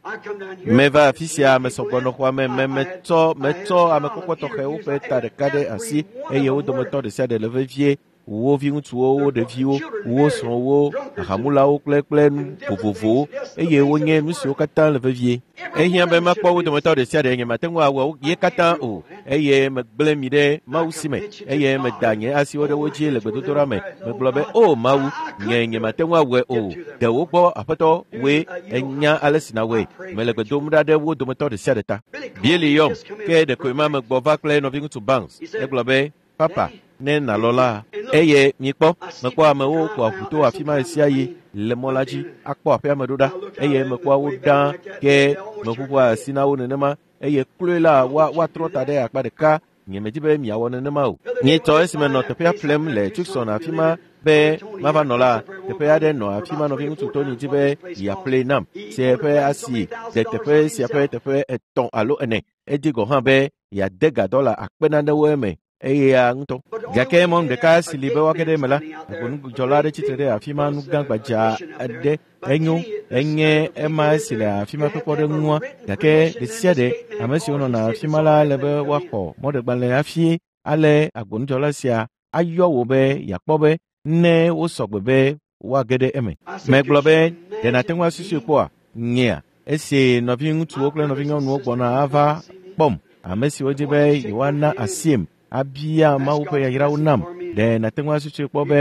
Meva afi sia mesɔgbɔ nɔ xɔa me me metsɔ metsɔ amekpɔkpɔ tɔxɛwo ƒe ta ɖeka ɖe asi eye wo dometɔ ɖe sia ɖe le vevie. Wo viŋutsuwo, wo ɖeviwo, wo srɔ̃wo, ahamulawo kple kple nu vovovowo eye wonye nu siwo katã le vevie. Ehiã be makpɔ wo dometɔ ɖe sia ɖe nyemate ŋu awɔ ye katã o eye megblẽ mi ɖe Mawu si me eye meda nye asiwo ɖe wo dzi le gbedodoɖa me. Megblɔ be o Mawu, nye nyemate ŋu awɔe o. Ɖe wo gbɔ Aƒetɔ woe enya ale si nawɔe. Mele gbe dom ɖa ɖe wo dometɔ ɖe sia ɖe ta. Bieli yɔm ke ɖekoe ma megbɔ va kple nɔviŋutsu Banks. Egblɔ be papa ne nalɔ la eye mikpɔ mekpɔ amewo ƒoa ʋu to afi ma ɣe sia ɣi le mɔ la dzi akpɔ aƒea me ɖo ɖa eye mekpɔa wo ɖaa ke meʋuʋua asi na wo nenema eye kloe la woa woatrɔ ta ɖe akpa ɖeka. Nyemedi be miawɔ nenema o. Nyetɔ esime nɔ teƒea ƒlem le Tucson afi ma be mava nɔ la, teƒe aɖe nɔ afi ma nɔviŋutsu Tony di be yeaƒlee nam si eƒe asi de teƒe sia ƒe teƒe etɔ̃ alo ene. Edi gɔ̃ hã be yeade ga dɔla akpe nanewo eme. Eya ŋutɔ. Gake mɔnu ɖeka si li be woage ɖe eme la, agbonudzɔla aɖe tsitre ɖe afi ma nu gã gbadza aɖe enyo enye ema si le afi ma ƒe kpɔɖeŋua. Gake ɖe sia ɖe ame siwo nɔna afi ma la le be woaxɔ mɔɖegbalẽ hafi ale agbonudzɔla sia ayɔ wò be yeakpɔ be ne wosɔ gbe be woage ɖe eme. Megblɔ be ɖe nàte ŋu asusui kpɔa? Nyea esi nɔviŋutsuwo kple nɔvinyɔnuwo gbɔna ava kpɔm ame siwo di be yewoana asiem abia Mawu ƒe yayrawo nam. Ɖe nàte ŋu asusui kpɔ be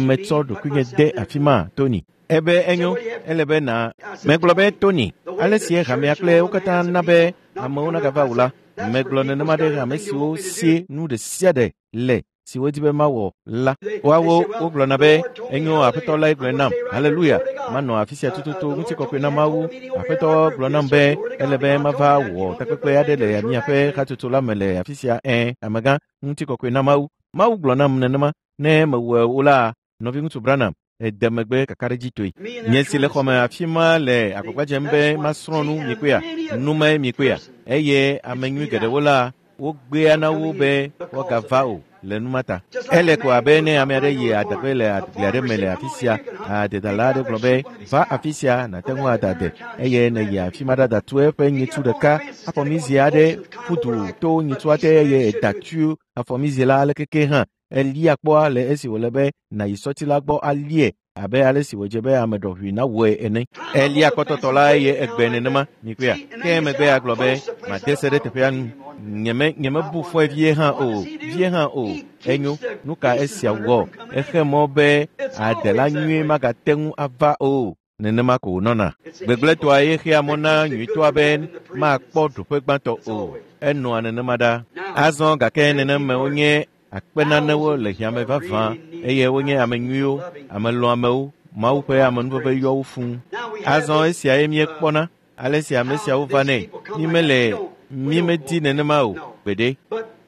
metsɔ ɖokuinye de afi ma, Tony? Ebe enyo, ele be na. Megblɔ be Tony, ale si hamea kple wo katã na be amewo nagava o la, megblɔ nenema ɖe ame siwo si nu ɖe sia ɖe le si wodi be mawɔ la. Woawo wogblɔna be enyo Aƒetɔ lae gblɔe nam. Haleluya! Manɔ afi sia tututu ŋutikɔkɔe na Mawu. Aƒetɔ gblɔ nam be ele be mava wɔ takpekpe aɖe le miaƒe hatsotso la me le afi sia. Ẽ, amegã, ŋutikɔkɔe na Mawu. Mawu gblɔ nam nenema. Ne mewɔe o la, nɔviŋutsu Branham ede megbe kakaɖedzitɔe. Nye si le xɔme afi ma le agbagba dzem be masrɔ̃ nu mikpɔea, nu mae mikpɔea eye ame nyui geɖewo la wogbea na wo be woagava o le numa ta. Ele ko abe ne ame aɖe yi adegbe le agble aɖe me le afi sia, adedala aɖe gblɔ be va afi sia nàte ŋu ada ade eye nèyi afi ma ɖada tu eƒe nyitsu ɖeka afɔmizi aɖe ƒu du to nyitsua te eye eda tu afɔmizi la ale keke hã elia kpɔa le esi wòle be nàyi sɔti la gbɔ alie abe ale si wòdze be ame ɖɔʋui nawɔe ene. Elia kpɔtɔtɔ la eye egbe nenema mikpɔea. Ke emegbe agblɔ be made se ɖe teƒea nu. Nyeme nyemebu fɔe vie hã o, vie hã o. Enyo, nu ka esia wɔ? Exe mɔ be adela nyuie magate ŋu ava o. Nenema ko wònɔna. Gbegblẽtɔa ye xea mɔ na nyuitɔa be makpɔ ɖoƒe gbãtɔ o. Enɔa nenema ɖa. Azɔ gake neneme wonye akpe nanewo le hiame vavã eye wonye ame nyuiwo, ame lɔ̃amewo, Mawu ƒe amenuveve yɔ wo fũu. Azɔ esiae míekpɔna ale si ame siawo va nɛ. Mi mele mi medi nenema o gbeɖe.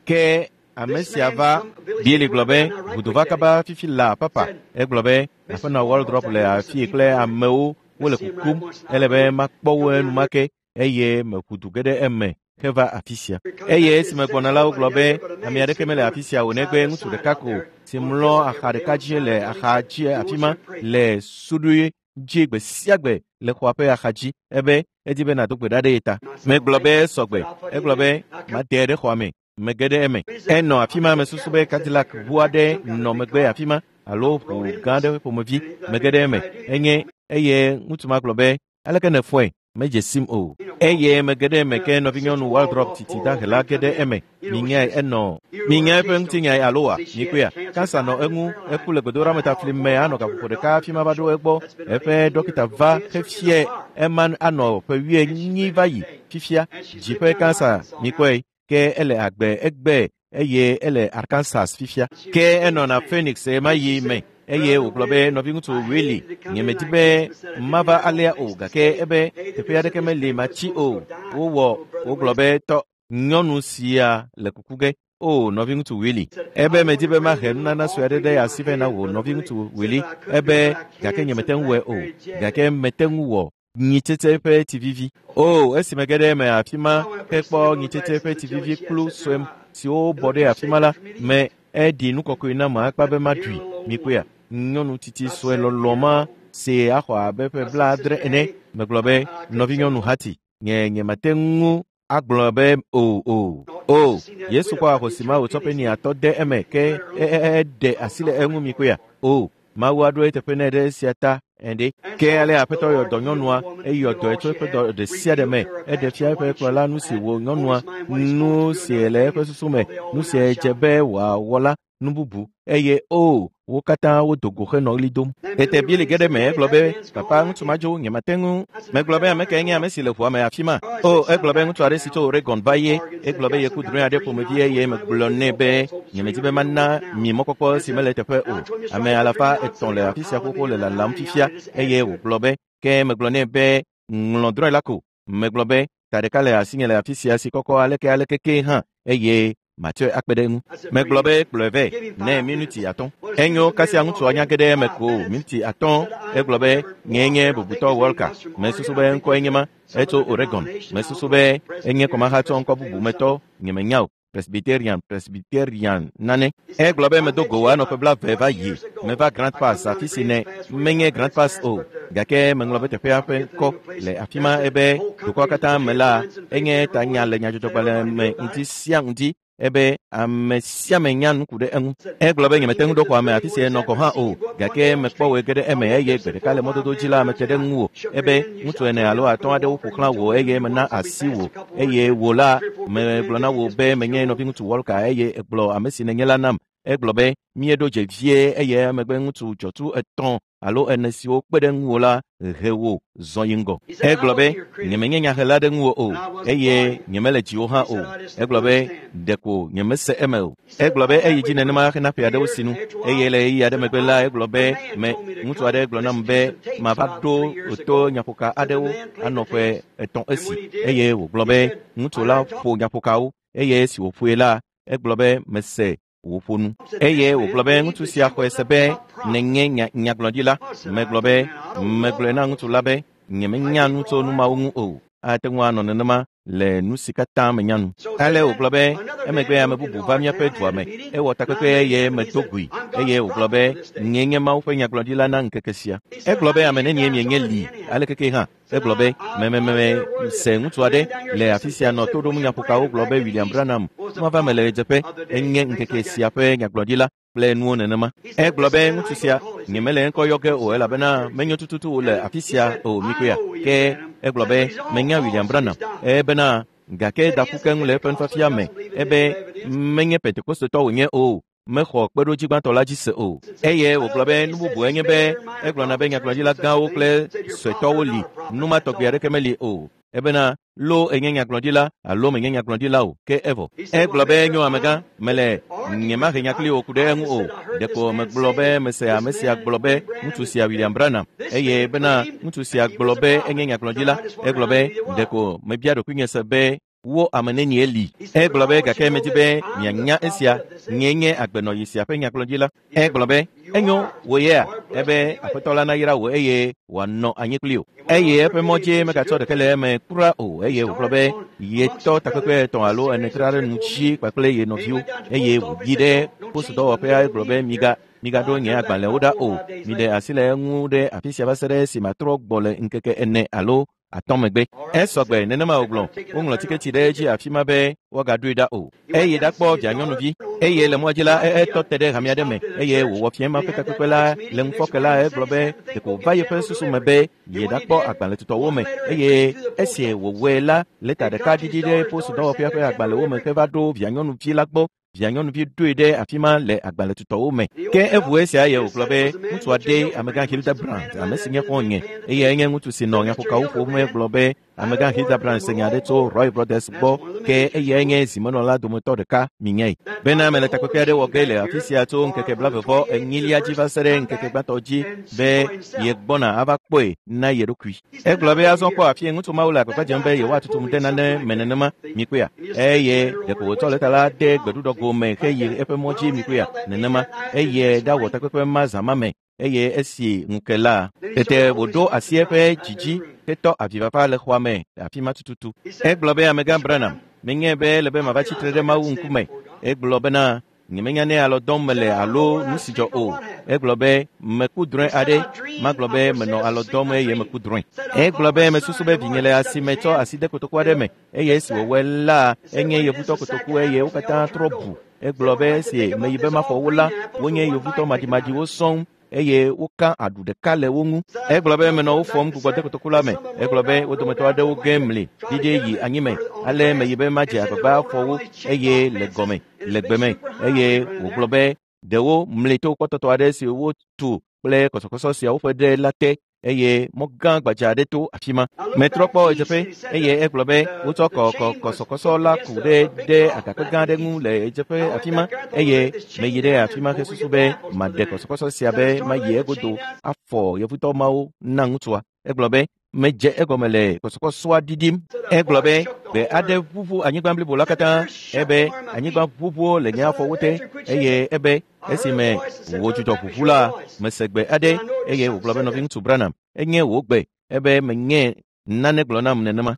Ke ame sia va Bieli gblɔ be ʋudo va kaba fifi la papa. Egblɔ be aƒenɔ Waldrop le afii kple amewo wole kukum. Ele be makpɔ wo enumake eye meƒu du ge ɖe eme heva afi sia. Eye esime gbɔna la wogblɔ be ame aɖeke mele afi sia o negbe ŋutsu ɖeka ko si mlɔ axa ɖeka dzi le axa dzi afi ma le suɖui dzi gbe sia gbe le xɔa ƒe axa dzi ebe edi be nàdo gbe ɖa ɖe ye ta. Megblɔ be sɔgbe. Egblɔ be made ɖe xɔa me. Mege ɖe eme. Enɔ afi ma mesusu be Cadillac ʋu aɖe nɔ megbe afi ma alo ʋu gã aɖe ƒomevi. Mege ɖe eme. Enye eye ŋutsu ma gblɔ be aleke nèfɔe? Medze sim o. Eye mege ɖe eme ke nɔvinyɔnu Waldrop titi dahe la ge ɖe eme. Minyae enɔ. Minyae eƒe ŋutinyae alo wa? Mikpɔea? Kansa nɔ eŋu, eku le gbedoɖametafli me anɔ gaƒoƒo ɖeka hafi ma va ɖo egbɔ. Eƒe dɔkita va hefia ema anɔ ƒe wuienyi va yi fifia. Dzi ƒe kansa mikpɔe. Ke ele agbe egbe eye ele Arkansas fifia. Ke enɔna Phoenix ɣemaɣi me. Eye wògblɔ be nɔviŋutsu Willy nyemedi be mava alea o gake ebe teƒe aɖeke meli matsi o. Wowɔ wogblɔ be tɔ nyɔnu sia le kuku ge. O nɔviŋutsu Willy. Ebe medi be mahe nunana sue aɖe ɖe asi vɛ na wò nɔviŋutsu Willy. Ebe gake nyemete ŋu wɔe o. Gake mete ŋu wɔ nyitsetse ƒe tsivivi. O esi mege ɖe eme afi ma hekpɔ nyitsetse ƒe tsivivi kplu sue siwo bɔ ɖe afi ma la me eɖi nu kɔkɔe nam akpa be maɖui. Mikpɔea? Nyɔnu tsitsi sue lɔlɔ ma si axɔ abe ƒe blaadre ene. Megblɔ be nɔvinyɔnu hati nye nyemate ŋu agblɔ be o o o. Yesu kpɔ ahosi ma wòtsɔ ƒe atɔ de eme ke eɖe asi le eŋu mikpɔea? O Mawu aɖo eteƒe nɛ ɖe esia ta ene. Ke ale aƒetɔ yɔ dɔ nyɔnua eyɔ dɔe tso eƒe dɔ ɖe sia ɖe me. Eɖe fia eƒe kplɔla nu si wò nyɔnua nu si le eƒe susu me nu si dze be wòawɔ la nu bubu eye o wo katã wodo go henɔ ɣli dom. Tete Bieli ge ɖe eme egblɔ be papa ŋutsu ma dzo nyemate ŋu. Megblɔ be ame kae nye ame si le ʋua me afi ma? O egblɔ be ŋutsu aɖe si tso Oregon va ye. Egblɔ be yeku drɔ̃e aɖe ƒomevi eye megblɔ nɛ be nyemedi be mana mi mɔkpɔkpɔ si mele teƒe o. Ame alafa etɔ̃ le afi sia xoxo le lalam fifia eye wògblɔ be ke megblɔ nɛ be ŋlɔ drɔ̃e la ko. Megblɔ be ta ɖeka le asinye le afi sia si kɔkɔ aleke aleke ke hã eye matsɔe akpe ɖe eŋu. Megblɔ be kplɔe vɛ nɛ minuti atɔ̃. Enyo kasia ŋutsua nya ge ɖe eme ko minuti atɔ̃. Egblɔ be nyee nye bubutɔ Walker. Mesusu be ŋkɔe nye ma. Etso Oregon. Mesusu be enye kɔmahatsɔ ŋkɔ bubu me tɔ. Nyemenya o. Presbyterian, Presbyterian nane. Egblɔ be medo go anɔ ƒe blaeve va yi. Meva Grand Pass afi si ne menye Grand Pass o. Gake meŋlɔ be teƒea ƒe ŋkɔ le afi ma ebe dukɔa katã me la enye tanya le nyadzɔdzɔgbalẽ me ŋdi sia ŋdi. Ebe ame sia ame nya nu ku ɖe eŋu. Egblɔ be nyemete ŋu ɖo xɔa me afi si enɔ gɔ̃ hã o. Gake mekpɔ wòe ge ɖe eme eye gbe ɖeka le mɔdodo dzi la mete ɖe ŋuwò. Ebe ŋutsu ene alo atɔ̃ aɖewo ƒo xlã wò eye mena asi wò. Eye wò la megblɔ na wò be menye nɔviŋutsu Walker eye egblɔ ame si nènye la nam. Egblɔ be míeɖo dze vie eye emegbe ŋutsu dzɔtsu etɔ̃ alo ene siwo kpe ɖe ŋuwò la he wò zɔ yi ŋgɔ. Egblɔ be nyemenye nyahela ɖe ŋuwò o eye nyemele dziwò hã o. Egblɔ be ɖeko nyemese eme o. Egblɔ be eyi dzi nenema hena ƒe aɖewo sinu eye le ɣeyiɣi aɖe megbe la egblɔ be me ŋutsu aɖe gblɔ nam be mava ɖo to nyaƒoka aɖewo anɔ ƒe etɔ̃ esi eye wògblɔ be ŋutsu la ƒo nyaƒokawo eye esi wòƒoe la egblɔ be mese wòƒo nu. Eye wògblɔ be ŋutsu sia xɔe se be nènye nya nyagblɔɖila. Megblɔ be megblɔe na ŋutsu la be nyemenya nu tso nu mawo ŋu o. Ate ŋu anɔ nenema le nu si katã menya nu. Ale wògblɔ be emegbe ame bubu va míaƒe dua me, ewɔ takpekpe eye medo goe eye wògblɔ be nye nye Mawu ƒe nyagblɔɖila na ŋkeke sia. Egblɔ be ame nenie mienye li alekeke hã. Egblɔ be memememe se ŋutsu aɖe le afi sia nɔ to ɖom nyaƒokawo gblɔ be William Branham mava me le ɣedzeƒe enye ŋkeke sia ƒe nyagblɔɖila kple nuwo nenema. Egblɔ be ŋutsu sia nyemele ŋkɔ yɔ ge o elabena menyo tututu le afi sia o mikoya. Ke egblɔ be menya William Branham ebena gake da ƒu keŋ le eƒe nufiafia me ebe menye Pentekostetɔ wònye o. Mexɔ kpeɖodzi gbãtɔ la dzi se o. Eye wògblɔ be nu bubu enye be egblɔna be nyagblɔɖila gãwo kple suetɔwo li nu ma tɔgbi aɖeke meli o. Ebena lo enye nyagblɔɖila alo menye nyagblɔɖila o ke evɔ. Egblɔ be nyo amegã mele nyemahe nya kpli wò ku ɖe eŋu o. Ɖeko megblɔ be mese ame sia gblɔ be ŋutsu sia William Branham eye bena ŋutsu sia gblɔ be enye nyagblɔɖila. Egblɔ be ɖeko mebia ɖokuinye se be wo ame nenie li. Egblɔ be gake medi be mianya esia nye nye agbenɔyi sia ƒe nyagblɔɖila. Egblɔ be enyo wò yea ebe aƒetɔ la nayra wò eye wòanɔ anyi kpli wò. Eye eƒe mɔ dzie megatsɔ ɖeke le eme kura o eye wògblɔ be yetɔ takpekpe etɔ̃ alo ene tra ɖe nu dzi kpakple ye nɔviwo eye wòyi ɖe posudɔwɔƒea egblɔ be miga migaɖo nye agbalẽwo ɖa o miɖe asi le eŋu ɖe afi sia va se ɖe esi matrɔ gbɔ le ŋkeke ene alo atɔ̃ megbe. Esɔgbe nenema wògblɔ woŋlɔ tiketi ɖe edzi afi ma be woagaɖoe ɖa o. Eye ɖakpɔ vianyɔnuvi eye le mɔa dzi la etɔ te ɖe hame aɖe me eye wòwɔ fiẽ ma ƒe takpekpe la le ŋufɔke la egblɔ be ɖeko wòva yeƒe susu me be yeɖakpɔ agbalẽtutɔwo me eye esi wòwɔe la lɛta ɖeka ɖiɖi ɖe posudɔwɔƒea ƒe agbalẽwo me heva ɖo vianyɔnuvi la gbɔ. Vianyɔnuvi ɖoe ɖe afi ma le agbalẽtutɔwo me. Ke eʋu esia ye wògblɔ be ŋutsu aɖe amegã Hildebrand ame si nye xɔ̃nye eye enye ŋutsu si nɔ nyaƒokawo ƒom egblɔ be amegã Hildebrand se nya aɖe tso Roy Brothers gbɔ ke eyae nye zimenɔla dometɔ ɖeka minyae. Bena mele takpekpe aɖe wɔ ge le afi sia tso ŋkeke blavevɔ enyilia dzi va se ɖe ŋkeke gbãtɔ dzi be yegbɔna ava kpɔe na ye ɖokui. Egblɔ be azɔ kpɔ afie ŋutsu mawo le agbagba dzem be yewoatutum ɖe nane me nenema mikpɔea eye ɖeko wòtsɔ lɛta la de gbeɖuɖɔgo me heyi eƒe mɔ dzi mikpɔea nenema eye ɖawɔ takpekpe ma zã ma me eye esi ŋuke la tete wòɖo asi eƒe dzidzi hetɔ avifafa le xɔa me le afi ma tututu. Egblɔ be amegã Branham menye be ele be mava tsitre ɖe Mawu ŋkume. Egblɔ bena nyemenya ne alɔ dɔm mele alo nu si dzɔ o. Egblɔ be meku drɔ̃e aɖe magblɔ be menɔ alɔ dɔm eye meku drɔ̃e. Egblɔ be mesusu be vinye le asi me tsɔ asi de kotoku aɖe me eye esi wòwɔe la enye yevutɔ kotoku eye wo katã trɔ bu. Egblɔ be esi meyi be maxɔ wo la wonye yevutɔ maɖimaɖiwo sɔŋ eye woka aɖu ɖeka le wo ŋu. Egblɔ be menɔ wo fɔm gbugbɔ de kotoku la me. Egblɔ be wo dometɔ aɖewo ge mli ɖiɖi yi anyime ale meyi be madze agbagba afɔ wo eye le gɔme le gbe me eye wògblɔ be ɖewo mli to kpɔtɔtɔ aɖe si wotu kple kɔsɔkɔsɔ siawo ƒe ɖe la te eye mɔ gã gbadza aɖe to afi ma. Metrɔ kpɔ ɣedzeƒe eye egblɔ be wotsɔ kɔ kɔsɔkɔsɔ la ku ɖe ɖe agakpe gã aɖe ŋu le ɣedzeƒe afi ma eye meyi ɖe afi ma hesusu be maɖe kɔsɔkɔsɔ sia be mayi egodo afɔ yevutɔ mawo na ŋutsua. Egblɔ be medze egɔme le kɔsɔkɔsɔa ɖiɖim. Egblɔ be gbe aɖe ʋuʋu anyigba blibo la katã ebe anyigba ʋuʋuwo le nye afɔwo te eye ebe esime wòdzudzɔ ʋuʋu la mese gbe aɖe eye wògblɔ be nɔviŋutsu Branham enye wò gbe ebe menye nane gblɔ nam nenema.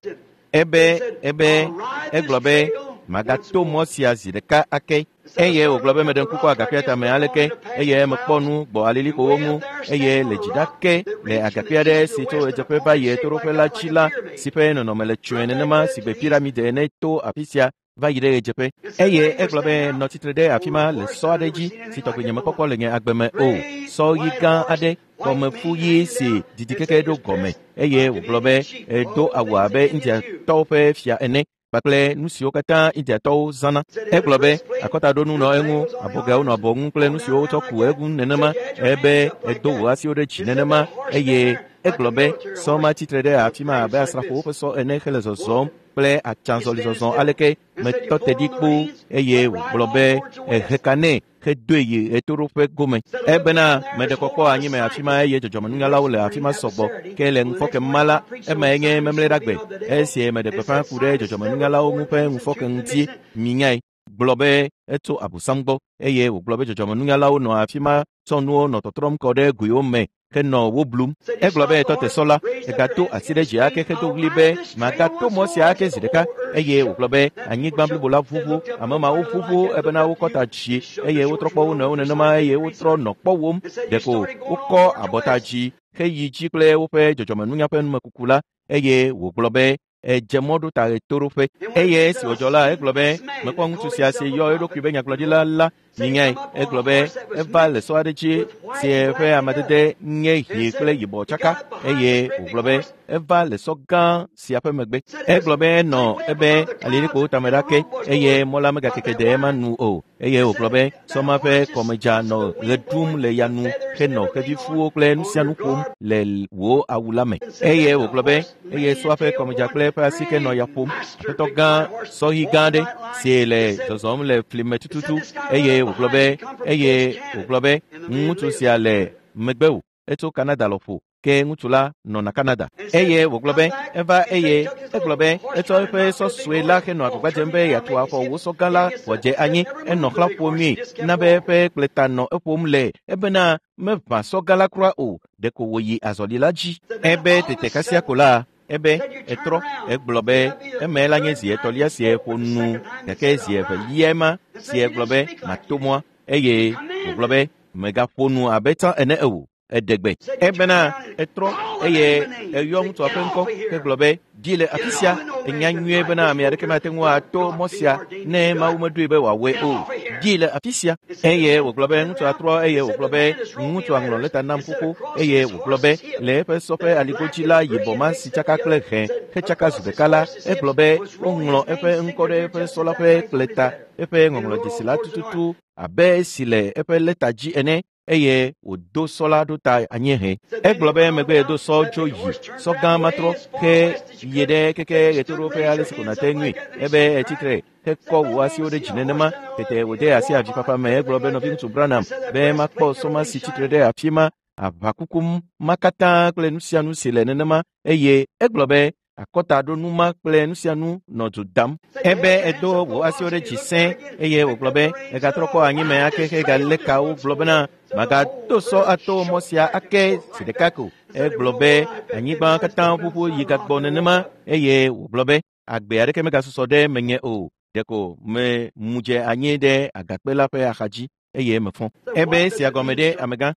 Ebe ebe egblɔ be magato mɔ sia zi ɖeka ake eye wògblɔ be meɖe ŋku kɔ agakpea tame aleke eye mekpɔ nu gbɔ alilikpowo ŋu eye le dzi ɖake le agakpe aɖe si tso ɣedzeƒe va yi ɣetoɖoƒe la dzi la si ƒe nɔnɔme le tsɔe nenema si gbe piramide ene to afi sia va yi ɖe ɣedzeƒe eye egblɔ be nɔ tsitre ɖe afi ma le sɔ aɖe dzi si tɔgbi nyemekpɔkpɔ le nye agbe me o. Sɔ ɣi gã aɖe kɔmefu ɣi si didi keke ɖo gɔme eye wògblɔ be edo awu abe Indiatɔwo ƒe fia ene kpakple nu siwo katã Indiatɔwo zãna. Egblɔ be akɔtaɖonu nɔ eŋu, abɔgɛawo nɔ abɔ ŋu kple nu siwo wotsɔ ku eŋu nenema ebe edo wò asiwo ɖe dzi nenema eye egblɔ be sɔ ma tsitre ɖe afi ma abe asrafowo ƒe sɔ ene hele zɔzɔm kple atsãzɔlizɔzɔ aleke metɔ te ɖi kpoo eye wògblɔ be ehe ka nɛ hedoe yi ɣetoɖoƒe gome. Ebena meɖe kɔkɔ anyi me afi ma eye dzɔdzɔmenunyalawo le afi ma sɔgbɔ ke le ŋufɔke ma la emae nye memleɖagbe esi meɖe gbeƒã ku ɖe dzɔdzɔmenunyalawo ŋu ƒe ŋufɔke ŋuti minyae gblɔ be etso abosam gbɔ eye wògblɔ be dzɔdzɔmenunyalawo nɔ afi ma tsɔ nuwo nɔ tɔtrɔm kɔ ɖe goewo me Henɔ wo blum. Egblɔ be etɔ te sɔ la, egato asi ɖe dzi ake hedo ɣli be magato mɔ sia ake zi ɖeka eye wògblɔ be anyigba blibo la ʋuʋu, ame mawo ʋuʋu ebena wokɔ ta dzi eye wotrɔ kpɔ wo nɔewo nenema eye wotrɔ nɔ kpɔwom. Ɖeko wokɔ abɔta dzi heyi dzi kple woƒe dzɔdzɔmenunya ƒe numekuku la eye wògblɔ be edze mɔ ɖo ta ɣetoɖoƒe. Eye esi wòdzɔ la, egblɔ be mekpɔ ŋutsu sia si yɔ eɖokui be nyagblɔɖila la minyae. Egblɔ be eva le sɔ aɖe dzi si eƒe amadede nye ɣi kple yibɔ tsaka eye wògblɔ be eva le sɔ gã sia ƒe megbe. Egblɔ be enɔ ebe alilikpowo tame ɖa ke eye mɔ la megakeke de ema nu o. Eye wògblɔ be sɔ ma ƒe kɔmedza nɔ ɣe ɖum le ya nu henɔ xevifuwo kple nu sia nu ƒom le wò awu la me. Eye wògblɔ be eye sɔa ƒe kɔmedza kple eƒe asike nɔ ya ƒom. Aƒetɔ gã sɔhi gã aɖe si le zɔzɔm le fli me tututu eye wògblɔ be eye wògblɔ be ŋutsu sia le megbewò etso Canada lɔƒo ke ŋutsu la nɔna Canada. Eye wògblɔ be eva eye egblɔ be etsɔ eƒe sɔ sue la henɔ agbagba dzem be yeatu afɔ wò sɔ gã la wòadze anyi. Enɔ xlã ƒomii na be eƒe kpleta nɔ eƒom le ebena meʋã sɔ gã la kura o, ɖeko wòyi azɔli la dzi. Ebe tete kasia ko la ebe etrɔ egblɔ be eme la nye zi etɔ̃lia si ƒo nu gake zi evelia ema si egblɔ be mato mɔa eye wògblɔ be megaƒo nu abe tsã ene o. Eɖe gbe. Ebena etrɔ eye eyɔ ŋutsua ƒe ŋkɔ hegblɔ be dzi le afi sia. Enya nyuie bena ame aɖeke mate ŋu ato mɔ sia ne Mawu meɖoe be wòawɔe o. Dzi le afi sia. Eye wògblɔ be ŋutsua trɔ eye wògblɔ be ŋutsua ŋlɔ lɛta nam xoxo eye wògblɔ be le eƒe sɔ ƒe aligodzi la yibɔ ma si tsaka kple hẽ hetsaka zu ɖeka la, egblɔ be woŋlɔ eƒe ŋkɔ ɖe eƒe sɔ la ƒe kpleta eƒe ŋɔŋlɔdzesi la tututu abe esi le eƒe lɛta dzi ene. Eye wòdo sɔ la ɖo ta anyiehe. Egblɔ be megbe do sɔ tso yi sɔ gã matrɔ he yi ɖe keke ɣetoɖoƒe ale si ko nàte ŋui. Ebe etsitre hekɔ wò asiwo ɖe dzi nenema. Tete wòde asi avifafa me. Egblɔ be nɔviŋutsu Branham be makpɔ sɔ ma si tsitre ɖe afi ma aʋakuku ma katã kple nu sia nu si le nenema eye egblɔ be akɔtaɖonu ma kple nu sia nu nɔ du dam. Ebe edo wò asiwo ɖe dzi sẽ eye wògblɔ be egatrɔ kɔ anyime ake hegalé kawo gblɔ bena magato sɔ ato mɔ sia ake zi ɖeka ko. Egblɔ be anyigba katã ƒuƒu yi gagbɔ nenema eye wògblɔ be agbe aɖeke megasusɔ ɖe menye o. Ɖeko me mu dze anyi ɖe agakpe la ƒe axadzi eye mefɔ. Ebe esia gɔme ɖe amegã.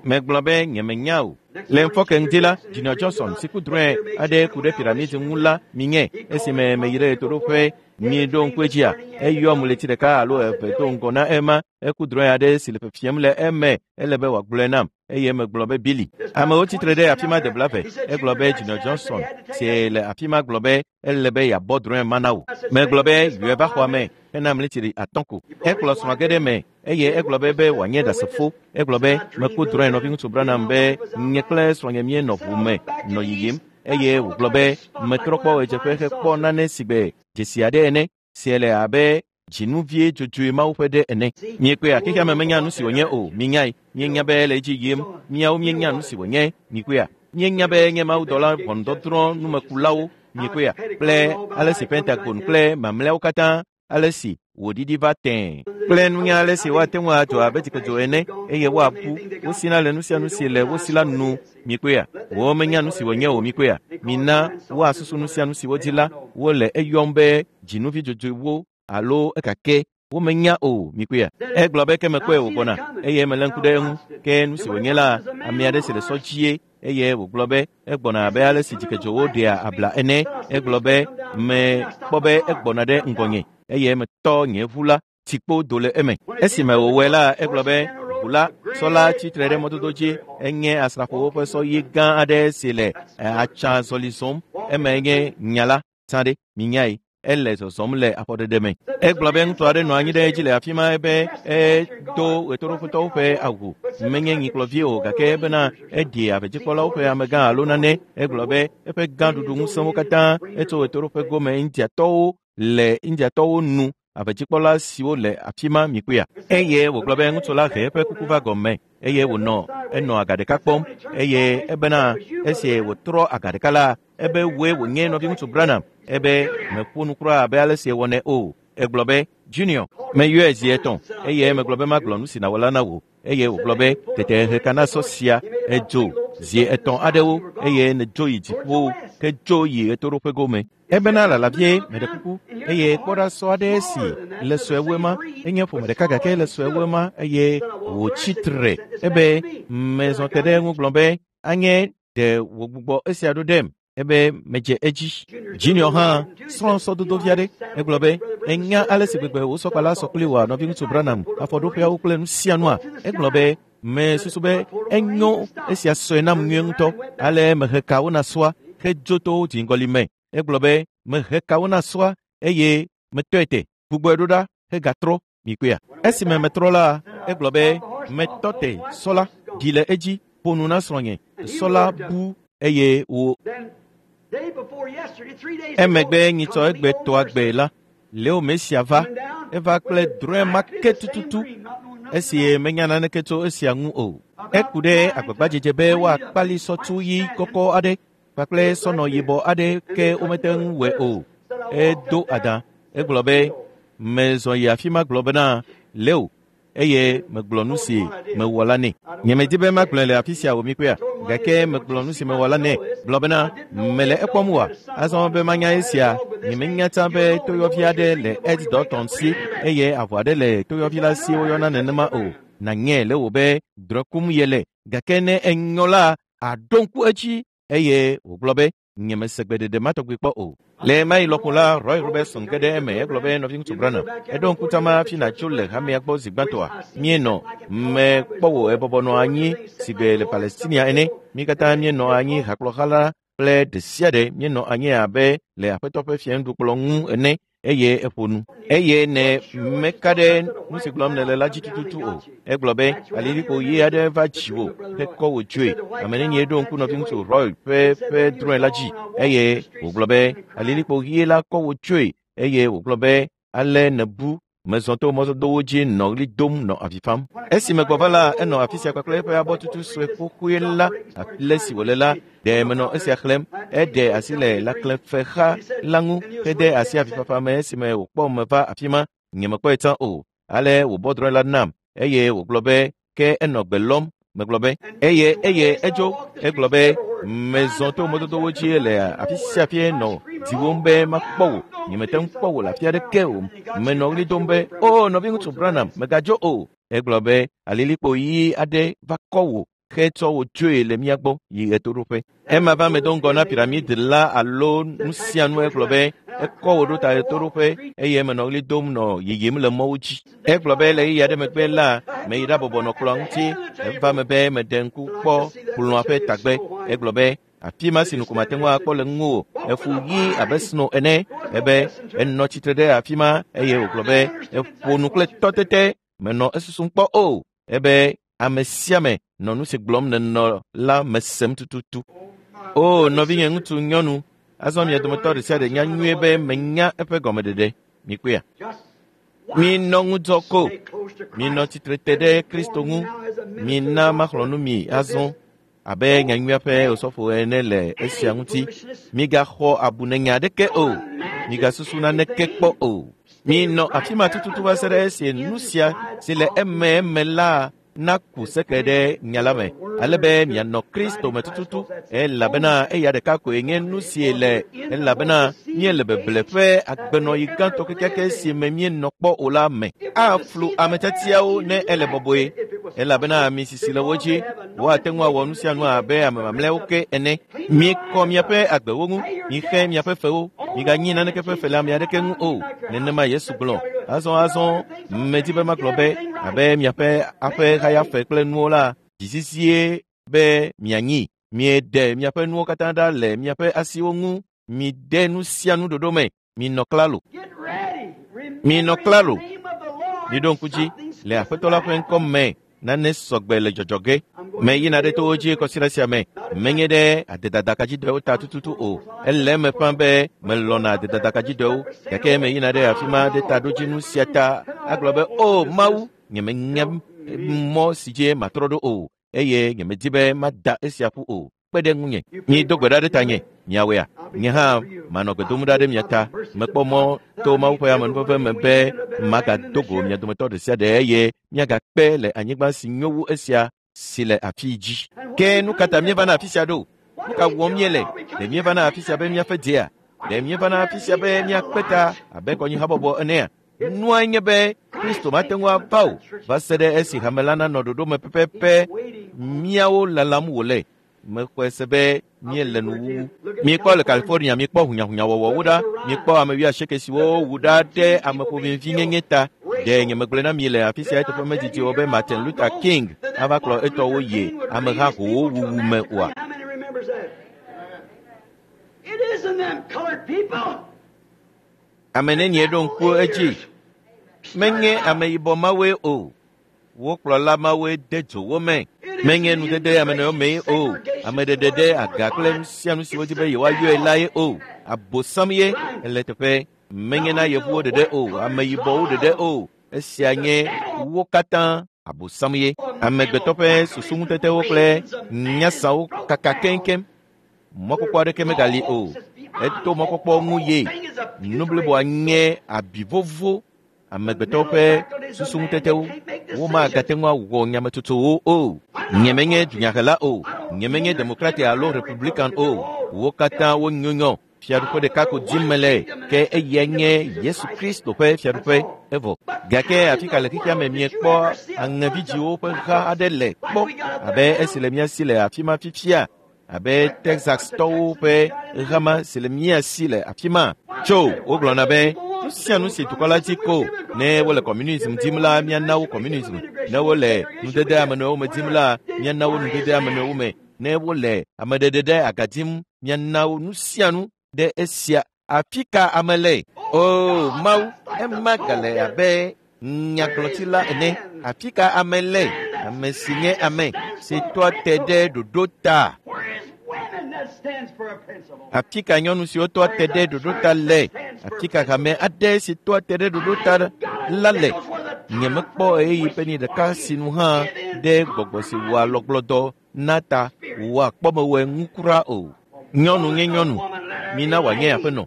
Megblɔ be nyemenya o. Le ŋfɔke ŋdi la, Junior Johnson si ku drɔ̃e aɖe ku ɖe piramidi ŋu la minye esime meyi ɖe ɣetoɖoƒe mi ɖo ŋku edzia. Eyɔm ɣleti ɖeka alo eve do ŋgɔ na ema. Eku drɔ̃e aɖe si le fefiem le eme ele be wòagblɔe nam eye megblɔ be Billy. Amewo tsitre ɖe afi ma de blaeve. Egblɔ be Junior Johnson si le afi ma gblɔ be ele be yeabɔ drɔ̃e ma na wò. Megblɔ be yɔe va xɔa me hena ɣleti atɔ̃ ko. Ekplɔ srɔ̃a ge ɖe me eye egblɔ be be wòanye ɖasefo. Egblɔ be meku drɔ̃e nɔviŋutsu Branham be nye kple srɔ̃nye míenɔ ʋu me nɔ yiyim eye wògblɔ be metrɔ kpɔ ɣedzeƒe hekpɔ nane si gbe dzesi aɖe ene si le abe dzinuvie dzodzoe Mawu ƒe ɖe ene. Miekpea xexea me menya nu si wònye o. Minyae. Mienya be ele edzi yim. Miawo mienya nu si wònye. Mikpea. Mienya be nye mawudɔla ʋɔnudɔdrɔ̃ numekulawo. Mikpea kple ale si Pentagon kple mamlɛawo katã ale si wòɖiɖi va tẽe kple nunya ale si woate ŋu adzo abe dzikedzo ene eye woabu wosina le nu sia nu si le wo si la nu. Mikpea wo menya nu si wònye o. Mikpea mina woasusu nu sia nu si wodzi la wole eyɔm be dzinuvi dzodzoewo alo ekake womenya o. Mikpea egblɔ be ke mekpɔe wògbɔna eye melé ŋku ɖe eŋu ke nu si wònye la ame aɖe si le sɔ dzie eye wògblɔ be egbɔna abe ale si dzikedzowo ɖea abla ene. Egblɔ be mekpɔ be egbɔna ɖe ŋgɔnye eye metɔ nye ʋu la tsikpo do le eme. Esime wòwɔe la egblɔ be ʋu la sɔ la tsitre ɖe mɔdodo dzi enye asrafowo ƒe sɔ ɣi gã aɖe si le atsa zɔli zɔm. Eme nye nya la tsã ɖe minyae. Ele zɔzɔm le afɔɖeɖe me. Egblɔ be ŋutsu aɖe nɔ anyi ɖe edzi le afi ma ebe edo ɣetoɖoƒetɔwo ƒe awu. Menye nyikplɔvi o gake ebena eɖi avedzikpɔlawo ƒe amegã alo nane. Egblɔ be eƒe gãɖuɖu ŋusẽwo katã etso ɣetoɖoƒe gome Indiatɔwo le Indiatɔwo nu avedzikpɔla siwo le afi ma mikpea. Eye wògblɔ be ŋutsu la he eƒe kuku va gɔme eye wònɔ enɔ aga ɖeka kpɔm eye ebena esi wòtrɔ aga ɖeka la ebe woe wònye nɔviŋutsu Branham. Ebe meƒo nu kura abe ale si ewɔnɛ o. Egblɔ be Junior, meyɔe zi etɔ̃ eye megblɔ be magblɔ nu si nàwɔ la na wò. Eye wògblɔ be tete heka na sɔ sia edzo zi etɔ̃ aɖewo eye nèdzo yi dziƒo ke dzo yi ɣetoɖoƒe gome. Ebena lala vie meɖe kuku eye kpɔ ɖa sɔ aɖe si le sue wu ema enye ƒome ɖeka gake le sue wu ema eye wòtsi tre ebe mezɔ te ɖe eŋu gblɔ be anye ɖe wògbugbɔ esia ɖo ɖem ebe medze edzi. Junior hã srɔ̃ sɔdodo vi aɖe egblɔ be enya ale si gbegbe wò sɔkpala sɔ kpli wòa nɔviŋutsu Branham afɔɖoƒeawo kple nu sia nua egblɔ be mesusu be enyo esia sɔe nam nyuie ŋutɔ ale mehe kawo na sɔa hedzo to dziŋgɔli me egblɔ be mehe kawo na sɔa eye metɔe te gbugbɔe ɖo ɖa hegatrɔ mikpea. Esime metrɔ la egblɔ be metɔ te sɔ la ɖi le edzi ƒo nu na srɔ̃nye sɔ la bu eye wo emegbe nyitsɔ egbe tɔa gbe la Leo Mesia va eva kple drɔ̃e ma ke tututu esi menya naneke tso esia ŋu o. Eku ɖe agbagbadzedze be woakpali sɔtsu ɣi kɔkɔ aɖe kpakple sɔnɔ yibɔ aɖe ke womete ŋu wɔe o. Edo adã egblɔ be mezɔ yi afi ma gblɔ bena Leo eye megblɔ nu si mewɔ la nɛ. Nyemedi be magblɔe le afi sia o mikpɔea gake megblɔ nu si mewɔ la nɛ gblɔ bena mele ekpɔm oa azɔ be manya esia nyemenya tsã be toyɔvi aɖe le Ed Dalton si eye avɔ aɖe le toyɔvi la si woyɔna nenema o. Nanye le wò be drɔ̃e kum ye le gake ne enyɔ la aɖo ŋku edzi eye wògblɔ be nyemese gbeɖeɖe ma tɔgbi kpɔ o. Le ɣemaɣi lɔƒo la Roy Robertson ge ɖe eme egblɔ be nɔviŋutsu Branham eɖo ŋku tama hafi nàtso le hamea gbɔ zi gbãtɔa míenɔ mekpɔ wò ebɔbɔ nɔ anyi sigbe le Palestinia ene mí katã míenɔ anyi hakplɔha la kple ɖe sia ɖe míenɔ anyi abe le aƒetɔ ƒe fiaŋuɖukplɔ ŋu ene eye eƒo nu eye ne meka ɖe nu si gblɔm nèle la dzi tututu o. Egblɔ be alilikpo ɣi aɖe va dziwò hekɔ wò dzoe. Ame nenie ɖo ŋku nɔviŋutsu Roy ƒe ƒe drɔ̃e la dzi eye wògblɔ be alilikpo ɣi la kɔ wò dzoe eye wògblɔ be ale nèbu mezɔ to mɔdodowo dzi nɔ ɣli dom nɔ avi fam. Esime gbɔ va la enɔ afi sia kpakple eƒe abɔtutu sue xoxoe la le si wòle la ɖe menɔ esia xlẽm eɖe asi le lãklẽfexa la ŋu hede asi avifafa me esime wòkpɔ me va afi ma nyemekpɔe tsã o. Ale wòbɔ drɔ̃e la nam eye wògblɔ be ke enɔ gbe lɔm megblɔ be eye eye edzo egblɔ be mezɔ to mɔdodowo dzi le afi sia afi nɔ diwom be makpɔ wò nyemete ŋu kpɔ wò le afi aɖeke o menɔ ɣli dom be o nɔviŋutsu Branham megadzo o. Egblɔ be alilikpo ɣi aɖe va kɔ wò hetsɔ wò dzoe le mía gbɔ yi ɣetoɖoƒe. Ema va me do ŋgɔ na piramidi la alo nu sia nu egblɔ be ekɔ wò ɖo ta ɣetoɖoƒe eye menɔ ɣli dom nɔ yiyim le mɔwo dzi. Egblɔ be le ɣeyiɣi aɖe megbe la meyi ɖabɔbɔ nɔ kplɔ̃a ŋuti eva me be meɖe ŋku kpɔ kplɔ̃a ƒe tagbe. Egblɔ be afi ma si ŋku mate ŋu akpɔ le ŋuwò efu ɣi abe sno ene ebe enɔ tsitre ɖe afi ma eye wògblɔ be eƒo nu kple tɔtete menɔ esusum kpɔ o ebe ame sia ame nɔ nu si gblɔm nènɔ la mesem tututu. O nɔvinye ŋutsu nyɔnu azɔ mia dometɔ ɖe sia ɖe nya nyuie be menya eƒe gɔmeɖeɖe mikpɔea. Minɔ ŋudzɔ ko minɔ tsitre te ɖe Kristo ŋu mina maxlɔ̃ nu mi azɔ abe nyanyuia ƒe osɔfo ene le esia ŋuti. Migaxɔ abunenya aɖeke o migasusu naneke kpɔ o. Minɔ afi ma tututu va se ɖe esi nu sia si le eme eme la naku seke ɖe nya la me ale be mianɔ Kristo me tututu elabena eya ɖeka koe nye nu si le elabena míele beble ƒe agbenɔɣi gãtɔ kekeake si me míenɔ kpɔ o la me. Aflu ame tiatiawo ne ele bɔbɔe elabena ami sisi le wo dzi woate ŋu awɔ nu sia nu abe ame mamlɛawo ke ene. Mikɔ miaƒe agbewo ŋu mixe miaƒe fewo miganyi naneke ƒe fe le ame aɖeke ŋu o. Nenema Yesu gblɔ. Azɔ azɔ medi be magblɔ be abe miaƒe aƒe hayafe kple nuwo la dzizizie be mianyi mieɖe miaƒe nuwo katã ɖa le miaƒe asiwo ŋu mide nu sia nu ɖoɖo me minɔ klalo minɔ klalo miɖo ŋku dzi le aƒetɔ la ƒe ŋkɔ me nane sɔgbe le dzɔdzɔ ge. Meyina ɖe towo dzi kɔsiɖa sia me menye ɖe adedadakadzidɔewo ta tututu o. Ele eme ƒã be melɔna adedadakadzidɔewo gake meyina ɖe afi ma ɖe taɖodzinu sia ta agblɔ be o Mawu nyemenya mɔ si dzi matrɔ ɖo o eye nyemedi be mada esia ƒu o. Kpe ɖe ŋunye. Mido gbe ɖa ɖe tanye miawɔea nye hã manɔ gbe dom ɖa ɖe mia ta. Mekpɔ mɔ to Mawu ƒe amenuveve me be Magado go mia dometɔ ɖe sia ɖe eye miagakpe le anyigba si nyo wu esia si le afi dzi. Ke nu ka ta míevana afi sia ɖo? Nu ka wɔm míele? Ɖe míevana afi sia be míaƒe dzea? Ɖe míevana afi sia be míakpe ta abe kɔnyihabɔbɔ enea? Nua nye be Kristo mate ŋu ava o va se ɖe esi hame la nanɔ ɖoɖo me pɛpɛpɛ míawo lalam wòle. Mexɔe se be míele nuwuwu. Míekpɔ le California, míekpɔ hunyahunyawɔwɔwo ɖa, míekpɔ ame wuiasieke siwo wu ɖa ɖe ameƒomevinyenye ta. Ɖe nyemegblɔe na mi le afi sia eteƒe medidi o be Martin Luther King ava kplɔ etɔwo yi ameha howo wuwu me oa? How many remembers that? It isn't them colored people. Ame nenie ɖo ŋku edzi? Menye ameyibɔ mawoe o. Wo kplɔla mawoe de dzo wo me. Menye nudede ame nɔewo mee o. Ameɖeɖe ɖe aga kple nu sia nu si wodi be yewoayɔe la ye o. Abosam ye ele teƒe. Menye na yevuwo ɖeɖe o, ameyibɔwo ɖeɖe o. Esia nye wo katã abosam ye. Amegbetɔ ƒe susuŋutetewo kple nyasawo kaka keŋkeŋ. Mɔkpɔkpɔ aɖeke megali o. Eto mɔkpɔkpɔ ŋu ye. Nu bliboa nye abi vovo. Amegbetɔwo ƒe susuŋutetewo womagate ŋu awɔ nyametsotsowo o. Nyemenye dunyahela o. Nyemenye demokrati alo republican o. Wo katã wonyonyɔ. Fiaɖuƒe ɖeka ko dim mele ke eyae nye Yesu Kristo ƒe fiaɖuƒe evɔ. Gake afi ka le xexea me miekpɔ aŋevidziwo ƒe ha aɖe le kpɔ abe esi le mía si le afi ma fifia abe Texas-tɔwo ƒe hama si le mía si le afi ma. Tso wogblɔna be nu sia nu si dukɔ la dzi ko ne wole communism dim la míana wo communism, ne wole nudede ame nɔewo me dim la míana wo nudede ame nɔewo me, ne wole ameɖeɖe ɖe aga dim míana wo nu sia nu ɖe esia. Afi ka ame le? O Mawu, ema gale abe nyagblɔtila ene. Afi ka ame le? Ame si nye ame si tɔa te ɖe ɖoɖo ta. Where is women that stands for a principle? Afi ka nyɔnu siwo tɔa te ɖe ɖoɖo ta le? Afi ka hame aɖe si tɔa te ɖe ɖoɖo ta la le? Nyemekpɔ ɣeyiɣi ƒe ni ɖeka si nu hã ɖe gbɔgbɔ si wɔa lɔgblɔdɔ na ta wòwɔa kpɔmewɔe ŋu kura o. Nyɔnu nye nyɔnu, mina wòanye aƒenɔ.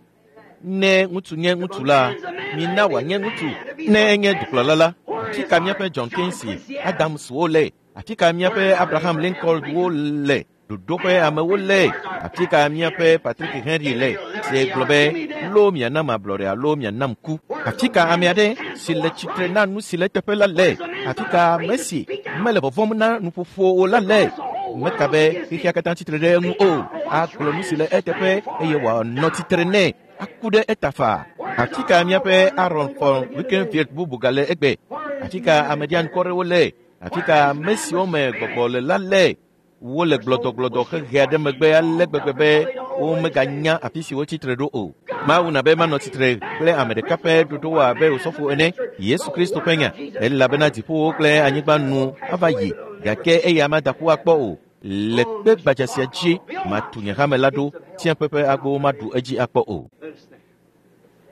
Ne ŋutsu nye ŋutsu la, mina wòanye ŋutsu. Ne enye dukplɔla la, afi ka míaƒe John Quincy Adamswo le? Afi ka míaƒe Abraham Lincolnwo le? Ɖoɖo ƒe amewo le? Afi ka míaƒe Patrick Henry le? Si gblɔ be lo mianam ablɔɖe alo mianam ku. Afi ka ame aɖe si le tsitre na nu si le eteƒe la le? Afi ka ame si mele vɔvɔ̃m na nuƒoƒo o la le? Meka be xexea katã tsitre ɖe eŋu o. Agblɔ nu si le eteƒe eye wòanɔ tsitre nɛ. Aku ɖe eta faa. Afi ka míaƒe Aaron von Wickenfield bubu gale egbe? Afi ka ameɖiankɔrewo le? Afi ka ame siwo me gbɔgbɔ le la le? Wole gblɔdɔgblɔdɔ hehe aɖe megbe ale gbegbe be womeganya afi si wotsi tre ɖo o. Mawu na be manɔ tsitre kple ame ɖeka ƒe ɖoɖowo abe osɔfo ene, Yesu Kristo ƒe nya, elabena dziƒowo kple anyigba nu ava yi, gake eya mada ƒu akpɔ o. Le kpe gbadza sia dzi matu nye hame la ɖo, tsiẽƒe ƒe agbowo maɖu edzi akpɔ o. Let us stand.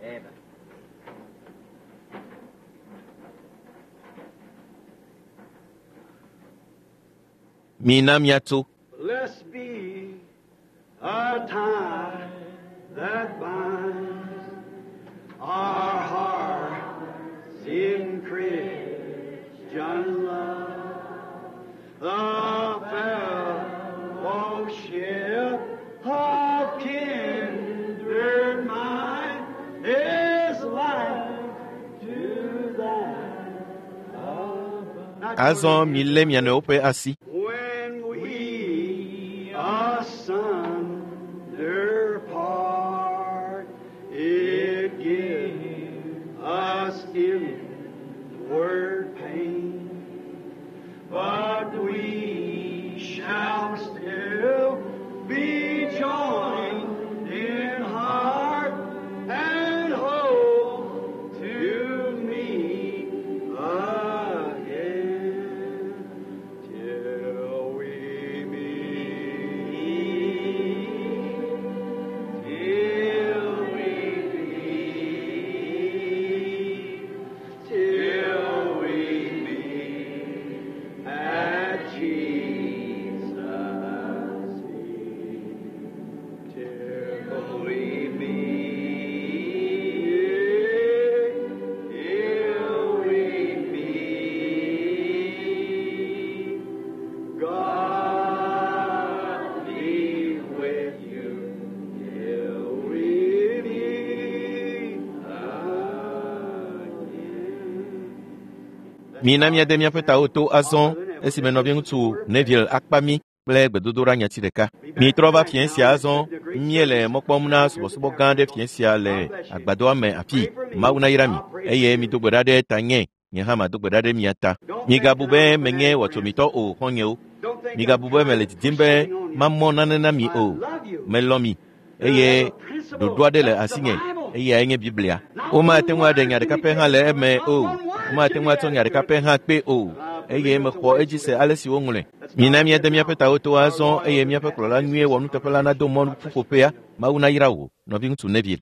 Amen. Mina míatso. Blessed be a tie that binds our hearts in Christian love. The fellowship of kindred mind is like to that above. Azɔ milé mia nɔewo ƒe asi. When we asunder part, it gives us inward pain, but we shall still be joined in heart and hope to meet again. Till Mina míade míaƒe tawo to azɔ esime nɔviŋutsu Neville akpa mí kple gbedodoɖa nyati ɖeka. Mitrɔ va fiẽ sia azɔ míele mɔ kpɔm na subɔsubɔ gã ɖe fiẽ sia le agbadɔa me afii. Mawu nayra mi eye mido gbe ɖa ɖe tanye nye hã mado gbe ɖa ɖe mia ta. Migabu be menye wɔtsomitɔ o xɔ̃nyewo. Migabu be mele didim be mamɔ nane na mi o. Melɔ̃ mi eye ɖoɖo aɖe le asinye eyae nye Biblia. Womate ŋu aɖe nya ɖeka pɛ hã le eme o. Womate ŋu atsɔ nya ɖeka pɛ hã kpee o. Eye mexɔ edzi se ale si woŋlɔe. Mina míade míaƒe tawo to azɔ eye míaƒe kplɔla nyuie wɔnuteƒe la nado mɔ ƒuƒoƒea. Mawu nayra wò, nɔviŋutsu Neville.